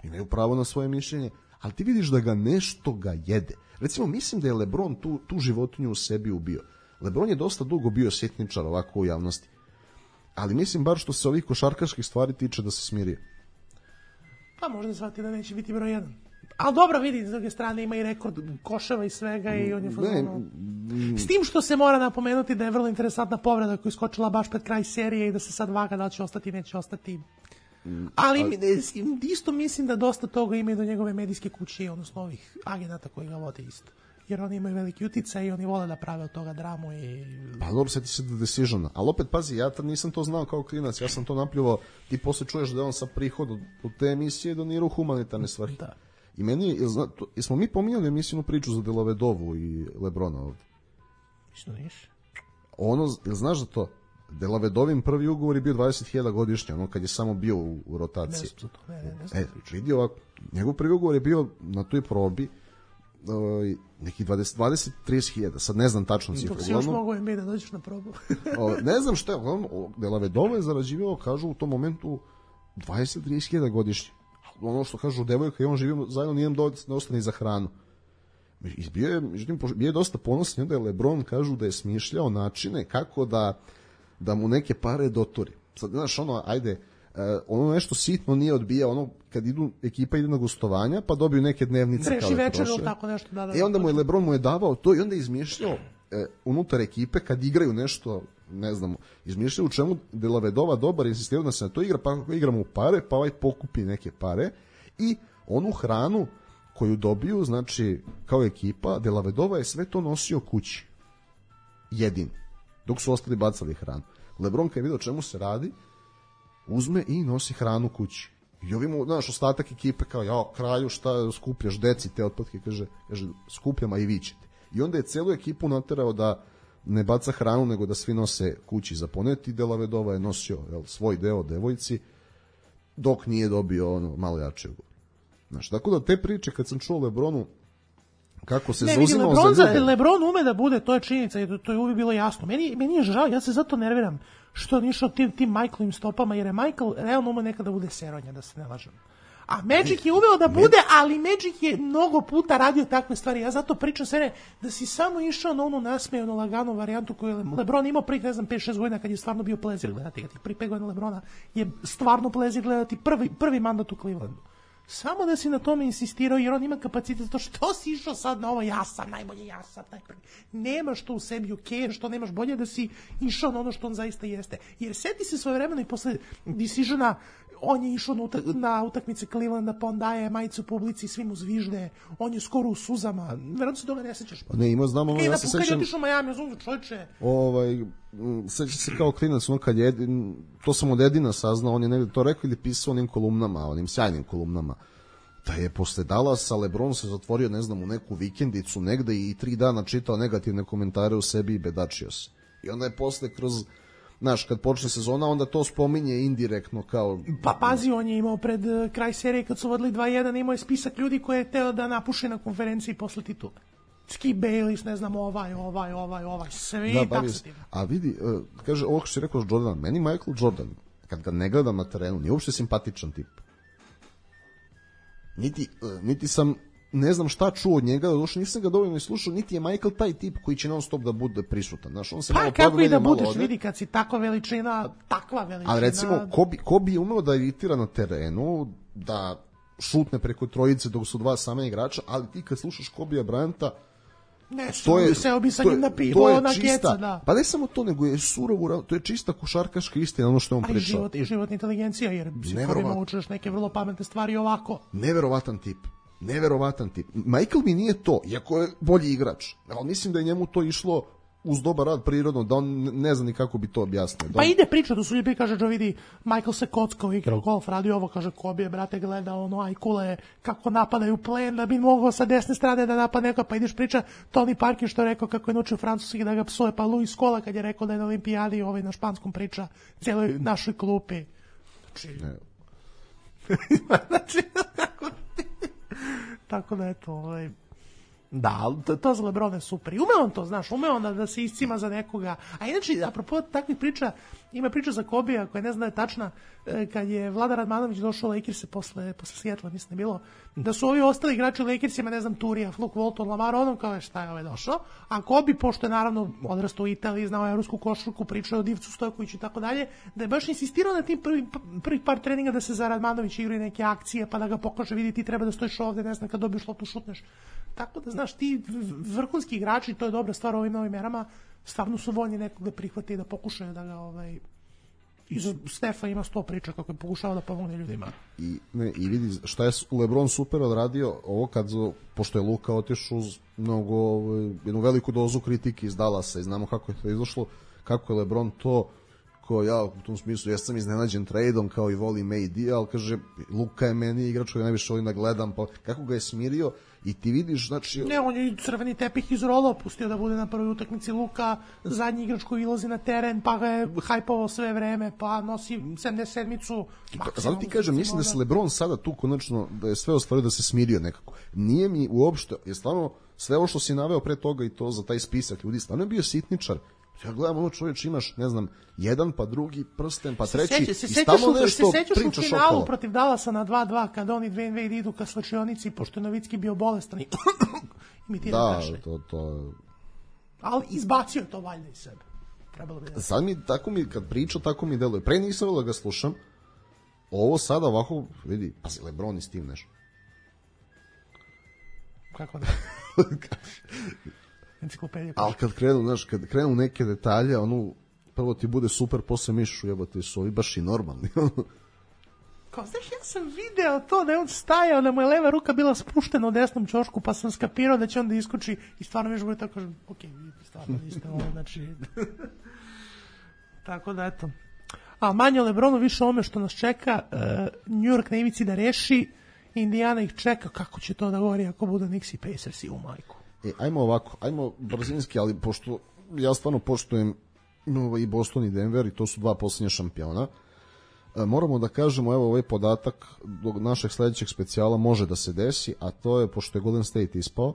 imaju pravo na svoje mišljenje, ali ti vidiš da ga nešto ga jede. Recimo, mislim da je LeBron tu, tu životinju u sebi ubio. LeBron je dosta dugo bio sjetničar ovako u javnosti, ali mislim bar što se ovih košarkaških stvari tiče da se smirio. Pa možda shvati da neće biti broj jedan. Ali dobro, vidi, s druge strane ima i rekord koševa i svega i on je fazonu. S tim što se mora napomenuti da je vrlo interesantna povreda koja je skočila baš pred kraj serije i da se sad vaga da li će ostati, neće ostati. Ali, ali isto mislim da dosta toga ima i do njegove medijske kuće, odnosno ovih agenata koji ga vode isto. Jer oni imaju veliki uticaj i oni vole da prave od toga dramu i... Pa dobro, sjeti se da Decisiona. Ali opet, pazi, ja tad nisam to znao kao klinac, ja sam to napljuvao, ti posle čuješ da je on sa prihod od te emisije donirao humanitarne stvari. Da. I meni je, jesmo mi pominjali emisijnu priču za Delavedovu i Lebrona ovde? Što niš? Ono, znaš za to? Delavedovim prvi ugovor je bio dvadeset hiljada godišnje, ono kad je samo bio u, u rotaciji. Ne, to, ne, ne, ne, e, vidi ovako, njegov prvi ugovor je bio na toj probi uh, neki dvadeset do trideset hiljada, sad ne znam tačno cifru. Dok si još mogu im da dođeš na probu. o, ne znam šta je, Delavedova je zarađivao, kažu u tom momentu dvadeset do trideset hiljada godišnje. Ono što kažu devojka i on živimo zajedno, nije nam dosta ni za hranu. Bio je, međutim, bio je dosta ponosan, onda je LeBron, kažu da je smišljao načine kako da, da mu neke pare dotori. Sad, znaš, ono, ajde, ono nešto sitno nije odbija, ono, kad idu, ekipa ide na gostovanja, pa dobiju neke dnevnice. Treši večer ili tako nešto. Da, da, I onda mu je LeBron mu je davao to i onda je izmišljao e, unutar ekipe kad igraju nešto, ne znam, izmišljaju u čemu Delavedova dobar, insistiraju da se na to igra, pa ako igramo u pare, pa ovaj pokupi neke pare i onu hranu koju dobiju, znači, kao ekipa, Delavedova je sve to nosio kući. Jedin. Dok su ostali bacali hranu. LeBron kad je vidio čemu se radi, uzme i nosi hranu kući. I ovim, znaš, ostatak ekipe kao, ja, kralju, šta skupljaš, deci te otpadke, kaže, kaže skupljam, a i vi ćete. I onda je celu ekipu naterao da ne baca hranu, nego da svi nose kući za poneti. Delavedova je nosio jel, svoj deo devojci, dok nije dobio ono malo jače ugovor. Znaš, tako da te priče, kad sam čuo LeBronu, kako se ne, zauzimao Lebron, za ljude... LeBron ume da bude, to je činjenica i to, to je uvijek bilo jasno. Meni, meni je žao, ja se zato nerviram što on išao tim, tim Michaelovim stopama, jer je Michael realno ume nekada bude seronja, da se ne lažem. A Magic je uveo da bude, ali Magic je mnogo puta radio takve stvari. Ja zato pričam sve da si samo išao na onu nasmejanu laganu varijantu koju je LeBron imao prvih, ne znam, pet šest godina kad je stvarno bio plezir gledati. Kad tih prvih pet godina LeBrona je stvarno plezir gledati prvi, prvi mandat u Clevelandu. Samo da si na tome insistirao, jer on ima kapacitet to što si išao sad na ovo, ja sam najbolje, ja sam najprvi. Nemaš to u sebi, ok, što nemaš bolje da si išao na ono što on zaista jeste. Jer seti se svoje vremena i posle Decisiona, on je išao na, utak, na utakmice Clevelanda, pa on daje majicu publici, svim mu zvižde, on je skoro u suzama, verovatno se toga ne sećaš. Ne, ima, znam, ono, ja se sećam... Kad je otišao u Miami, ja znam, čovječe. Ovaj, sećam se kao klinac, ono kad je, to sam od Edina saznao, on je negde to rekao ili pisao onim kolumnama, onim sjajnim kolumnama, da je posle Dallasa LeBron se zatvorio, ne znam, u neku vikendicu negde i tri dana čitao negativne komentare u sebi i bedačio se. I onda je posle kroz znaš, kad počne sezona, onda to spominje indirektno kao... Pa pazi, on je imao pred uh, kraj serije kad su vodili dva jedan, imao je spisak ljudi koje je teo da napuši na konferenciji posle titule. Skip Bayless, ne znam, ovaj, ovaj, ovaj, ovaj, svi da, taksativno. A vidi, uh, kaže, ovo što si rekao Jordan, meni Michael Jordan, kad ga ne gledam na terenu, nije uopšte simpatičan tip. Niti, uh, niti sam, ne znam šta čuo od njega, došao, nisam ga dovoljno slušao, niti je Michael taj tip koji će non stop da bude prisutan. Znaš, on se pa malo kako i da budeš, ode. vidi, kad si takva veličina, takva veličina. Ali recimo, ko bi, ko bi umeo da iritira na terenu, da šutne preko trojice dok su dva sama igrača, ali ti kad slušaš Kobija Bryanta, ne, to je, seo bi sa njim na pivo, na keca, da. Pa ne samo to, nego je surovo, to je čista košarkaška istina, ono što je on pričao. A i život, i životna inteligencija, jer psihologima učeš neke vrlo pametne stvari ovako. Neverovatan tip. Neverovatan tip. Michael mi nije to, iako je bolji igrač, ali mislim da je njemu to išlo uz dobar rad prirodno, da on ne zna ni kako bi to objasnio. Pa on... ide priča, da su ljudi kaže, Joe vidi, Michael se kockao, igrao golf, radio ovo, kaže, Kobe, brate, gleda ono, ajkule, kako napadaju plen, da bi mogao sa desne strane da napad neko, pa ideš priča, Tony Parker što je rekao kako je naučio francuski da ga psuje, pa Louis Scola kad je rekao da je na olimpijadi ovaj na španskom priča, cijeloj našoj klupi. Znači, ne. znači, tako, tako da eto, ovaj... Da, ali to, to za Lebrona je super. I ume on to, znaš, ume on da, da se iscima za nekoga. A inače, apropo takvih priča, ima priča za Kobija koja ne zna da je tačna, kad je Vlada Radmanović došao u Lakerse posle, posle Seattle, mislim da je bilo, da su ovi ostali igrači u Lakersima, ne znam, Turija, Luke Walton, Lamar Odom, kao je šta je ovaj došao. A Kobi, pošto je naravno odrastao u Italiji, znao evropsku košarku, pričao o Divcu Stojkoviću i tako dalje, da je baš insistirao na tim prvih prvi par treninga da se za Radmanović igraju neke akcije, pa da ga pokaže, vidi, ti treba da stojiš ovde, ne znam, kad dobiješ loptu šutneš. Tako da, znaš, ti vrhunski igrači, to je dobra stvar u ovim novim merama, stvarno su voljni nekog da prihvate i da pokušaju da ga, ovaj, iz Stefa ima sto priča kako je pokušao da pomogne ljudima. I, ne, i vidi, šta je LeBron super odradio, ovo kad, pošto je Luka otišao uz mnogo, ovaj, jednu veliku dozu kritike iz Dallasa i znamo kako je to izašlo, kako je LeBron to, ko ja u tom smislu, ja sam iznenađen tradeom kao i volim A D, ali kaže, Luka je meni igrač koji najviše volim da gledam, pa kako ga je smirio i ti vidiš, znači... Ne, on je crveni tepih izrolao, pustio da bude na prvoj utakmici Luka, zadnji igrač koji ilazi na teren, pa ga je hajpovao sve vreme, pa nosi sedamdeset sedmicu. Zato ti kažem, mislim da se LeBron sada tu konačno, da je sve ostvario, da se smirio nekako. Nije mi uopšte, je stvarno, sve ovo što si naveo pre toga i to za taj spisak ljudi, stvarno je bio sitničar. Ja gledam, ono čovječ, imaš, ne znam, jedan, pa drugi prsten, pa treći, se seća, se i stalno nešto se pričaš okolo. Se sećaš u finalu protiv Dallasa na dva dva, kada oni Dwayne Wade idu ka slačionici, pošto je Novicki bio bolestan i imitira da, kašalj. to, to... Ali izbacio je to valjda iz sebe. Trebalo bi da... Sad mi, tako mi, kad priča, tako mi deluje. Pre nisam volio da ga slušam, ovo sada ovako, vidi, pazi, LeBron i Steve Nash. Kako da? Enciklopedija. Ali kad krenu, znaš, kad krenu neke detalje, ono, prvo ti bude super, posle mišu, jebote, su ovi baš i normalni. Kao, znaš, ja sam video to da je on stajao, da mu je leva ruka bila spuštena u desnom ćošku, pa sam skapirao da će on da iskoči i stvarno mi bude tako, kažem, ok, vidite, stvarno niste ovo, znači... Tako da, eto. A manje o LeBronu, više ome što nas čeka, uh, New York na ivici da reši, Indiana ih čeka, kako će to da govori ako budu Knicks i Pacers i u majku. E, ajmo ovako, ajmo brzinski, ali pošto ja stvarno poštujem no, i Boston i Denver i to su dva posljednja šampiona, e, moramo da kažemo, evo ovaj podatak do našeg sledećeg specijala može da se desi, a to je, pošto je Golden State ispao,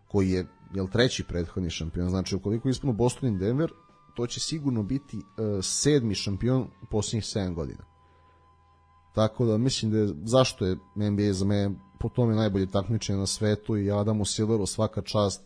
koji je, jel, treći prethodni šampion, znači ukoliko ispanu Boston i Denver, to će sigurno biti e, sedmi šampion u posljednjih sedam godina. Tako da mislim da je, zašto je N B A za mene po tome najbolje takmičenje na svetu i Adamu Silveru svaka čast,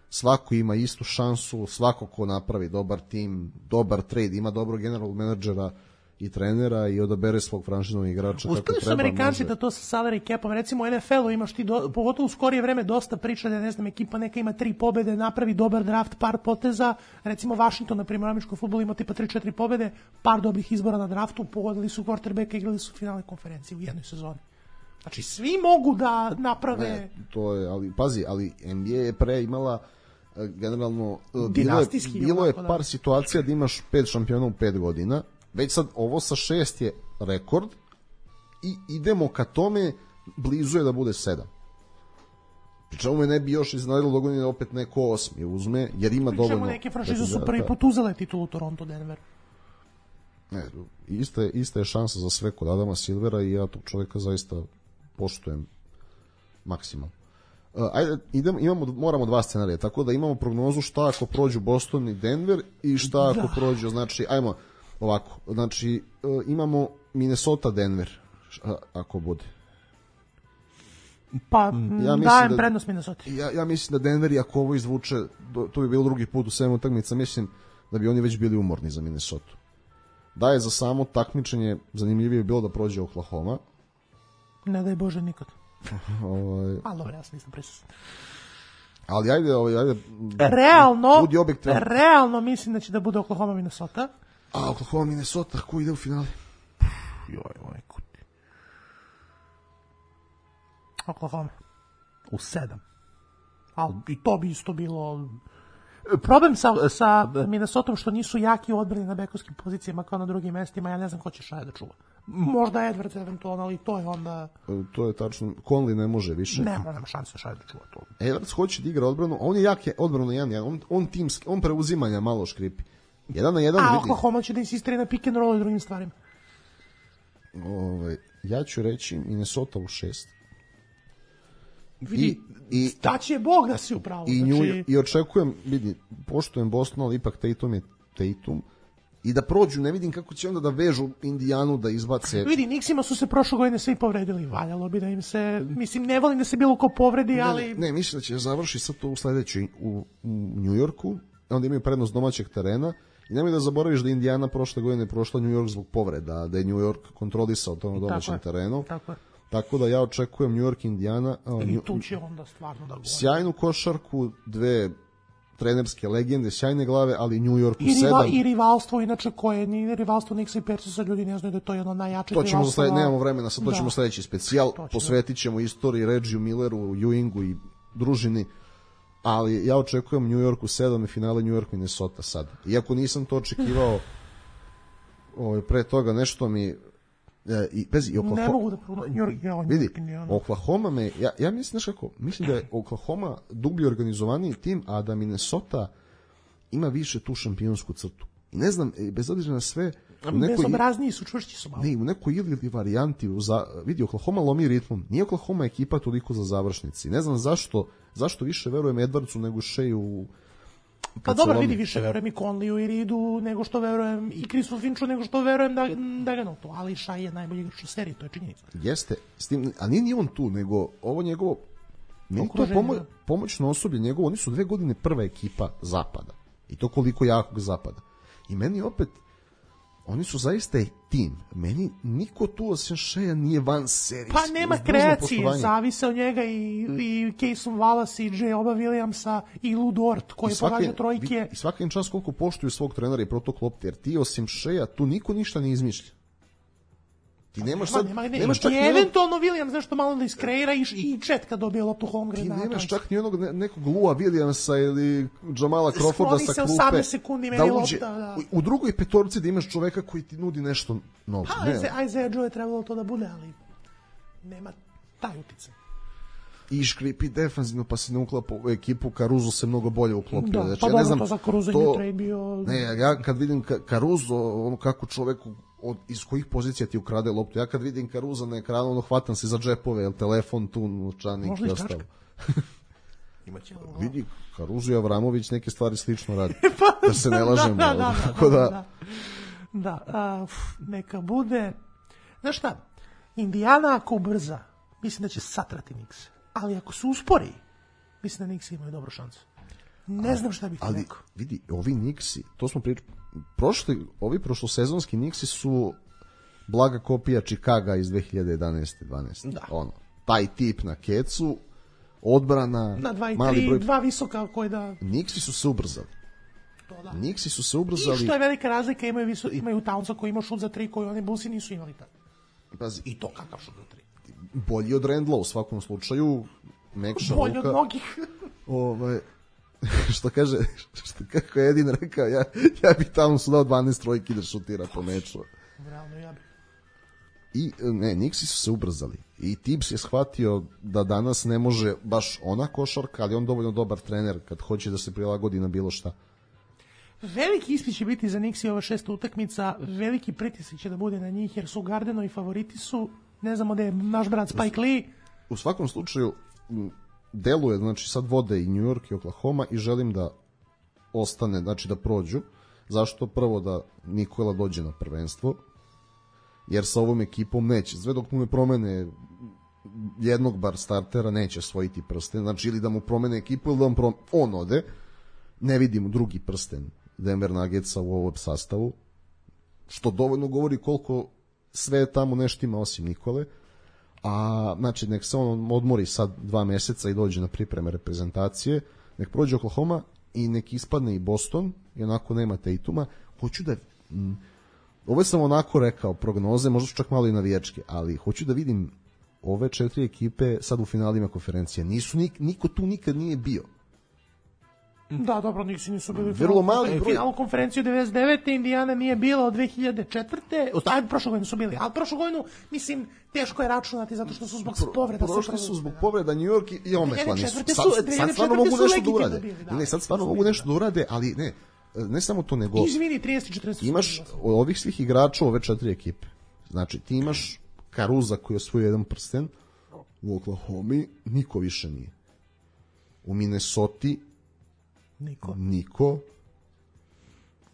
svako ima istu šansu, svako ko napravi dobar tim, dobar trade, ima dobrog general menadžera i trenera i odabere svog franšiznog igrača kako treba. Uspeli su Amerikanci da to sa salary capom, recimo u N F L-u imaš ti, do, pogotovo u skorije vreme dosta priča da, ne znam, ekipa neka ima tri pobede, napravi dobar draft, par poteza, recimo Washington, na primjer, u američkom fudbalu ima tipa tri četiri pobede, par dobrih izbora na draftu, pogodili su quarterbacka, igrali su finalne konferencije u jednoj sezoni. Znači, svi mogu da naprave... Ne, to je, ali, pazi, ali N B A je pre imala generalno... Bilo je, bilo je par da. situacija da imaš pet šampiona u pet godina, već sad ovo sa šest je rekord i idemo ka tome, blizu je da bude sedam. Pričemu me ne bi još iznadilo dogodine opet neko osmi uzme, jer ima Pričemu dovoljno... Pričemu neke franšize su prvi put uzele titulu Toronto Denver. Ne, ista, je, ista je šansa za sve kod Adama Silvera i ja tog čovjeka zaista poštujem maksimalno. Uh, ajde, idem, imamo, moramo dva scenarija, tako da imamo prognozu šta ako prođu Boston i Denver i šta ako da. prođu, znači, ajmo ovako, znači uh, imamo Minnesota Denver, šta, ako bude. Pa, ja dajem da, prednost Minnesota. Ja, ja mislim da Denver, ako ovo izvuče, to bi bilo drugi put u sedam utakmica, mislim da bi oni već bili umorni za Minnesota. Da je za samo takmičenje zanimljivije bilo da prođe Oklahoma. Ne daj Bože nikad. ovaj... Ali dobro, ja sam nisam prisutan. Ali ajde, ovaj, ajde realno, realno mislim da će da bude Oklahoma Minnesota. A Oklahoma Minnesota, ko ide u finale? Joj, ovaj kuti. Oklahoma. U sedam. Ali i to bi isto bilo... Problem sa, sa Minnesotom što nisu jaki u odbrani na bekovskim pozicijama kao na drugim mestima, ja ne znam ko će Šaja da čuva. Možda Edwards eventualno, ali to je onda... To je tačno, Conley ne može više. Nema, nema šanse Šaja da čuva to. Edwards hoće da igra odbranu, a on je jak odbranu jedan, jedan. On, on, timski, on preuzimanja malo škripi. Jedan na jedan a vidi. Oklahoma će da insistira na pick and roll i drugim stvarima. Ovaj, ja ću reći Minnesota u šest. Vidi, i, i, da će Bog da si upravo. I, znači... nju, I očekujem, vidi, poštujem Boston, ali ipak Tatum je Tatum. I da prođu, ne vidim kako će onda da vežu Indijanu da izbace. Vidi, Nixima su se prošle godine svi povredili. Valjalo bi da im se, mislim, ne volim da se bilo ko povredi, ne, ali... Ne, ne, mislim da će završiti sad to u sledećoj u, u New Yorku, onda imaju prednost domaćeg terena. I nemoj da zaboraviš da Indijana prošle godine prošla New York zbog povreda, da je New York kontrolisao to na domaćem tako terenu. Tako je. Tako da ja očekujem New York, Indijana. I tu će onda stvarno da govori. Sjajnu košarku, dve trenerske legende, sjajne glave, ali New York u I, riva, sedam. I rivalstvo, inače koje ni rivalstvo Nixa i Persusa, ljudi ne znaju da je to jedno najjače to ćemo rivalstvo. Sled, nemamo vremena, sad to da. ćemo sledeći specijal, ćemo. posvetit ćemo istoriji Reggiju Milleru, Ewingu i družini, ali ja očekujem New York u sedam i finale New York Minnesota sad. Iako nisam to očekivao ovaj, pre toga, nešto mi E, i bez i Oklahoma. Ne mogu da pronađem. Vidi, Oklahoma me ja ja mislim znaš kako, mislim da je Oklahoma dublje organizovaniji tim, a da Minnesota ima više tu šampionsku crtu. I ne znam, bez obzira na sve, u nekoj bezobrazniji su, čvršći su malo. Ne, u nekoj ili varijanti za vidi Oklahoma lomi ritmom. Nije Oklahoma ekipa toliko za završnici. Ne znam zašto, zašto više verujem Edwardsu nego Sheju. Pa dobro, vidi, više verujem i Conleyu i Reedu nego što verujem i Chrisu Finchu nego što verujem da, da ga to, ali Shai je najbolji igrač u seriji, to je činjenica. Jeste, s tim, a nije ni on tu, nego ovo njegovo meni to pomo, pomoćno osoblje njegovo, oni su dve godine prva ekipa zapada i to koliko jakog zapada. I meni opet, oni su zaista tim. Meni niko tu osim Shea nije van serije. Pa nema kreacije, zavise od njega i, i Cason Wallace i J. Oba Williamsa i Lou Dort koji pogađa trojke. I svaka im čas koliko poštuju svog trenera i protok lopte, jer ti osim Shea tu niko ništa ne izmišlja. Ti nemaš sad, nema, nema, nemaš ti čak eventualno Williams nešto malo da iskreira i, i Chet kad dobije loptu Holmgren. Ti nemaš čak ni onog ne, nekog Lua Williamsa ili Jamala Crawforda sa klupe. osamnaest sekundi da uđe lopta, da. U, u drugoj petorci da imaš čoveka koji ti nudi nešto novo. Pa, ne, Isaiah Joe je trebalo to da bude, ali nema taj uticaj. I škripi defanzivno, pa se ne uklapa u ekipu. Caruso se mnogo bolje uklopio. Da, znači, pa ja dobro, ne znam, to za Caruso to, je trade bio... Ne, ja kad vidim Caruso, ono kako čoveku od, iz kojih pozicija ti ukrade loptu. Ja kad vidim Caruso na ekranu, ono hvatam se za džepove, jel telefon tu, novčanik i ostalo. Imaće ovo. Vidi, Caruso i Avramović neke stvari slično radi. pa, da se ne lažemo. Da, da, da, tako da, da, da. da uh, neka bude... Znaš šta, Indijana ako ubrza, mislim da će satrati Knicks. Ali ako se uspori, mislim da Knicks imaju dobru šansu. Ne znam šta bih ali, rekao. Vidi, ovi Knicksi, to smo pričali, prošli, ovi prošlosezonski Knicksi su blaga kopija Chicaga iz dve hiljade jedanaeste dvanaeste Da. Ono, taj tip na kecu, odbrana, na dva i mali tri, broj... dva visoka koji da... Knicksi su se ubrzali. To da. Knicksi su se ubrzali. I što je velika razlika, imaju, viso, imaju Townsa koji ima šut za tri, koji oni Bullsi nisu imali tad. Pazi. I to kakav šut za tri. Bolji od Randla u svakom slučaju. Mekša Bolji ruka. od mnogih. Ovaj, što kaže, što kako je Edin rekao, ja, ja bih tamo su dao dvanaest trojki da šutira po meču. Realno ja bih. I ne, Knicksi su se ubrzali. I Tibbs je shvatio da danas ne može baš ona košarka, ali on dovoljno dobar trener kad hoće da se prilagodi na bilo šta. Veliki ispit će biti za Knicks i ova šesta utakmica, veliki pritisak će da bude na njih, jer su Gardenovi favoriti su, ne znamo da je naš brat Spike Lee. U svakom slučaju, deluje, znači sad vode i New York i Oklahoma i želim da ostane, znači da prođu. Zašto? Prvo da Nikola dođe na prvenstvo, jer sa ovom ekipom neće, sve dok mu ne promene jednog bar startera neće osvojiti prsten, znači ili da mu promene ekipu ili da on, prom... on ode, ne vidimo drugi prsten Denver Nuggetsa u ovom sastavu, što dovoljno govori koliko sve tamo nešto ima osim Nikole, a znači nek se on odmori sad dva meseca i dođe na pripreme reprezentacije, nek prođe Oklahoma i nek ispadne i Boston i onako nema Tatuma. Hoću da m, ovo sam onako rekao prognoze, možda su čak malo i navijačke, ali hoću da vidim ove četiri ekipe sad u finalima konferencije. Nisu nik, niko tu nikad nije bio. Da, dobro, niksi nisu bili vrlo mali broj. Finalu konferenciju devedeset devete Indijana nije bila od dve hiljade četvrte Ajde, prošle godine su bili, ali prošlu godinu, mislim, teško je računati zato što su zbog povreda. Prošli su zbog povreda New York i ometani su. Sad, su, sad stvarno mogu nešto da urade. Bili, da, ne, sad stvarno mogu nešto da urade, ali ne, ne samo to nego... Izvini, trideset četrdeset Imaš ovih svih igrača ove četiri ekipe. Znači, ti imaš Caruza koji je osvojio jedan prsten, u Oklahomi niko više nije. U Minnesota Niko. Niko.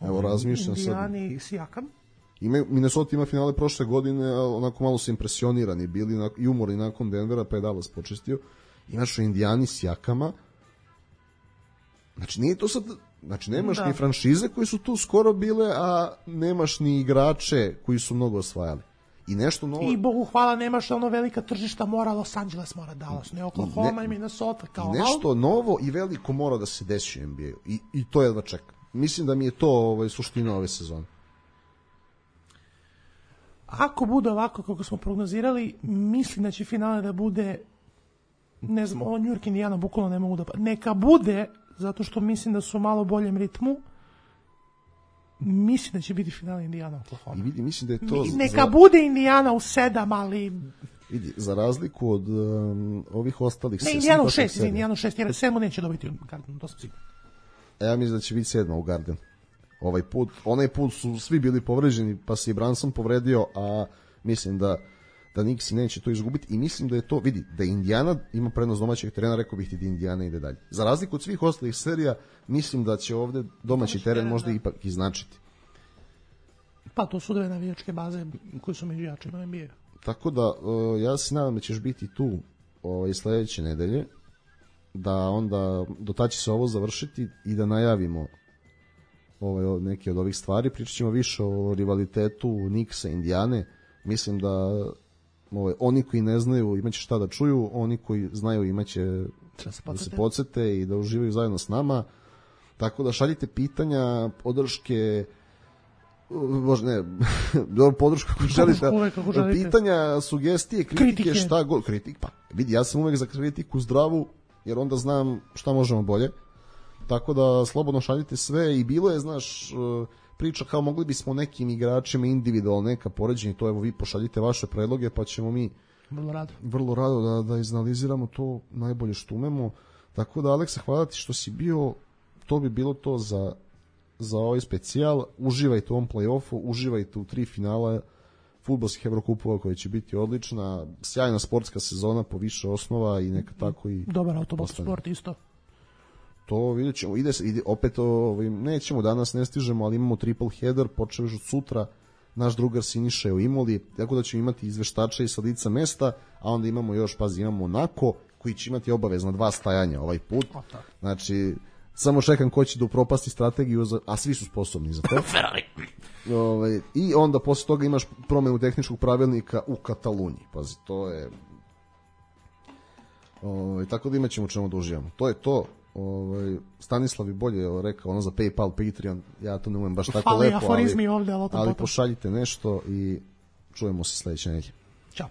Evo razmišljam sad. Indijani i Sijakam. Ima, Minnesota ima finale prošle godine, a onako malo su impresionirani bili i umorni nakon Denvera, pa je Dallas počestio. Imaš u Indijani Sijakama. Znači nije to sad, znači nemaš da. ni franšize koji su tu skoro bile, a nemaš ni igrače koji su mnogo osvajali. I nešto novo. I Bogu hvala, nemaš ono velika tržišta, mora Los Angeles, mora Dallas, ne Oklahoma ne, i Minnesota. Kao nešto novo i veliko mora da se desi u N B A-u. I, i to jedva čeka. Mislim da mi je to ovaj, suština ove sezone. Ako bude ovako kako smo prognozirali, mislim da će finale da bude, ne znam, ovo New York Indiana bukvalno ne mogu da... Neka bude, zato što mislim da su u malo boljem ritmu, mislim da će biti finale Indijana Oklahoma. I vidi, mislim da je to... Neka za... bude Indijana u sedam, ali... Vidi, za razliku od um, ovih ostalih... Ne, Indijana u šest, Indijana u šest, jer sedmu neće dobiti u Gardenu, to sam sigurno. Ja mislim da će biti sedma u Gardenu. Ovaj put, onaj put su svi bili povređeni, pa se i Branson povredio, a mislim da da Knicks neće to izgubiti i mislim da je to, vidi, da Indijana ima prednost domaćeg terena, rekao bih ti da Indijana ide dalje. Za razliku od svih ostalih serija, mislim da će ovde domaći teren, teren možda da. ipak iznačiti. Pa to su dve navijačke baze koje su među jačima N B A. Tako da, uh, ja se nadam da ćeš biti tu ovaj, sledeće nedelje, da onda do tada će se ovo završiti i da najavimo ovaj, neke od ovih stvari. Pričat ćemo više o rivalitetu Knicksa i Indijane. Mislim da ovaj, oni koji ne znaju imaće šta da čuju, oni koji znaju imaće da se, da se podsete i da uživaju zajedno s nama. Tako da šaljite pitanja, podrške, možda ne, dobro podršku ako želite, ako želite, pitanja, sugestije, kritike, kritike. šta god, kritik, pa vidi, ja sam uvek za kritiku zdravu, jer onda znam šta možemo bolje. Tako da slobodno šaljite sve i bilo je, znaš, priča kao mogli bismo nekim igračima individualno neka poređenja, to evo vi pošaljite vaše predloge pa ćemo mi vrlo rado, vrlo rado da, da izanaliziramo to najbolje što umemo. Tako da, Aleksa, hvala ti što si bio, to bi bilo to za, za ovaj specijal. Uživajte u ovom play-offu, uživajte u tri finala fudbalskih Evrokupova koja će biti odlična, sjajna sportska sezona po više osnova i neka tako i dobar autobus sport isto. To vidjet ćemo, ide, ide opet, ovaj, nećemo danas, ne stižemo, ali imamo triple header, počeo još od sutra, naš drugar Siniša je u Imoli, tako da ćemo imati izveštača i sa lica mesta, a onda imamo još, pazi, imamo Onako, koji će imati obavezno dva stajanja ovaj put, znači, samo čekam ko će da upropasti strategiju, za, a svi su sposobni za to. Ovaj, i onda posle toga imaš promenu tehničkog pravilnika u Kataluniji, pazi, to je... Ovaj, tako da imat ćemo čemu da uživamo. To je to. Ovaj, Stanislav je bolje rekao ono za PayPal, Patreon, ja to ne umem baš tako Fali lepo, ali, ovde, ali, ali pošaljite nešto i čujemo se sledeće nedelje. Ćao.